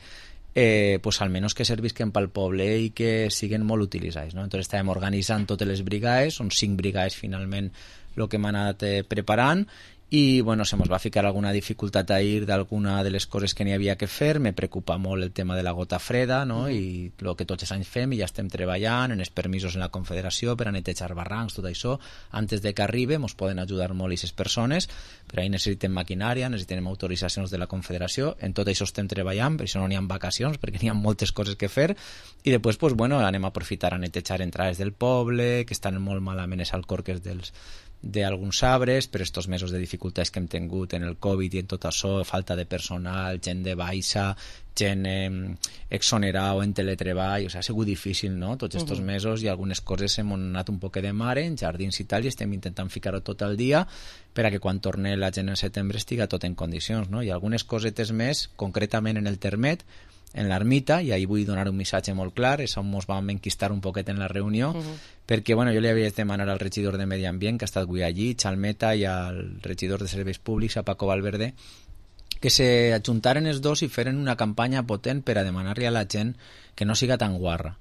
Eh, pues almenys que servisquen pel poble i que siguen molt utilitzats, no? Entonces estàvem organitzant totes les brigades, són cinc brigades finalment el que hem anat eh, preparant, i bueno, se mos va ficar alguna dificultat ahir d'alguna de les coses que n'hi havia que fer. Me preocupa molt el tema de la gota freda, no? Mm. I el que tots els anys fem, i ja estem treballant en els permisos en la Confederació per a netejar barrancs, tot això, antes de que arribi mos poden ajudar molt aquestes persones, però ahir necessitem maquinària, necessitem autoritzacions de la Confederació, en tot això estem treballant, per això no n'hi ha vacacions, perquè n'hi ha moltes coses que fer, i després pues, bueno, anem a aprofitar a netejar entrades del poble, que estan molt malament els alcorques dels d'alguns arbres, per estos mesos de dificultats que hem tingut en el Covid i en tot això, falta de personal, gent de baixa, gent eh, exonerada o en teletreball, o sigui, ha sigut difícil, no?, tots estos uh-huh. mesos, i algunes coses hem anat un poc de mare en jardins i tal, i estem intentant ficar-ho tot el dia per a que quan torni la gent en setembre estiga tot en condicions, no? I algunes cosetes més, concretament en el termet, en l'ermita, i ahir vull donar un missatge molt clar, és on ens vam enquistar un poquet en la reunió, uh-huh. perquè bueno, jo li havia de demanar al regidor de Medi Ambient, que ha estat avui allí, Chalmeta, i al regidor de Serveis Públics, a Paco Valverde, que se ajuntaren els dos i feren una campanya potent per a demanar-li a la gent que no siga tan guarra,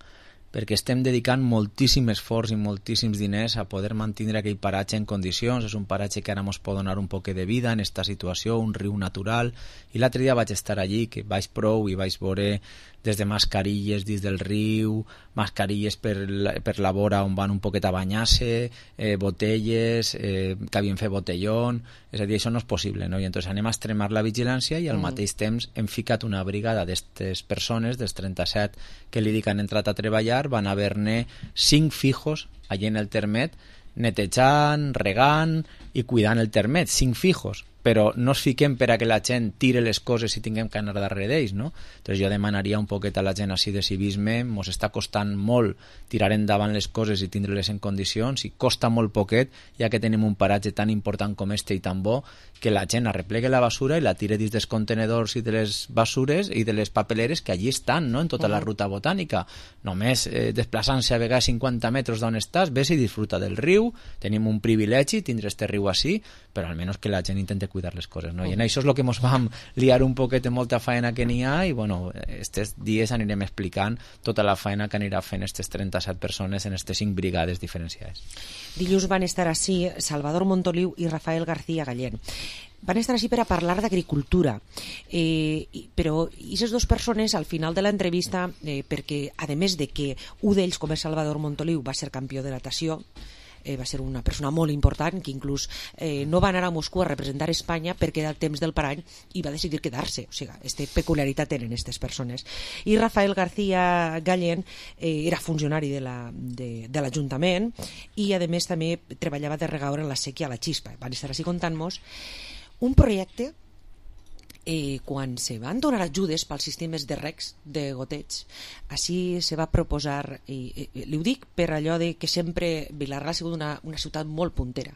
perquè estem dedicant moltíssim esforç i moltíssims diners a poder mantenir aquell paratge en condicions. És un paratge que ara ens pot donar un poc de vida en aquesta situació, un riu natural, i l'altre dia vaig estar allí, que vaig prou i vaig veure des de mascarilles dins del riu, mascarilles per la, per la vora on van un poquet a banyar-se, eh, botelles, eh, que havien fet botellón, és a dir, això no és possible, no? I entonces anem a extremar la vigilància i al mm. mateix temps hem ficat una brigada d'estes persones, dels trenta-set que li dic han entrat a treballar, van haver-ne cinc fijos allí en el termet, netejant, regant i cuidant el termet, cinc fijos, però no es fiquem per a que la gent tire les coses i tinguem que anar darrere d'ells, no? Entonces jo demanaria un poquet a la gent així de civisme, mos està costant molt tirar endavant les coses i tindre-les en condicions, i costa molt poquet, ja que tenim un paratge tan important com este i tan bo, que la gent arreplegue la basura i la tire dins dels contenedors i de les basures i de les papeleres que allí estan, no?, en tota uh-huh. la ruta botànica. Només eh, desplaçant-se a vegades cinquanta metres d'on estàs, ves i disfruta del riu, tenim un privilegi tindre este riu així, però almenys que la gent intente cuidar les coses, no? I en això és el que ens vam liar un poquet de molta feina que n'hi ha, i bueno, estes dies anirem explicant tota la feina que anirà fent aquestes trenta-set persones en aquestes cinc brigades diferenciades. Dilluns van estar així Salvador Montoliu i Rafael García Gallén. Van estar així per a parlar d'agricultura, eh, però aquestes dues persones al final de l'entrevista, eh, perquè a més de que un d'ells, com és Salvador Montoliu, va ser campió de natació, Eh, va ser una persona molt important que inclús eh, no va anar a Moscou a representar Espanya perquè era el temps del parany i va decidir quedar-se, o sigui, aquesta peculiaritat tenen aquestes persones. I Rafael García Gallén eh, era funcionari de la, de, de l'Ajuntament i a més també treballava de regaure en la sèquia a la Xispa. Van estar així contant-nos un projecte. Eh, quan se van donar ajudes pels sistemes de recs de goteig, així se va proposar, i eh, li ho dic per allò de que sempre Vilarreal ha sigut una, una ciutat molt puntera,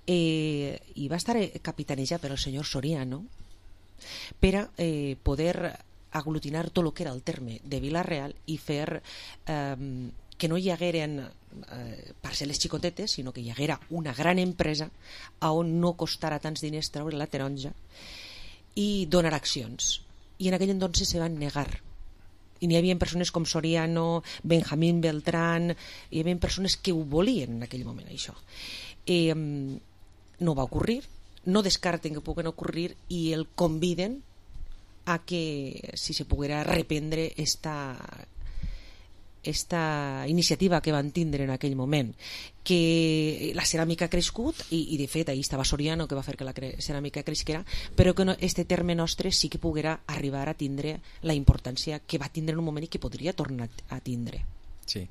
eh, i va estar capitanejat per el senyor Soriano per a eh, poder aglutinar tot el que era el terme de Vilarreal i fer eh, que no hi hagueren eh, parcel·les xicotetes, sinó que hi haguera una gran empresa on no costara tants diners treure la taronja i donar accions. I en aquell entonces se van negar. I n'hi havia persones com Soriano, Benjamín Beltrán, hi havia persones que ho volien en aquell moment, això. Eh, no va ocurrir, no descarten que puguen ocurrir i el conviden a que si se poguera reprendre esta esta iniciativa que van tindre en aquell moment, que la ceràmica ha crescut i, i de fet ahí estava Soriano que va fer que la cre ceràmica cresquera, però que no, este terme nostre sí que poguera arribar a tindre la importància que va tindre en un moment i que podria tornar a tindre. Sí,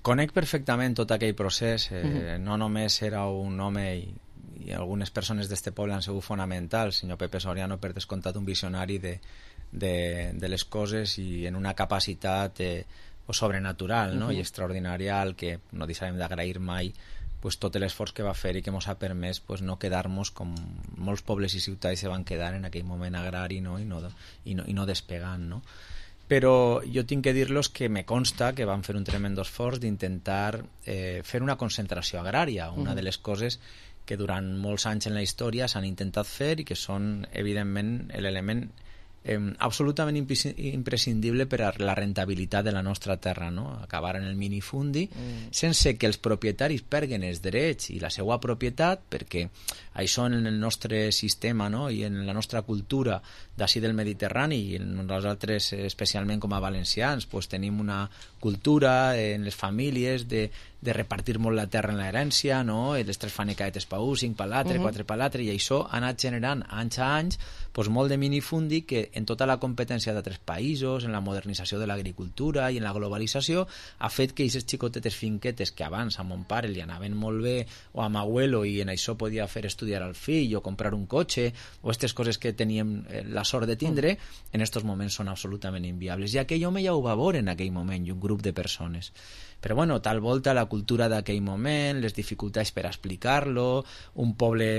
conec perfectament tot aquell procés, eh, uh-huh. no només era un home i, i algunes persones d'este poble han sigut fonamentals, senyor Pepe Soriano per descomptat un visionari de, de, de les coses i en una capacitat eh, o sobrenatural, no? Uh-huh. I extraordinària, al que no deixarem d'agrair mai pues, tot l'esforç que va fer i que ens ha permès pues, no quedar-nos com molts pobles i ciutats se van quedar en aquell moment agrari, no? I, no, i, no, i no despegant, no? Però jo tinc que dir-los que me consta que van fer un tremendo esforç d'intentar eh, fer una concentració agrària, una uh-huh. de les coses que durant molts anys en la història s'han intentat fer i que són evidentment l'element Eh, absolutament imprescindible per a la rentabilitat de la nostra terra, no? Acabar en el minifundi mm. sense que els propietaris perguen els drets i la seva propietat, perquè això en el nostre sistema, no? I en la nostra cultura d'ací del Mediterrani i en nosaltres especialment com a valencians pues, tenim una cultura en les famílies de, de repartir molt la terra en l'herència, no? Les tres fanecaetes pa un, cinc pa l'altre, uh-huh. quatre pa l'altre, i això ha anat generant anys a anys pues, molt de minifundi que en tota la competència d'altres països, en la modernització de l'agricultura i en la globalització, ha fet que aquestes xicotetes finquetes que abans a mon pare li anaven molt bé o a m'abuelo i en això podia fer estudiar al fill o comprar un cotxe o aquestes coses que teníem la sort de tindre, en aquests moments són absolutament inviables. I aquell home ja ho va veure en aquell moment i un grup de persones. Però bueno, tal volta la cultura d'aquell moment, les dificultats per explicar-lo, un poble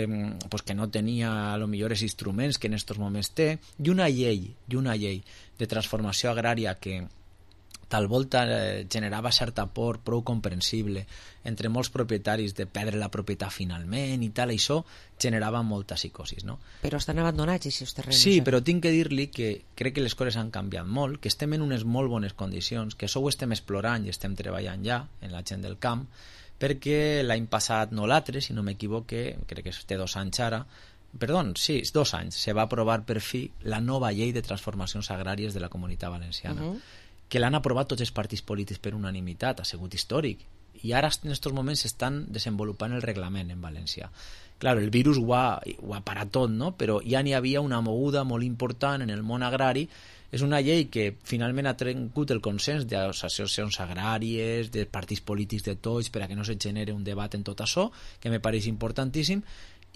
pues, que no tenia a lo millor els instruments que en estos moments té, i una llei, i una llei de transformació agrària que tal volta eh, generava certa por prou comprensible entre molts propietaris de perdre la propietat finalment i tal, i això generava molta psicosis, no? Però estan abandonats aquests terrenys. Sí, però tinc que dir-li que crec que les coses han canviat molt, que estem en unes molt bones condicions, que això ho estem explorant i estem treballant ja en la gent del camp, perquè l'any passat, no l'altre, si no m'equivoque, crec que té dos anys ara, perdó, sí, dos anys, se va aprovar per fi la nova llei de transformacions agràries de la Comunitat Valenciana. Uh-huh. Que l'han aprovat tots els partits polítics per unanimitat, ha sigut històric, i ara en aquests moments s'estan desenvolupant el reglament en València. Clar, el virus ho ha, ho ha parat tot, no? Però ja n'hi havia una moguda molt important en el món agrari. És una llei que finalment ha trencut el consens de les associacions agràries, de partits polítics de tots, per a que no se genere un debat en tot això, que me pareix importantíssim,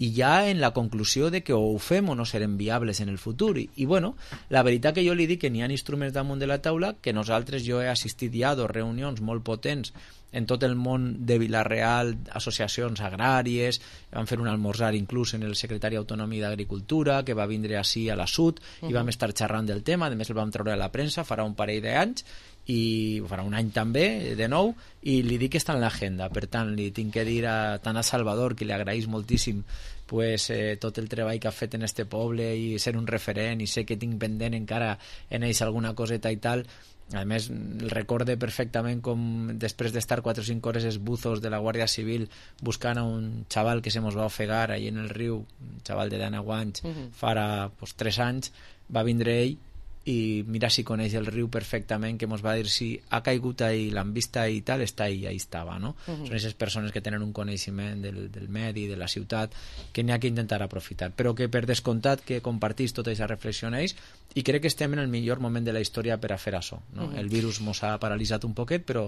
i ja en la conclusió de que o ho fem o no serem viables en el futur. I, i bueno, la veritat que jo li dic que n'hi ha instruments damunt de la taula, que nosaltres, jo he assistit ja a dos reunions molt potents en tot el món de Vila-real, associacions agràries, vam fer un almorzar inclús en el secretari autonòmic d'Agricultura, que va vindre així a la Sud, uh-huh. i vam estar xerrant del tema, a més el vam treure a la premsa, farà un parell d'anys, i farà un any també, de nou, i li dic que està en l'agenda. Per tant, li tinc que dir a, tant a Salvador, que li agraeix moltíssim pues, eh, tot el treball que ha fet en este poble i ser un referent, i sé que tinc pendent encara en ells alguna coseta i tal. A més, el recorde perfectament com després d'estar quatre o cinc hores els buzos de la Guàrdia Civil buscant a un xaval que se mos va ofegar allà en el riu, un xaval de dinou anys, uh-huh. farà pues, tres anys, va vindre ell i mira si coneix el riu perfectament, que mos va dir si ha caigut ahí, l'han vista i tal, està ahí, ahí estava, no? Uh-huh. Són aquestes persones que tenen un coneixement del, del medi, de la ciutat, que n'hi ha que intentar aprofitar, però que per descomptat que compartís tota aquesta reflexió en ells, i crec que estem en el millor moment de la història per a fer això, no? Uh-huh. El virus mos ha paralitzat un poquet, però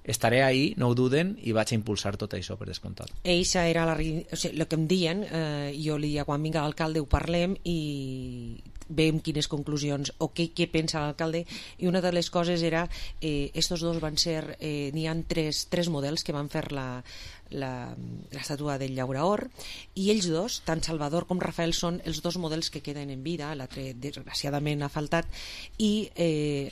estaré ahí, no ho duden, i vaig a impulsar tot això per descomptat. Eixa era la, o sigui, el que em diuen, eh, jo li dia quan vinga l'alcalde ho parlem i veiem quines conclusions o què, què pensa l'alcalde, i una de les coses era eh, estos dos van ser eh, n'hi ha tres, tres models que van fer la la l'estàtua del llauraor, i ells dos, tant Salvador com Rafael, són els dos models que queden en vida, l'altre desgraciadament ha faltat, i eh,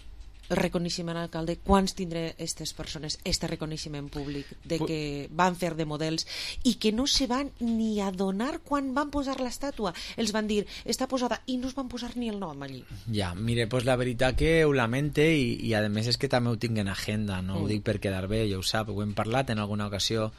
el reconeixement a l'alcalde, quants tindrà aquestes persones este reconeixement públic de que van fer de models i que no se van ni adonar quan van posar l'estàtua, els van dir està posada i no es van posar ni el nom allí. Ja, mire, pues la veritat que ho lamente, i, i a més és que també ho tinc en agenda, no mm. ho dic per quedar bé, ja ho sap, ho hem parlat en alguna ocasió,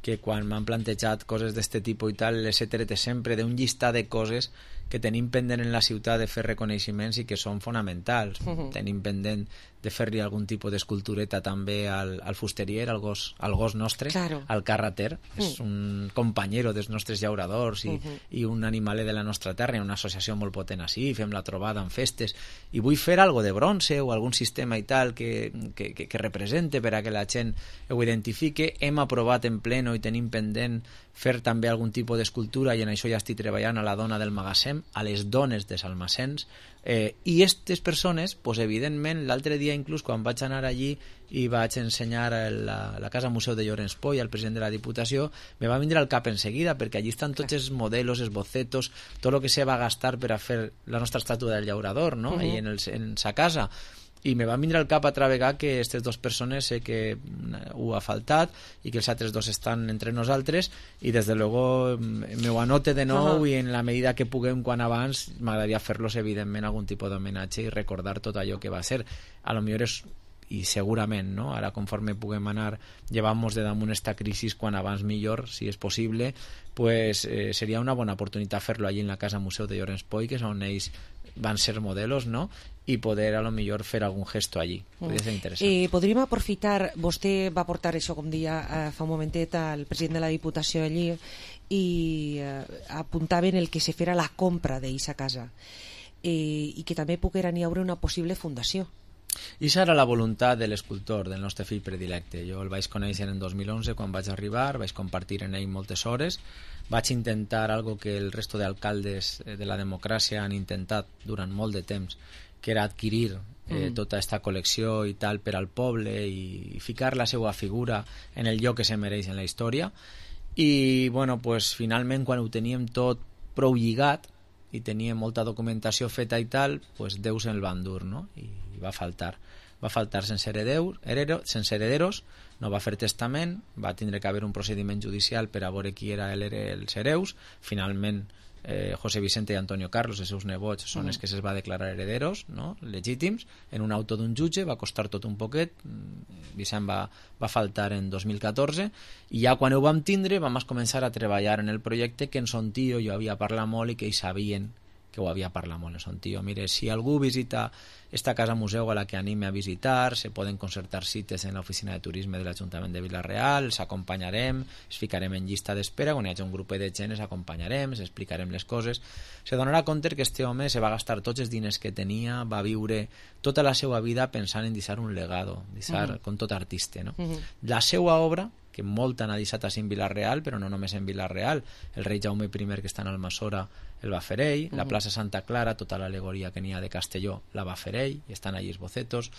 que quan m'han plantejat coses d'este tipus i tal, les he tret sempre d'un llistat de coses que tenim pendent en la ciutat de fer reconeixements i que són fonamentals. Uh-huh. Tenim pendent de fer-li algun tipus d'escultureta també al, al fusterier, al gos, al gos nostre, claro. al carrater. Uh-huh. És un companyero dels nostres llauradors i, uh-huh. i un animaler de la nostra terra, una associació molt potent així, fem la trobada en festes, i vull fer algo de bronze o algun sistema i tal que, que, que, que represente per a que la gent ho identifique. Hem aprovat en pleno i tenim pendent fer també algun tipus d'escultura, i en això ja estic treballant, a la dona del magatzem, a les dones dels almacens, eh, i aquestes persones, pues, evidentment, l'altre dia inclús quan vaig anar allí i vaig ensenyar a la, la Casa Museu de Llorenç Poi al president de la Diputació, me va vindre al cap enseguida, perquè allí estan tots els modelos, els bocetos, tot el que se va gastar per a fer la nostra estàtua del llaurador, no? Uh-huh. Allí en, el, en sa casa. I me va vindre al cap altra vegada que aquestes dues persones sé que ho ha faltat i que els altres dos estan entre nosaltres, i des de luego me ho anote de nou. Uh-huh. I en la medida que puguem quan abans m'agradaria fer-los evidentment algun tipus d'homenatge i recordar tot allò que va ser. A lo millor és, i segurament, no? Ara conforme puguem anar llevant-nos de damunt esta crisi quan abans millor, si és possible, pues eh, seria una bona oportunitat fer-lo allí en la Casa Museu de Llorenç Poi, que és on ells van ser modelos, no? I poder a lo millor fer algun gesto allí. Podria ser interessant. Eh, podríem aprofitar, vostè va portar això, com dia eh, fa un momentet, al president de la Diputació allí, i eh, apuntaven el que se fera la compra d'aquesta casa, eh, i que també poguera n'hi haure una possible fundació. I això era la voluntat de l'escultor, del nostre fill predilecte. Jo el vaig conèixer en dos mil onze quan vaig arribar, vaig compartir en ell moltes hores, vaig intentar algo que el resto d'alcaldes de la democràcia han intentat durant molt de temps, que era adquirir eh, mm. tota aquesta col·lecció i tal per al poble i ficar la seva figura en el lloc que se mereix en la història. I bueno, pues, finalment quan ho teníem tot prou lligat i teníem molta documentació feta i tal, pues Déu se'l va endur, no? I, i va faltar va faltar sense herederos, sense herederos, no va fer testament, va tindre que haver un procediment judicial per a veure qui era el, els hereus. Finalment eh, José Vicente i Antonio Carlos, els seus nebots, són mm. els que se'ls va declarar herederos, no? Legítims, en un auto d'un jutge. Va costar tot un poquet. Vicent va, va faltar en dos mil catorze i ja quan ho vam tindre vam començar a treballar en el projecte que en son tio jo havia parlat molt i que ells sabien que ho havia parlat molt en son tio. Mire, si algú visita esta casa museu a la que anime a visitar, se poden concertar cites en l'oficina de turisme de l'Ajuntament de Vila-real, els acompanyarem, els ficarem en llista d'espera, quan hi hagi un grup de gent els acompanyarem, els explicarem les coses. Se donarà compte que este home se va gastar tots els diners que tenia, va viure tota la seva vida pensant en deixar un legado, deixar, uh -huh. com tot artista, no? Uh -huh. La seva obra, que molt han deixat així en Vila-real, però no només en Vila-real, el rei Jaume I que està en Almassora el va fer ell, uh -huh. la plaça Santa Clara, tota l'al·legoria que n'hi ha de Castelló la va fer ell, i estan allí els bocetos.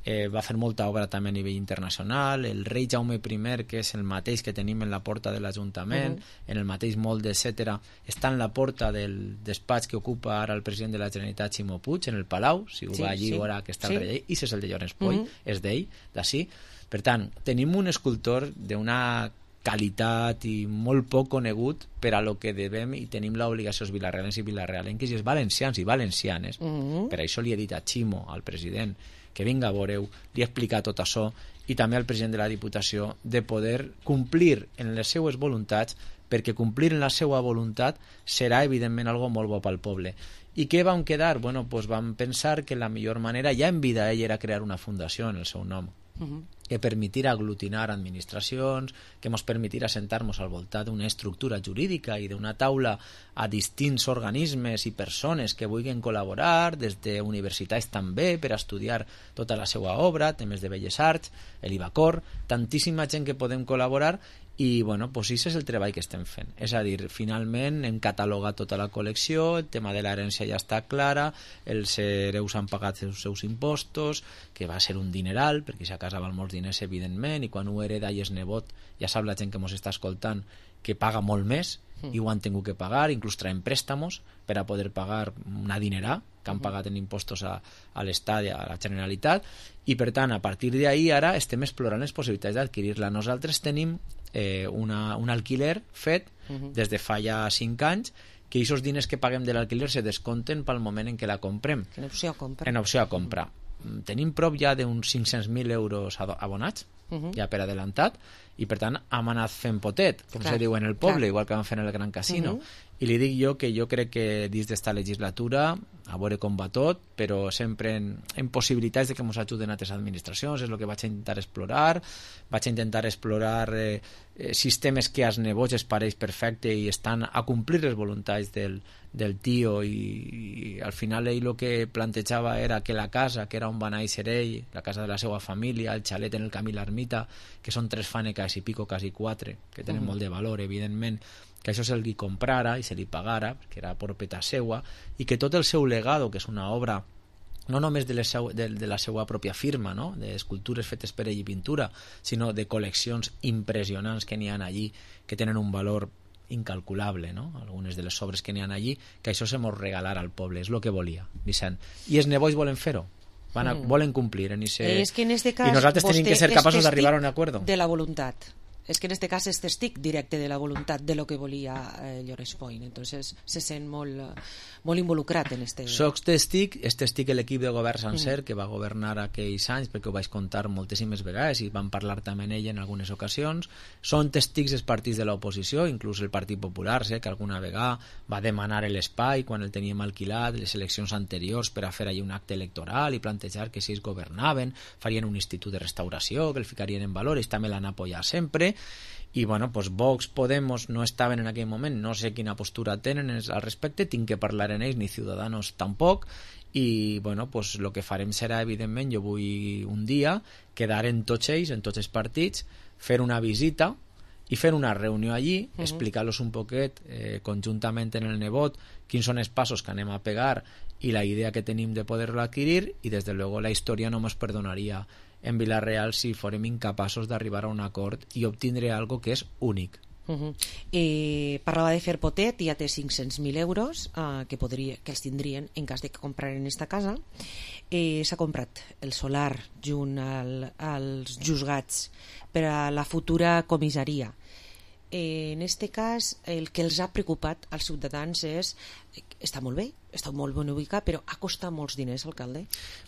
Eh, va fer molta obra també a nivell internacional. El rei Jaume I, que és el mateix que tenim en la porta de l'Ajuntament, uh -huh. en el mateix molde, etcètera, està en la porta del despatx que ocupa ara el president de la Generalitat, Ximo Puig, en el Palau, si ho sí, va allí sí. veurà que està sí. el rei, i és el de Llorenç Poll, uh -huh. és d'ell, d'ací. Per tant, tenim un escultor d'una qualitat i molt poc conegut per a lo que devem i tenim l'obligació els vilarrealens i vilarrealenques i els valencians i valencianes. Uh-huh. Per això li he dit a Ximo, al president, que vinga a veure-ho, li he explicat tot això, i també al president de la Diputació, de poder complir en les seues voluntats, perquè complir en la seva voluntat serà evidentment algo molt bo pel poble. I què vam quedar? Bueno, pues vam pensar que la millor manera, ja en vida ell, era crear una fundació en el seu nom, uh-huh. que permetirà aglutinar administracions, que ens permetirà sentar-nos al voltant d'una estructura jurídica i d'una taula a distints organismes i persones que vulguin col·laborar, des d'universitats també, per a estudiar tota la seva obra, temes de Belles Arts, l'Ibacor, tantíssima gent que podem col·laborar. I bueno, pues això és el treball que estem fent. És a dir, finalment hem catalogat tota la col·lecció, el tema de l'herència ja està clara, els hereus han pagat els seus impostos, que va ser un dineral, perquè si a casa val molts diners, evidentment, i quan ho hereda i és nebot, ja sap la gent que ens està escoltant que paga molt més, i ho han tingut que pagar, inclús traiem préstamos per a poder pagar una dinerà que han pagat en impostos a, a l'Estat i a la Generalitat, i per tant, a partir d'ahir ara estem explorant les possibilitats d'adquirir-la. Nosaltres tenim eh, una, un alquiler fet uh-huh. des de fa ja cinc anys, que aquests diners que paguem de l'alquiler se descompten pel moment en què la comprem. En opció a compra. En opció a compra. Uh-huh. Tenim prop ja d'uns cinc-cents mil euros abonats, uh-huh. ja per adelantat, i per tant hem anat fent potet, com clar, se diu en el poble, clar. Igual que vam fer en el Gran Casino. Uh-huh. I li dic jo que jo crec que dins d'esta legislatura, a veure com va tot, però sempre en, en possibilitats de que ens ajuden altres administracions, és el que vaig a intentar explorar. Vaig a intentar explorar eh, eh, sistemes que als nebots es pareix perfecte i estan a complir les voluntats del, del tio, i, i al final ell el que plantejava era que la casa, que era on va néixer ell, la casa de la seva família, el xalet en el camí l'Ermita, que són tres fàneques i pico, quasi quatre, que tenen uh-huh. molt de valor, evidentment, que això se li comprara i se li pagara, perquè era propietat seua, i que tot el seu legado, que és una obra no només de, seu, de, de la seva pròpia firma, no? D'escultures fetes per ell i pintura, sinó de col·leccions impressionants que n'hi ha allí, que tenen un valor incalculable, no? Algunes de les obres que n'hi ha allí, que això se mos regalara al poble, és el que volia, Vicent. I els nebois volen fer-ho, van a, mm. volen complir en ese... és que en este cas, i nosaltres tenim que ser capaços d'arribar a un acord de la voluntat. És que en este cas és testic directe de la voluntat de lo que volia eh, Llorenç Poll, entonces se sent molt, molt involucrat en este... Soc testic, és testic l'equip de govern sencer mm. que va governar aquells anys, perquè ho vaig contar moltíssimes vegades i van parlar també en ell en algunes ocasions. Són testics els partits de l'oposició, inclús el Partit Popular, sé que alguna vegada va demanar l'espai quan el teníem alquilat, les eleccions anteriors, per a fer allà un acte electoral i plantejar que si ells governaven farien un institut de restauració, que el ficarien en valor, ells també l'han apoyat sempre. I bueno, pues Vox, Podemos no estaven en aquell moment, no sé quina postura tenen al respecte, tinc que parlar en ells, ni Ciudadanos tampoc, i bueno, pues lo que farem serà, evidentment, jo vull un dia quedar en tots ells, en tots els partits, fer una visita i fent una reunió allí, Uh-huh. explicar-los un poquet eh, conjuntament en el nebot quins són els passos que anem a pegar i la idea que tenim de poder-lo adquirir, i des de luego la història no ens perdonaria en Vila-real si fórem incapaços d'arribar a un acord i obtindre algo que és únic. Uh-huh. eh, parlava de fer potet, ja té cinc-cents mil euros eh, que, podria, que els tindrien en cas de que compraren esta casa. Eh, s'ha comprat el solar junt al, als juzgats per a la futura comissaria. Eh, en este cas el que els ha preocupat als ciutadans és, està molt bé, està molt ben ubicat, però ha costat molts diners, alcalde.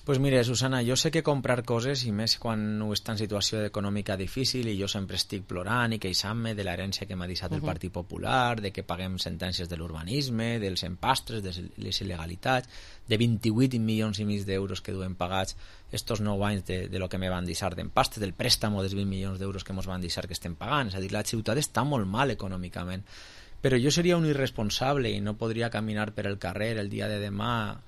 Pues mire, Susana, jo sé que comprar coses, i més quan ho està en situació econòmica difícil, i jo sempre estic plorant i queixant-me de l'herència que m'ha deixat el Uh-huh. Partit Popular, de que paguem sentències de l'urbanisme, dels empastres, de les il·legalitats, de vint-i-vuit milions i mig d'euros que duem pagats estos nou anys de, de lo que me van deixar d'empastres, del préstamo dels vint milions d'euros que mos van deixar que estem pagant. És a dir, la ciutat està molt mal econòmicament. Però jo seria un irresponsable i no podria caminar per el carrer el dia de demà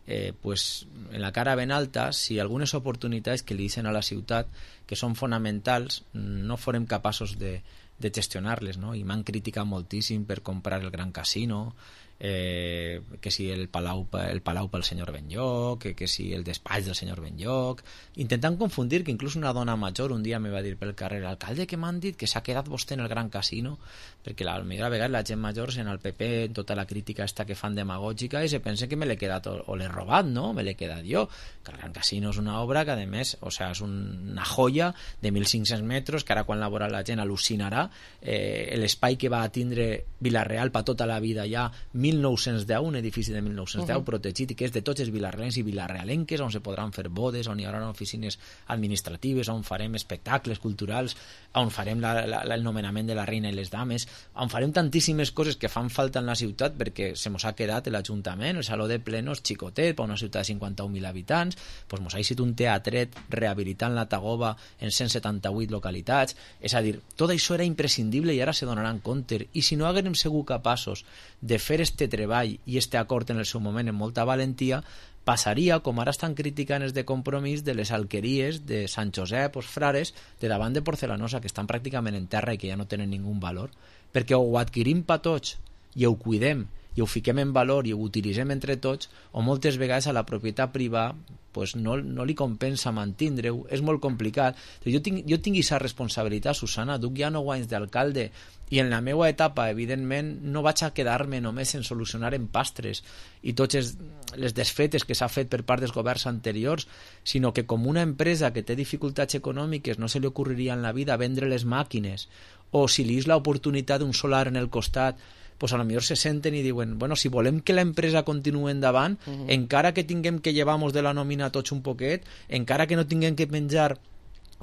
eh, pues, en la cara ben alta si algunes oportunitats que li deixen a la ciutat que són fonamentals no forem capaços de, de gestionar-les, no? I m'han criticat moltíssim per comprar el Gran Casino, eh, que si el Palau, el Palau pel senyor Benlloc, que, que si el despatx del senyor Benlloc, intentant confundir, que inclús una dona major un dia me va dir pel carrer, alcalde, que m'han dit que s'ha quedat vostè en el Gran Casino, perquè la millor vegada la gent major en el P P, en tota la crítica esta que fan demagògica, i se pensa que me l'he quedat o, o l'he robat, no? Me l'he quedat jo. Que el Gran Casino és una obra que, a més, o sea, és una joia de mil cinc-cents metres, que ara quan la veurà la gent al·lucinarà. Eh, l'espai que va a tindre Vila-real per tota la vida ja, mil nou-cents deu, un edifici de mil nou-cents deu, uh-huh. protegit, i que és de tots els vilarrealencs i vilarrealenques, on se podran fer bodes, on hi haurà oficines administratives, on farem espectacles culturals, on farem la, la, el nomenament de la reina i les dames, on farem tantíssimes coses que fan falta en la ciutat, perquè se mos ha quedat l'Ajuntament, el Saló de Plenos xicotet, per una ciutat de cinquanta-un mil habitants, pues mos ha eixit un teatret rehabilitant la Tagoba en cent setanta-vuit localitats. És a dir, tot això era imprescindible i ara se donaran compte, i si no haguem sigut capaços de fer este treball i este acord en el seu moment amb molta valentia, passaria, com ara estan criticant els de Compromís, de les alqueries de Sant Josep, els frares, de davant de Porcelanosa, que estan pràcticament en terra i que ja no tenen ningú valor, perquè o ho adquirim pa tots i ho cuidem i ho fiquem en valor i ho utilitzem entre tots, o moltes vegades a la propietat privada pues no, no li compensa mantindre-ho, és molt complicat. Jo tinc, jo tinc aquesta responsabilitat, Susana, duc ja nou anys d'alcalde, i en la meva etapa, evidentment, no vaig a quedar-me només en solucionar empastres i totes les desfetes que s'ha fet per part dels governs anteriors, sinó que com una empresa que té dificultats econòmiques no se li ocorreria en la vida vendre les màquines, o si li és l'oportunitat d'un solar en el costat, pues a lo millor se senten i diuen, bueno, si volem que l'empresa continuï endavant, uh-huh. encara que tinguem que llevar-nos de la nòmina tots un poquet, encara que no tinguem que menjar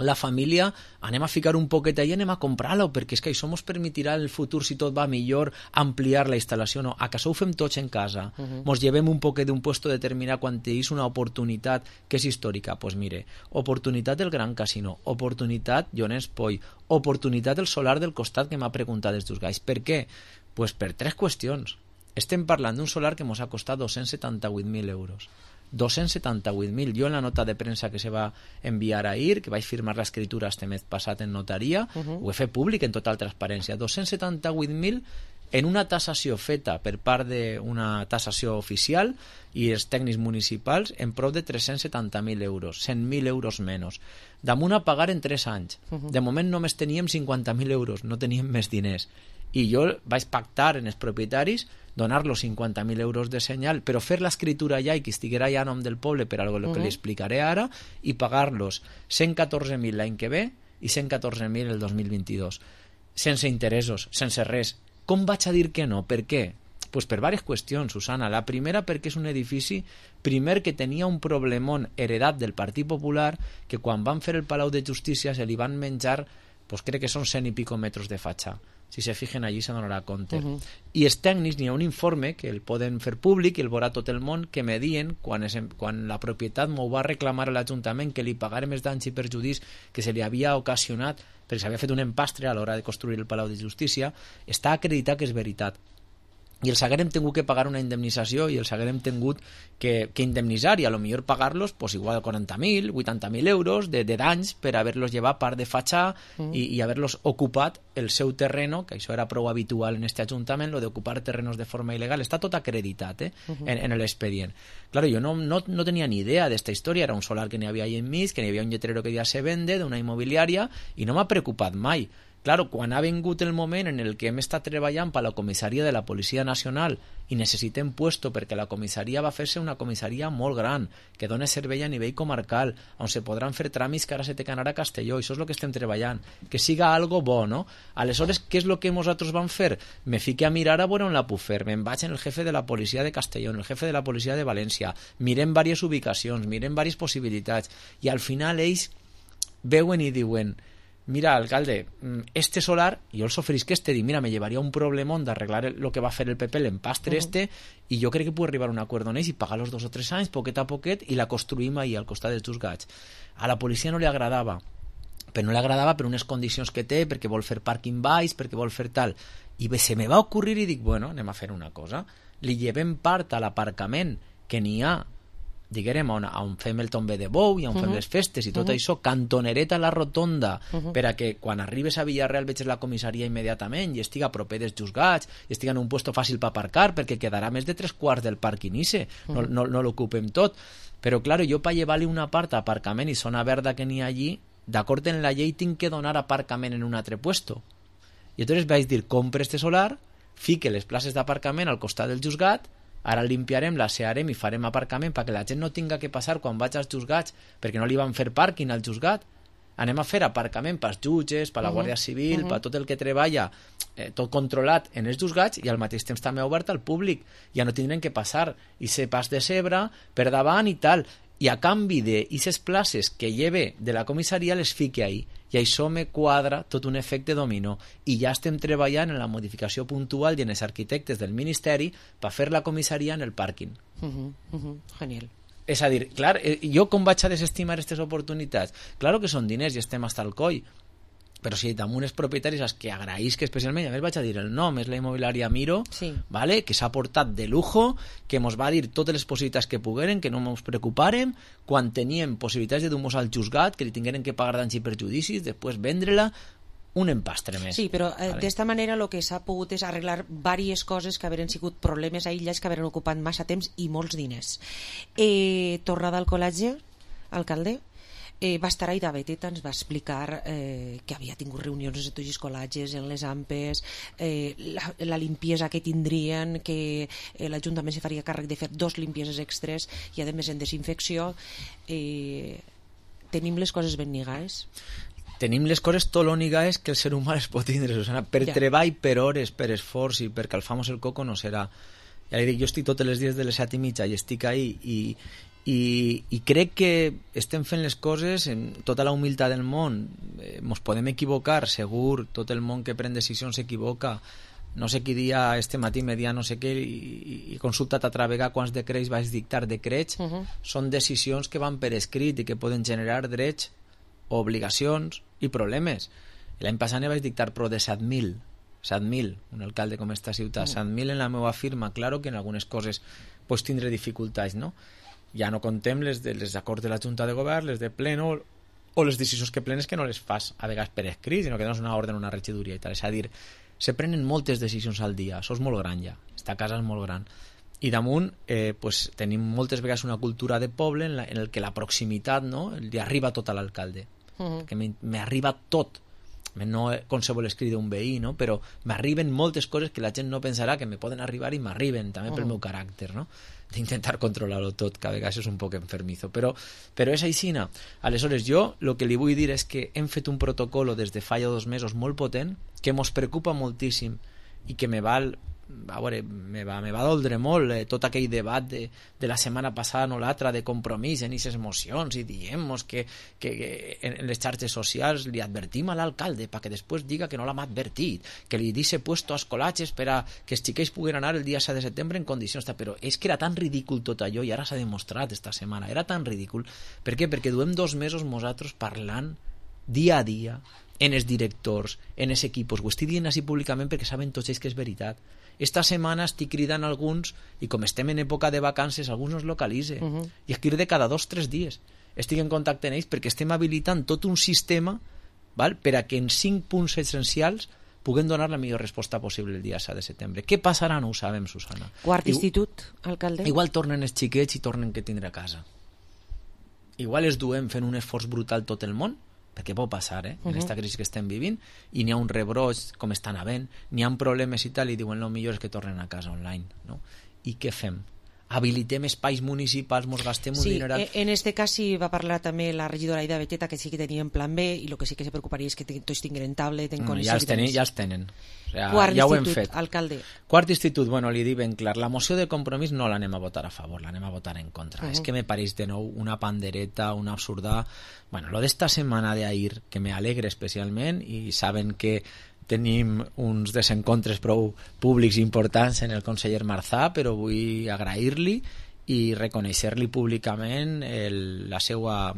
la família, anem a ficar un poquet allà i anem a comprar-lo, perquè és que això ens permetirà en el futur, si tot va millor, ampliar la instal·lació. No, acaso ho fem tots en casa, uh-huh. mos llevem un poquet d'un puesto determinat quan és una oportunitat que és històrica. Doncs pues mire, oportunitat del Gran Casino, oportunitat Llorenç Poll, oportunitat del solar del costat que m'ha preguntat els dos gais. Per què? Pues per tres qüestions. Estem parlant d'un solar que ens ha costat dos-cents setanta-vuit mil euros. dos-cents setanta-vuit mil. Jo en la nota de premsa que se va enviar ahir, que vaig firmar l'escriptura este mes passat en notaria, uh-huh. ho he fet públic en total transparència. dos-cents setanta-vuit mil en una tassació feta per part d'una tassació oficial i els tècnics municipals en prop de tres-cents setanta mil euros, cent mil euros menys. Damunt a pagar en tres anys. Uh-huh. De moment només teníem cinquanta mil euros, no teníem més diners. I jo vaig pactar en els propietaris donar-los cinquanta mil euros de senyal, però fer l'escriptura ja i que estiguera ja a nom del poble per algo uh-huh. que li explicaré ara, i pagar-los cent catorze mil l'any que ve i cent catorze mil el dos mil vint-i-dos. Sense interessos, sense res. Com vaig a dir que no? Per què? Pues per diverses qüestions, Susana. La primera perquè és un edifici, primer, que tenia un problemón heredat del Partit Popular, que quan van fer el Palau de Justícia se li van menjar, pues crec que són cent i pico metres de fatxa. Si se fijen allí se donarà compte. Uh-huh. I els tècnics, n'hi ha un informe que el poden fer públic i el veurà tot el món, que me dient, quan, es, quan la propietat m'ho va reclamar a l'Ajuntament que li pagarem els danys i perjudis que se li havia ocasionat perquè s'havia fet un empastre a l'hora de construir el Palau de Justícia, està acreditat que és veritat. i els haguérem tingut que pagar una indemnització i els haguérem tingut que, que indemnitzar i a lo millor pagar-los pues, igual quaranta mil, vuitanta mil euros de, de danys per haver-los llevat part de fatxar mm. i, i haver-los ocupat el seu terreno, que això era prou habitual en este ajuntament, lo d'ocupar terrenos de forma il·legal, està tot acreditat eh, uh -huh. en, en l'expedient. Claro, jo no, no, no tenia ni idea d'esta història, era un solar que n'hi havia ahí enmig, que n'hi havia un lletrero que ja se vende d'una immobiliària i no m'ha preocupat mai. Claro, quan ha vingut el moment en el que hem estat treballant per la comissaria de la Policia Nacional i necessitem puesto perquè la comissaria va fer-se una comissaria molt gran, que dona servei a nivell comarcal, on se podran fer tràmits que ara se té que anar a Castelló, això és el que estem treballant, que siga algo bo, no? Aleshores, què és el que nosaltres vam fer? Me fiqué a mirar a veure on la puc fer, me'n vaig en el jefe de la policia de Castelló, en el jefe de la policia de València, mirem diverses ubicacions, mirem diverses possibilitats, i al final ells veuen i diuen: mira, alcalde, este solar, jo els oferisc este, dic, mira, me llevaria un problemón d'arreglar el que va fer el P P, l'empastre uh -huh. este, i jo crec que puc arribar a un acord amb ells i pagar los dos o tres anys, poquet a poquet, i la construïm ahí, al costat dels juzgats. A la policia no li agradava, però no li agradava per unes condicions que té, perquè vol fer pàrquing baix, perquè vol fer tal. I se me va ocurrir i dic, bueno, anem a fer una cosa. Li llevem part a l'aparcament que n'hi ha, diguem, on, on fem el tombe de bou i on uh -huh. fem les festes i tot uh -huh. això, cantonereta a la rotonda, uh -huh. per a que quan arribes a Villarreal veges la comissaria immediatament i estiga proper dels juzgats i estiga en un puesto fàcil per aparcar, perquè quedarà més de tres quarts del pàrquing ise, uh -huh. no, no, no l'ocupem tot. Però, claro, jo per llevar-li una part a aparcament i zona verda que n'hi ha allí, d'acord en la llei tinc que donar aparcament en un altre puesto. I llavors vaig dir, compre este solar, fique les places d'aparcament al costat del juzgat, ara limpiarem, l'asearem i farem aparcament perquè la gent no tinga que passar quan vaig als juzgats, perquè no li van fer pàrquing al juzgat. Anem a fer aparcament pels jutges, per la Guàrdia Civil, uh -huh. per tot el que treballa, eh, tot controlat en els juzgats, i al mateix temps també obert al públic. Ja no tindrem que passar i ser pas de cebre per davant i tal. I a canvi d'aquestes places que lleve de la comissaria les fique ahí. I això me quadra tot un efecte dominó. I ja estem treballant en la modificació puntual i en els arquitectes del Ministeri per fer la comissaria en el pàrquing. Uh -huh, uh -huh. Genial. És a dir, clar, jo com vaig a desestimar aquestes oportunitats? Claro que són diners i estem hasta el coll, però si damunt els propietaris als que agraïsc especialment, a més vaig a dir el nom, és la immobiliària Miro, sí. ¿vale? Que s'ha portat de lujo, que mos va dir totes les possibilitats que pogueren, que no ens preocupàrem, quan teníem possibilitats de dur-nos al juzgat, que li tingueren que pagar danys i perjudicis, després vendre-la, un empastre més. Sí, però eh, vale. d'esta manera el que s'ha pogut és arreglar diverses coses que haveren sigut problemes aïllats, que haveren ocupat massa temps i molts diners. Eh, tornada al col·legi, alcalde, Eh, va estar ahí David, ens va explicar eh, que havia tingut reunions de tots els col·legis en les ampes, eh, la, la limpiesa que tindrien, que eh, l'Ajuntament se faria càrrec de fer dos limpieses extres i a més en desinfecció. Eh, tenim les coses ben lligades? Tenim les coses tot l'únic que el ser humà les pot tindre, Susana, per ja. treball, per hores, per esforç i per calfar-nos el coco no serà. Ja li dic, jo estic tots els dies de les set i mitja i estic ahí i I, i crec que estem fent les coses amb tota la humilitat del món. Eh, mos podem equivocar, segur, tot el món que pren decisions s'equivoca. No sé qui dia este matí me dia no sé què i, i consultat a travega quants decrets vaig dictar. Decrets uh -huh. són decisions que van per escrit i que poden generar drets, obligacions i problemes. L'any passat ne vaig dictar pro de set mil set mil, un alcalde com esta ciutat, uh -huh. set mil en la meva firma. Claro que en algunes coses pues, tindré dificultats, no? Ja no contem les, de, les acords de la Junta de Govern, les de pleno o les decisions que plenes que no les fas a vegades per escrit, sinó que dones una ordre en una regidoria i tal. És a dir, se prenen moltes decisions al dia, això és molt gran ja, esta casa és molt gran. I damunt eh, pues, tenim moltes vegades una cultura de poble en, la, en el que la proximitat no, li arriba tot a l'alcalde, uh-huh. que m'arriba tot, no qualsevol escrit d'un veí, no? Però m'arriben moltes coses que la gent no pensarà que me poden arribar i m'arriben també pel uh-huh. meu caràcter, no? D'intentar controlar-ho tot, que a vegades és un poc enfermizo, però, però és aixina. Aleshores, jo el que li vull dir és que hem fet un protocol des de fa ja dos mesos molt potent, que mos preocupa moltíssim i que me val, a veure, me va, me va doldre molt eh, tot aquell debat de, de la setmana passada no l'altra de compromís en aquestes mocions i diem-nos que, que, que en les xarxes socials li advertim a l'alcalde perquè després diga que no l'hem advertit, que li dice puesto als col·latges per a que els xiquets puguen anar el dia set de setembre en condicions, però és que era tan ridícul tot allò i ara s'ha demostrat esta setmana, era tan ridícul. Per què? Perquè duem dos mesos nosaltres parlant dia a dia en els directors, en els equipos. Ho estic dient així públicament perquè saben tots ells que és veritat. Esta setmana estic cridant alguns, i com estem en època de vacances, alguns no es localitza. Uh -huh. I es crida cada dos o tres dies. Estic en contacte amb ells perquè estem habilitant tot un sistema, val, per a que en cinc punts essencials puguem donar la millor resposta possible el dia set de setembre. Què passarà? No ho sabem, Susana. Quart I, institut, alcalde? Igual tornen els xiquets i tornen que tindre a casa. Igual es duem fent un esforç brutal tot el món, perquè pot passar, eh? En aquesta uh -huh. crisi que estem vivint, i n'hi ha un rebroig, com estan havent, n'hi ha problemes i tal, i diuen el millor és que tornen a casa online, no? I què fem? Habilitem espais municipals, mos gastem un sí, dineral... Sí, en este cas sí va parlar també la regidora Aida Beteta, que sí que tenien plan B, i el que sí que se preocuparia és que tots tinguin tablet, en no, coneixement... Ja els tenen, ja els tenen. O sea, Quart ja ho hem institut, fet. Alcalde. Quart institut, bueno, li dic ben clar, la moció de compromís no l'anem a votar a favor, l'anem a votar en contra. Uh -huh. És que me pareix de nou una pandereta, una absurda... Bueno, lo d'esta setmana d'ahir, que me alegre especialment, i saben que tenim uns desencontres prou públics importants en el conseller Marzà, però vull agrair-li i reconèixer-li públicament el, la seva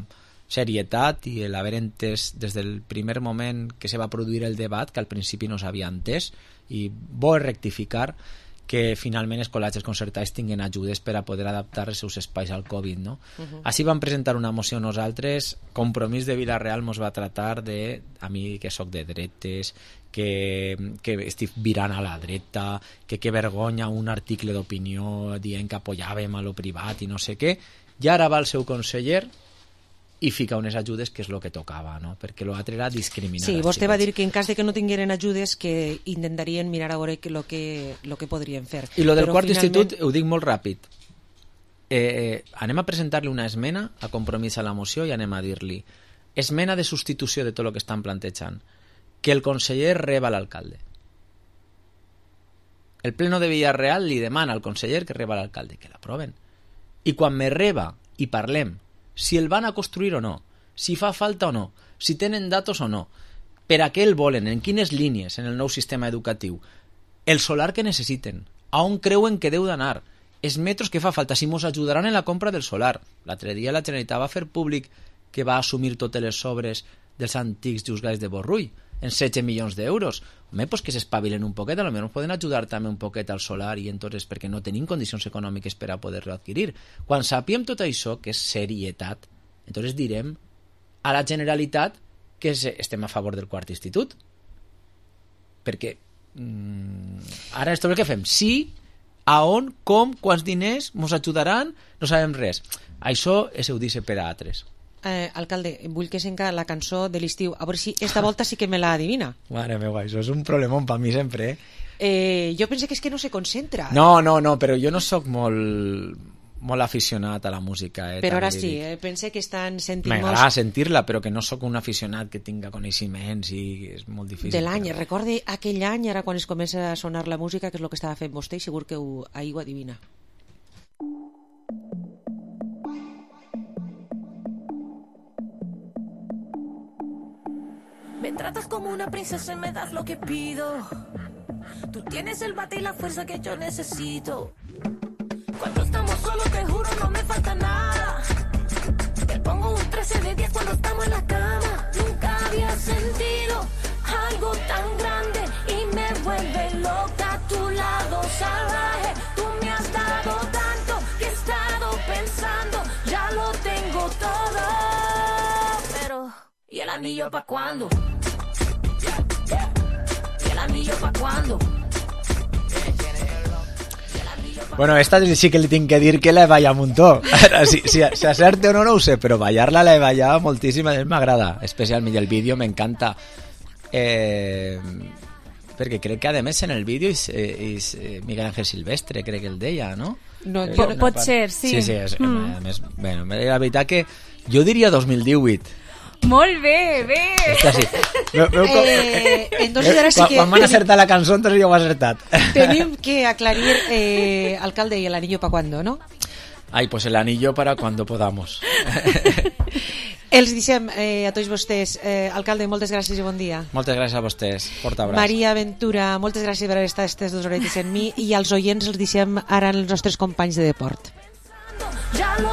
serietat i l'haver entès des del primer moment que se va produir el debat, que al principi no s'havia entès, i bo rectificar que finalment els col·legis concertats tinguin ajudes per a poder adaptar els seus espais al Covid, no? Uh-huh. Així vam presentar una moció nosaltres. Compromís de Vila-real mos va tratar de, a mi que sóc de dretes, que, que estic virant a la dreta, que que vergonya un article d'opinió dient que apoyàvem a lo privat i no sé què, i ara va el seu conseller i fica unes ajudes, que és el que tocava, no? Perquè l'altre era discriminar. Sí, vostè va dir que en cas de que no tingueren ajudes que intentarien mirar a veure el que, lo que podrien fer. I lo del Però quart finalment... institut ho dic molt ràpid. Eh, anem a presentar-li una esmena a compromís a la moció i anem a dir-li esmena de substitució de tot el que estan plantejant, que el conseller reba l'alcalde. El pleno de Villarreal li demana al conseller que reba l'alcalde, que l'aproven. I quan me reba i parlem si el van a construir o no, si fa falta o no, si tenen datos o no, per a què el volen, en quines línies en el nou sistema educatiu, el solar que necessiten, a on creuen que deu d'anar, els metros que fa falta, si mos ajudaran en la compra del solar. L'altre dia la Generalitat va fer públic que va assumir totes les sobres dels antics juzgats de Borrull, en setze milions d'euros. Home, pues que s'espavilen un poquet, potser ens poden ajudar també un poquet al solar, i entonces perquè no tenim condicions econòmiques per a poder-lo adquirir. Quan sapiem tot això, que és serietat, entonces direm a la Generalitat que estem a favor del quart institut. Perquè mmm, ara és tot el que fem. Sí, a on, com, quants diners, mos ajudaran, no sabem res. Això és eudice per a altres. Eh, alcalde, vull que senca la cançó de l'estiu, a veure si esta volta sí que me la adivina. Mare meva, això és un problemón per mi sempre, eh? eh? Jo penso que és que no se concentra. No, no, no, però jo no sóc molt, molt aficionat a la música. Eh, però ara sí, eh? Pense que estan sentint... M'agrada molt... sentir-la, però que no sóc un aficionat que tinga coneixements i és molt difícil. De l'any, però... recorde aquell any, ara quan es comença a sonar la música, que és el que estava fent vostè, i segur que ho, ahir ho adivina. Me tratas como una princesa y me das lo que pido. Tú tienes el bate y la fuerza que yo necesito. Cuando estamos solos te juro no me falta nada. Te pongo un trece de diez cuando estamos en la cama. Nunca había sentido algo tan grande y me vuelve loca a tu lado salvaje. Tú me has dado tanto que he estado pensando, ya lo tengo todo. Pero, ¿y el anillo pa' cuándo? ¿Y el anillo pa' cuándo? Bueno, esta sí que li tinc que dir que la he ballat un muntó. Si, si, si acerte o no, no ho sé, però ballar-la la he ballat moltíssim, a mi m'agrada, especialment el vídeo, m'encanta. Eh, perquè crec que a més en el vídeo és, és Miguel Ángel Silvestre, crec que el deia, no? no eh, pot, pot ser, sí. Sí, sí, és, mm. a més, bueno, la veritat que jo diria dos mil divuit. Molt bé, bé. Esta sí. Veu, veu com... eh, entonces ara sí que... Quan van acertar la cançó, entonces jo ho he acertat. Tenim que aclarir, eh, alcalde, ¿y el anillo para cuándo, no? Ay, pues el anillo para cuando podamos. Els deixem eh, a tots vostès. Eh, alcalde, moltes gràcies i bon dia. Moltes gràcies a vostès. Forta abraç. Maria Ventura, moltes gràcies per haver estat aquestes dues horetes en mi, i als oients els deixem ara els nostres companys de Deport. Ja lo